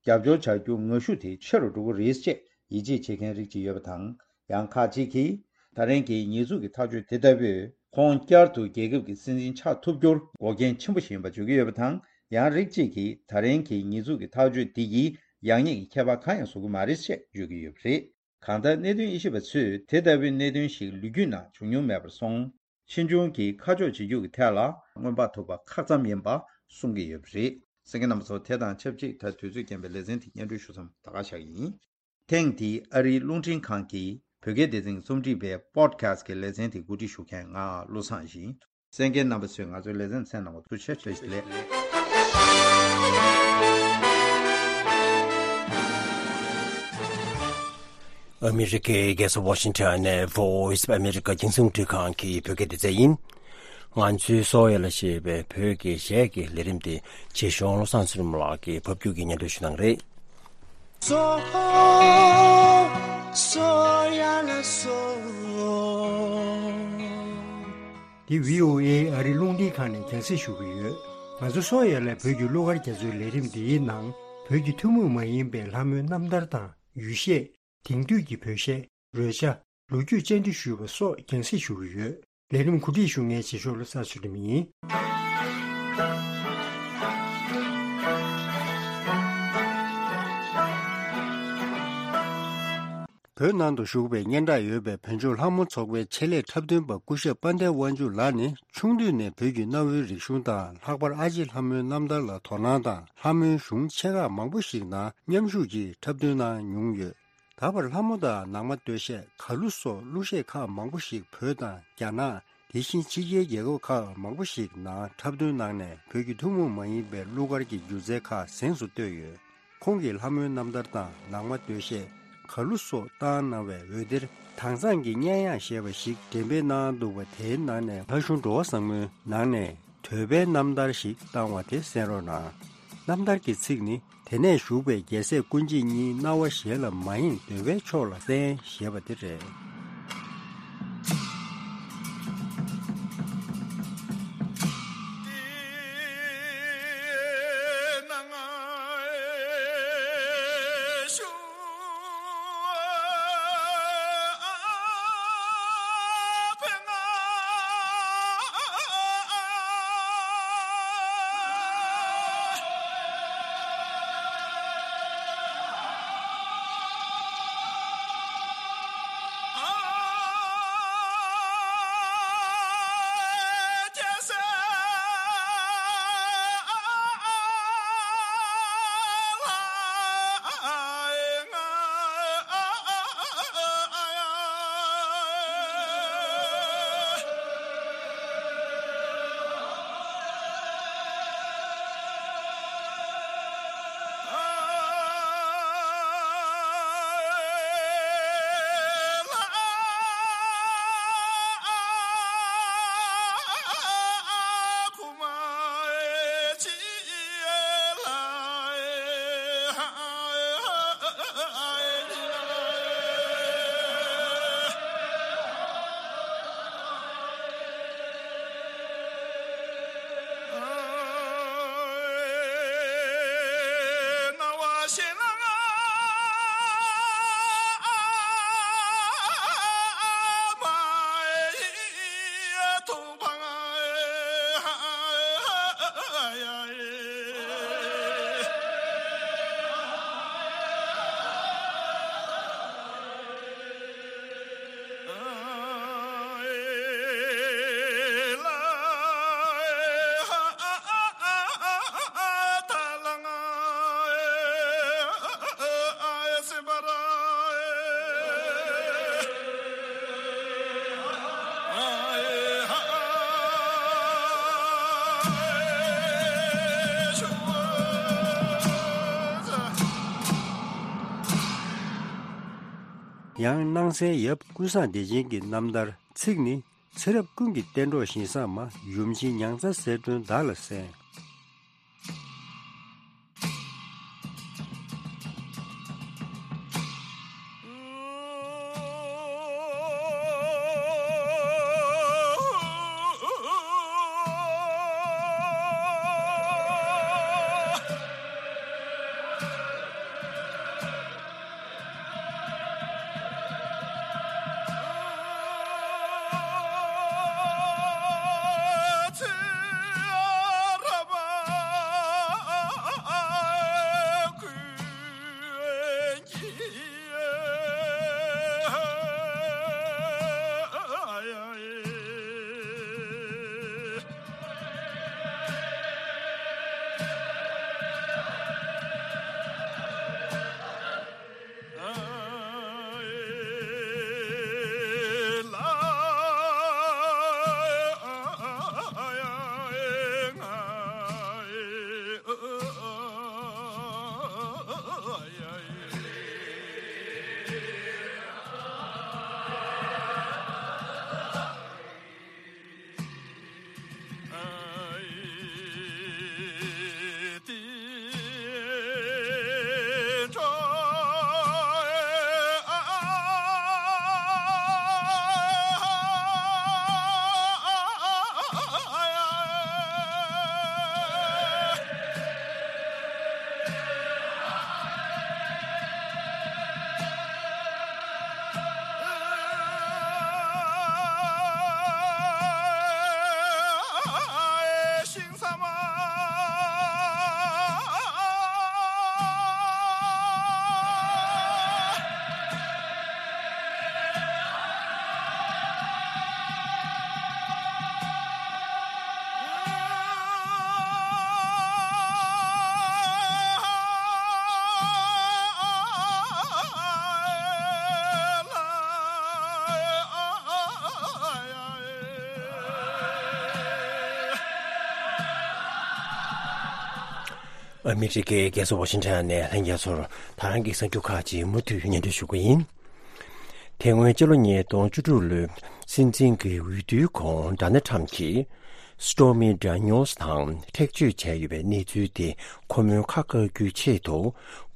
རྒྱབ་སྐྱོར་བྱ་རྒྱུ་ངར་ཤུགས་དེ་ཆེ་རུ་འགྲོ་གི་རེད་ཅེས་ཡིད་ཆེས་བྱེད་མཁན་རིགས་ཅིག་ཡོད་པ་དང་། ཡང་ཁག་ཅིག་གིས་ད་རིང་གི་ཉེས་འཛུགས་ཀྱི་ཐག་གཅོད་དེ་ལྟ་བུས་ཁོང་བསྐྱར་དུ་རྒྱལ་ཁབ་ཀྱི་སྲིད་འཛིན་ཆགས་ཐུབ་རྒྱུར་འགོག་རྐྱེན་ཆེན་པོ་ཞིག་ཡིན་པ་བརྗོད་ཀྱི་ཡོད་པ་དང་། ཡང་རིགས་གཅིག་གིས་ད་རིང་གི་ཉེས་འཛུགས་ཀྱི་ཐག་གཅོད་འདི་ཡིས་ཡག་ཉེས་ཀྱི་ཁྱད་པར་གང་ཡང་བཟོ་གི་མ་རེད་ཅེས་བརྗོད་ཀྱི་ཡོད་པ་རེད། གང་ལྟར་གནད་དོན་དབྱེ་ཞིབ་པ་ཚོས་དེ་ལྟ་བུའི་གནད་དོན་ཞིག་ལོ་རྒྱུས་ནང་བྱུང་མྱོང་མེད་པར་སོང་། ཕྱིས་འབྱུང་གི་ཁ་ཕྱོགས་བྱེད་རྒྱུ་གི་ཐད་ལ་སྔོན་དཔག་ཐུབ་པ་ཁག་ཙམ་ཡིན་པ་གསུང་གི་ཡོད་པ་རེད། གསན་མཁན་རྣམ་པ་ཚོ། དེ་དང་ཆབས་ཅིག་ད་དུས་ཚོད་རྐྱེན་པས་ལེ་ཚན་དེ་སྙན་སྒྲོན་ཞུ་མཚམས་ད་ག་བཞག་གི་ཡིན། ཐེངས་འདིའི་ཨ་རིའི་རླུང་འཕྲིན་ཁང་གི་བོད་སྐད་སྡེ་ཚན་གྱི་རྩོམ་སྒྲིག་པའི་པོ་ཌི་ཁ་སི་ཊི་གི་ལེ་ཚན་དེ་གོ་སྒྲིག་ཞུ་མཁན་ང་བློ་བཟང་ཡིན། གསན་མཁན་རྣམ་པ་ཚོས་ང་ཚོའི་ལེ་ཚན་གསན་གནང་བར་ཐུགས་རྗེ་ཆེ། བཀྲ་ཤིས་བདེ་ལེགས། ཨ་མི་རི་ཀའི་རྒྱལ་ས་ཝ་ཤིང་ཊོན་ནས་Voice of America་རྒྱང་སྲིང་རླུང་འཕྲིན་ཁང་གི་བོད་སྐད་སྡེ་ཚན་ཡིན། ང་ཚོའི་སོ་ཡ་ལ་ཞེས་པའི་བོད་ཀྱི་གཞས་ཀྱི་ལས་རིམ་དེ་རྗེ་གཞུང་བློ་བཟང་ཚེ་རིང་ལགས་ཀྱིས་ཕབ་བསྒྱུར་གྱིས་སྙན་སྒྲོན་ཞུ་གནང་རེད། སོ་སོ་ཡ་ལ་སོ། འདི་བྷི་ཨོ་ཨེ་ཨ་རིའི་རླུང་འཕྲིན་ཁང་ནས་རྒྱང་སྲིང་ཞུ་གི་ཡོད། ང་ཚོ་སོ་ཡ་ལ་བོད་ཀྱི་གླུ་གར་རྒྱ་མཚོའི་ལས་རིམ་འདིའི་ནང་བོད་ཀྱི་ཐུན་མོང་མ་ཡིན་པའི་ལྷ་མོའི་རྣམ་ཐར་དང་ཡུལ་གཞས། དེང་དུས་ཀྱི་བོད་གཞས། རོལ་ཆ། ལོ་རྒྱུས་བཅར་འདྲི་ཞུས་པ་སོགས་རྒྱང་སྲིང་ཞུ་གི་ཡོད། ལས་རིམ་གོ་སྒྲིག་ཞུ་མཁན་རྗེས་ཕྱོགས་བློ་བཟང་ཚུལ་ཁྲིམས་ཡིན། བོད་ནང་དུ་བཞུགས་པའི་སྙན་གྲགས་ཡོད་པའི་བོད་ལྗོངས་ལྷ་མོ་ཚོགས་པའི་ཆེད་ལས་འཁྲབ་སྟོན་པ་སྐུ་ཞབས་དཔལ་ལྡན་དབང་ཕྱུག་ལགས་ནི་ཆུང་དུས་ནས་བོད་ཀྱི་གནའ་བོའི་རིག་གཞུང་དང་ལྷག་པར་ཨ་ལྕེ་ལྷ་མོའི་རྣམ་ཐར་ལ་དོ་སྣང་དང་ལྷ་མོའི་གཞུང་ཆེ་ཁག་མང་པོ་ཞིག་ནང་མཉམ་ཞུགས་ཀྱིས་འཁྲབ་སྟོན་གནང་མྱོང་ཡོད། ད་བར་ལྷ་མོ་དང་ནང་མ་སྟོད་གཞས། གར་གླུ་སོགས་གླུ་གཞས་ཁག་མང་པོ་ཞིག་བོད་དང་རྒྱ་ནག་དེ་བཞིན་ཕྱི་རྒྱལ་རྒྱལ་ཁབ་ཁག་མང་པོ་ཞིག་ནང་འཁྲབ་སྟོན་གནང་ནས་བོད་ཀྱི་ཐུན་མོང་མ་ཡིན་པའི་གླུ་གར་གྱི་སྒྱུ་རྩལ་ཁག་གཟེངས་སུ་བསྟོད་ཡོད། ཁོང་གིས་ལྷ་མོའི་རྣམ་ཐར་དང་ནང་མ་སྟོད་གཞས། གར་གླུ་སོགས་བཏང་གནང་བའི་འོད་སྡེར་དྭངས་གཙང་གི་སྙན་དབྱངས་ཞེས་པ་ཞིག་འགྲེམས་སྤེལ་གནང་འདུག་པ། དེའི་ནང་ནས་ལྷ་གཞུང་འགྲོ་བ་བཟང་མོའི་ནང་ནས་འདོད་པའི་རྣམ་ཐར་ཞིག་བཏང་བ་དེ་གསན་རོགས་གནང་། རྣམ་ཐར་གྱི་ཚིག་ནི། དེ་ནས་བཞུགས་པའི་རྒྱལ་སྲས་ཀུན་བྱེད་གཉིས། སྣང་བ་གཞན་ལ་མ་ཡེངས་འདོད་པའི་ཕྱོགས་ལ་གསན་ཞེས་པ་དེ་རེད། ཡང་སྣང་གསལ་ཡབ་ཀུན་བཟང་བདེ་ཆེན་གྱི་རྣམ་ཐར། ཚིག་ནི། ཚེ་རབས་ཀུན་གྱི་གཏན་གྲོགས་བཞིན་བཟང་མ། ཡུམ་ཆེན་མྱང་ཚ་གསལ་སྒྲོན་བདག་ལ་གསན། ཨ་མི་རི་ཀའི་རྒྱལ་ས་ཝ་ཤིང་ཊོན་ནས་ལྷན་རྒྱས་ཚོར་ད་རང་གི་གསར་འགྱུར་ཁག་ཅིག་མུ་མཐུད་སྙན་སྒྲོན་ཞུ་གི་ཡིན། དེ་སྔོན་ཕྱི་ལོ་ཉིས་སྟོང་བཅུ་དྲུག་ལོའི་སྲིད་འཛིན་གྱི་འོས་བསྡུའི་གོང་ཌོ་ནལ་ཊམ་གྱིས་སི་ཊོར་མི་ཌེ་ནི་ཡལ་སི་དང་ཁྲེགས་གཅོད་བྱས་ཡོད་པའི་གནས་ཚུལ་དེ་ཁོ་མོའི་ཁ་བཀག་རྒྱུའི་ཆེད་དུ།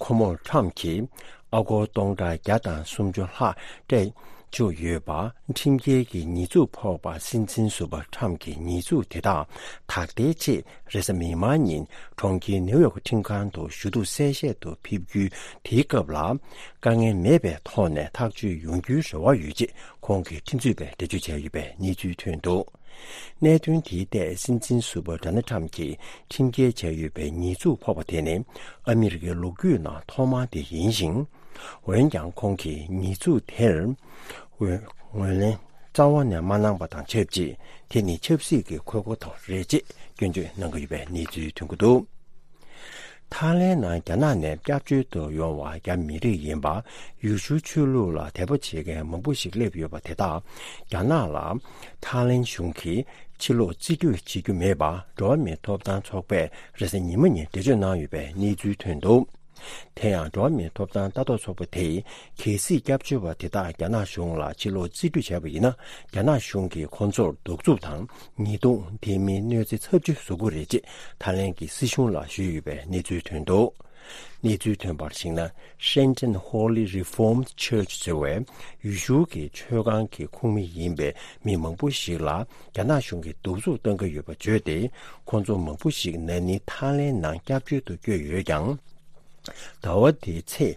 ཁོ་མོར་ཊམ་གྱིས་ཨ་སྒོར་སྟོང་ཕྲག་བརྒྱ་དང་སུམ་ཅུ་ལྷག་སྤྲད་བཅུག་ཡོད་པ། ཁྲིམས་འགལ་གྱི་ཉེས་འཛུགས་ཕོག་པ། སྲིད་འཛིན་ཟུར་པ་ཊམ་གྱི་ཉེས་འཛུགས་དེ་དག་དག་ཐེར་ཆེད་རེས་གཟའ་མིག་དམར་ཉིན་གྲོང་ཁྱེར་ནེའུ་ཡོག་ཁྲིམས་ཁང་དུ་ཞུ་གཏུག་གསལ་བཤད་དུ་ཕེབས་རྒྱུའི་དེའི་སྐབས་ལ། དཀའ་ངལ་མེད་པའི་ཐོག་ནས་ཐག་གཅོད་ཡོང་རྒྱུའི་རེ་བ་ཡོད་ཅེས་ཁོང་གིས་ཁྲིམས་རྩོད་པར་འགྲེལ་བརྗོད་བྱས་ཡོད་པའི་གནས་ཚུལ་ཐོན་འདུག་གནད་དོན་དེའི་ཐད་སྲིད་འཛིན་ཟུར་པ་ཌོ་ནལ་ཊམ་གྱིས་ཁྲིམས་འགལ་བྱས་ཡོད་པའི་ཉེས་འཛུགས་ཕོག་པ་དེ་ནི་ཨ་མི་རི་ཀའི་ལོ་རྒྱུས་ནང་ཐོག་མ་དེ་ཡིན་ཞིང་། འོན་ཀྱང་ཁོང་གིས་ཉེས་འཛུགས་དེར་ངོས་ལེན་རྩ་བ་ནས་མ་གནང་པ་དང་ཆབས་ཅིག་དེ་ནི་ཆབ་སྲིད་ཀྱི་ཁོལ་པོ་དང་རེད་ཅེས་སྐྱོན་བརྗོད་གནང་གི་ཡོད་པའི་གནས་ཚུལ་ཐོན་གྱི་འདུག་ཐའི་ལེན་ནང་རྒྱ་ནག་ནས་སྐྱབས་བཅོལ་དུ་ཡོང་བ་རྒྱ་མི་རིགས་ཡིན་པ། ཡུལ་ཤུལ་ཆོས་ལུགས་ལ་དད་པ་བྱེད་མཁན་མང་པོ་ཞིག་སླེབས་ཡོད་པ་དེ་དག་རྒྱ་ནག་ལ་ཐའི་ལེན་གཞུང་གིས་ཕྱིར་ལོག་རྩིས་སྤྲོད་བྱེད་རྒྱུ་མེད་པ་འགྲོ་བ་མིའི་ཐོབ་ཐང་ཚོགས་པས་རེས་གཟའ་ཉི་མ་ཉིན་འགྲེལ་བརྗོད་གནང་ཡོད་པའི་གནས་ཚུལ་ཐོན་འདུག་དེ་ཡང་འགྲོ་བ་མིའི་ཐོབ་ཐང་ལྟ་རྟོག་ཚོགས་པ་དེས་གལ་སྲིད་སྐྱབས་བཅོལ་བ་དེ་དག་རྒྱ་ནག་གཞུང་ལ་ཕྱིར་ལོག་རྩིས་སྤྲོད་བྱས་པ་ཡིན་ན། རྒྱ་ནག་གཞུང་གིས་ཁོང་ཚོར་གདུག་རྩུབ་དང་ཉེས་རྡུང་དེ་མིན་གནོད་འཚེ་ཚབས་ཆེ་བཟོ་གི་རེད་ཅེས་ཐའི་ལེན་གྱི་སྲིད་གཞུང་ལ་ཞུས་ཡོད་པའི་གནས་ཚུལ་ཐོན་འདུག་གནས་ཚུལ་ཐོན་པར་གཞིགས་ན། Shenton Holy Reformed Church ཟེར་བའི་ཡུལ་ཤུལ་གྱི་ཆོས་ཁང་གི་ཁོངས་མི་ཡིན་པའི་མི་མང་པོ་ཞིག་ལ་རྒྱ་ནག་གཞུང་གིས་གདུག་རྩུབ་གཏོང་གི་ཡོད་པ་བརྗོད་དེ། ཁོང་ཚོ་མང་པོ་ཞིག་ན་ནིང་ཐའི་ལེན་ནང་སྐྱབས་བཅོལ་དུ་བསྐྱོད་ཡོད་ཀྱང་། ཟླ་བ་འདིའི་ཚེས།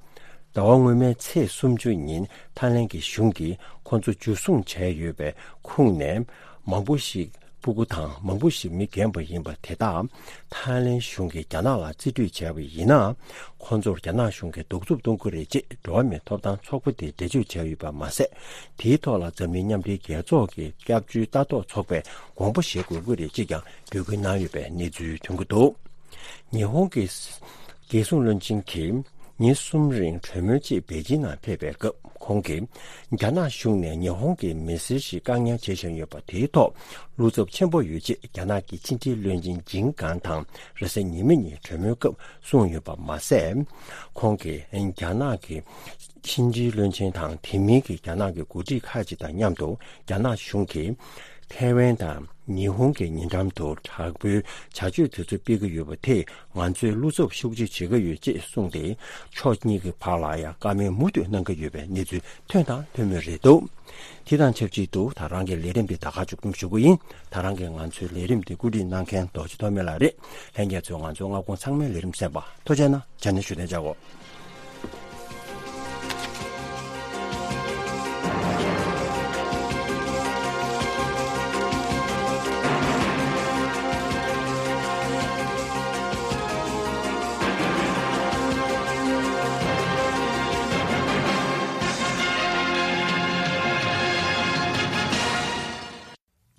ཟླ་བ་སྔོན་མའི་ཚེས་སུམ་ཅུ་ཉིན་ཐའི་ལེན་གྱི་གཞུང་གིས་ཁོང་ཚོ་འཇུ་བཟུང་བྱས་ཡོད་པའི་ཁོངས་ནས་མང་པོ་ཞིག་སྤུ་གུ་དང་མང་པོ་ཞིག་མི་རྒན་པ་ཡིན་པ་དེ་དག་ཐའི་ལེན་གཞུང་གིས་རྒྱ་ནག་ལ་རྩིས་སྤྲོད་བྱས་པ་ཡིན་ན། ཁོང་ཚོར་རྒྱ་ནག་གཞུང་གིས་གདུག་རྩུབ་གཏོང་གི་རེད་ཅེས་འགྲོ་བ་མིའི་ཐོབ་ཐང་ཚོགས་པ་དེས་འགྲེལ་བརྗོད་བྱས་ཡོད་པ་མ་ཟད། དེའི་ཐོག་ལ་འཛམ་གླིང་མཉམ་འབྲེལ་རྒྱལ་ཚོགས་ཀྱི་སྐྱབས་བཅོལ་ལྟ་རྟོག་ཚོགས་པས་དགོངས་པ་བཞེས་དགོས་ཀྱི་རེད་ཅེས་ཀྱང་འབོད་སྐུལ་གནང་ཡོད་པའི་གནས་ཚུལ་ཐོན་གྱི་འདུག་ཉི་ཧོང་གི་རྒྱལ་སྲུང་བློན་ཆེན་གྱིས་ཉིན་གསུམ་རིང་གྲོས་མོལ་ཆེད་པེ་ཅིན་ནང་ཕེབས་པའི་སྐབས། ཁོང་གིས་རྒྱ་ནག་གཞུང་ནས་ཉི་ཧོང་གི་མི་སེར་ཞིག་བཀག་ཉར་བྱེད་བཞིན་ཡོད་པ་དེའི་ཐོག་བློ་འཚབ་ཆེན་པོ་ཡོད་ཅེས་རྒྱ་ནག་གི་ཕྱི་འབྲེལ་བློན་ཆེན་ཇིང་གང་དང་རེས་གཟའ་ཉི་མ་ཉིན་གྲོས་མོལ་སྐབས་གསུངས་ཡོད་པ་མ་ཟད། ཁོང་གིས་རྒྱ་ནག་གི་ཕྱི་འབྲེལ་བློན་ཆེན་དང་དེ་མིན་གྱི་རྒྱ་ནག་གི་འགོ་ཁྲིད་ཁག་ཅིག་དང་མཉམ་དུ་རྒྱ་ནག་གཞུང་གིས་ཐའེ་ཝན་དང་ཉི་ཧོང་གི་ཉེ་འགྲམ་དུ་དྲག་པོའི་བྱ་སྤྱོད་དེ་ཚོ་སྤེལ་གྱི་ཡོད་པ་དེས་ང་ཚོས་བློ་འཚབ་ཤུགས་ཆེ་བྱེད་ཀྱི་ཡོད་ཅེས་གསུངས་ཏེ། ཕྱོགས་གཉིས་ཀྱི་བར་ལ་ཡང་བཀའ་མོལ་མུ་མཐུད་གནང་གི་ཡོད་པའི་གནས་ཚུལ་ཐོན་དང་ཐོན་མུས་རེད་འདུག་དེ་དང་ཆབས་ཅིག་ཏུ་ད་རང་གི་ལས་རིམ་འདི་ད་ག་མཇུག་སྡོམ་ཞུ་གི་ཡིན། ད་རང་གིས་ང་ཚོའི་ལས་རིམ་འདི་བཀོད་སྒྲིག་གནང་མཁན་རྡོ་རྗེ་ཐོགས་མེད་ལགས་རེད། ལྷན་རྒྱས་ཚོས་ང་ཚོའི་སྔ་དགོང་ཚང་མའི་ལས་རིམ་གསན་པ་ཐུགས་རྗེ་གནང་། ཇ་ནེ་ཞུ་དན་ཅག་གོ།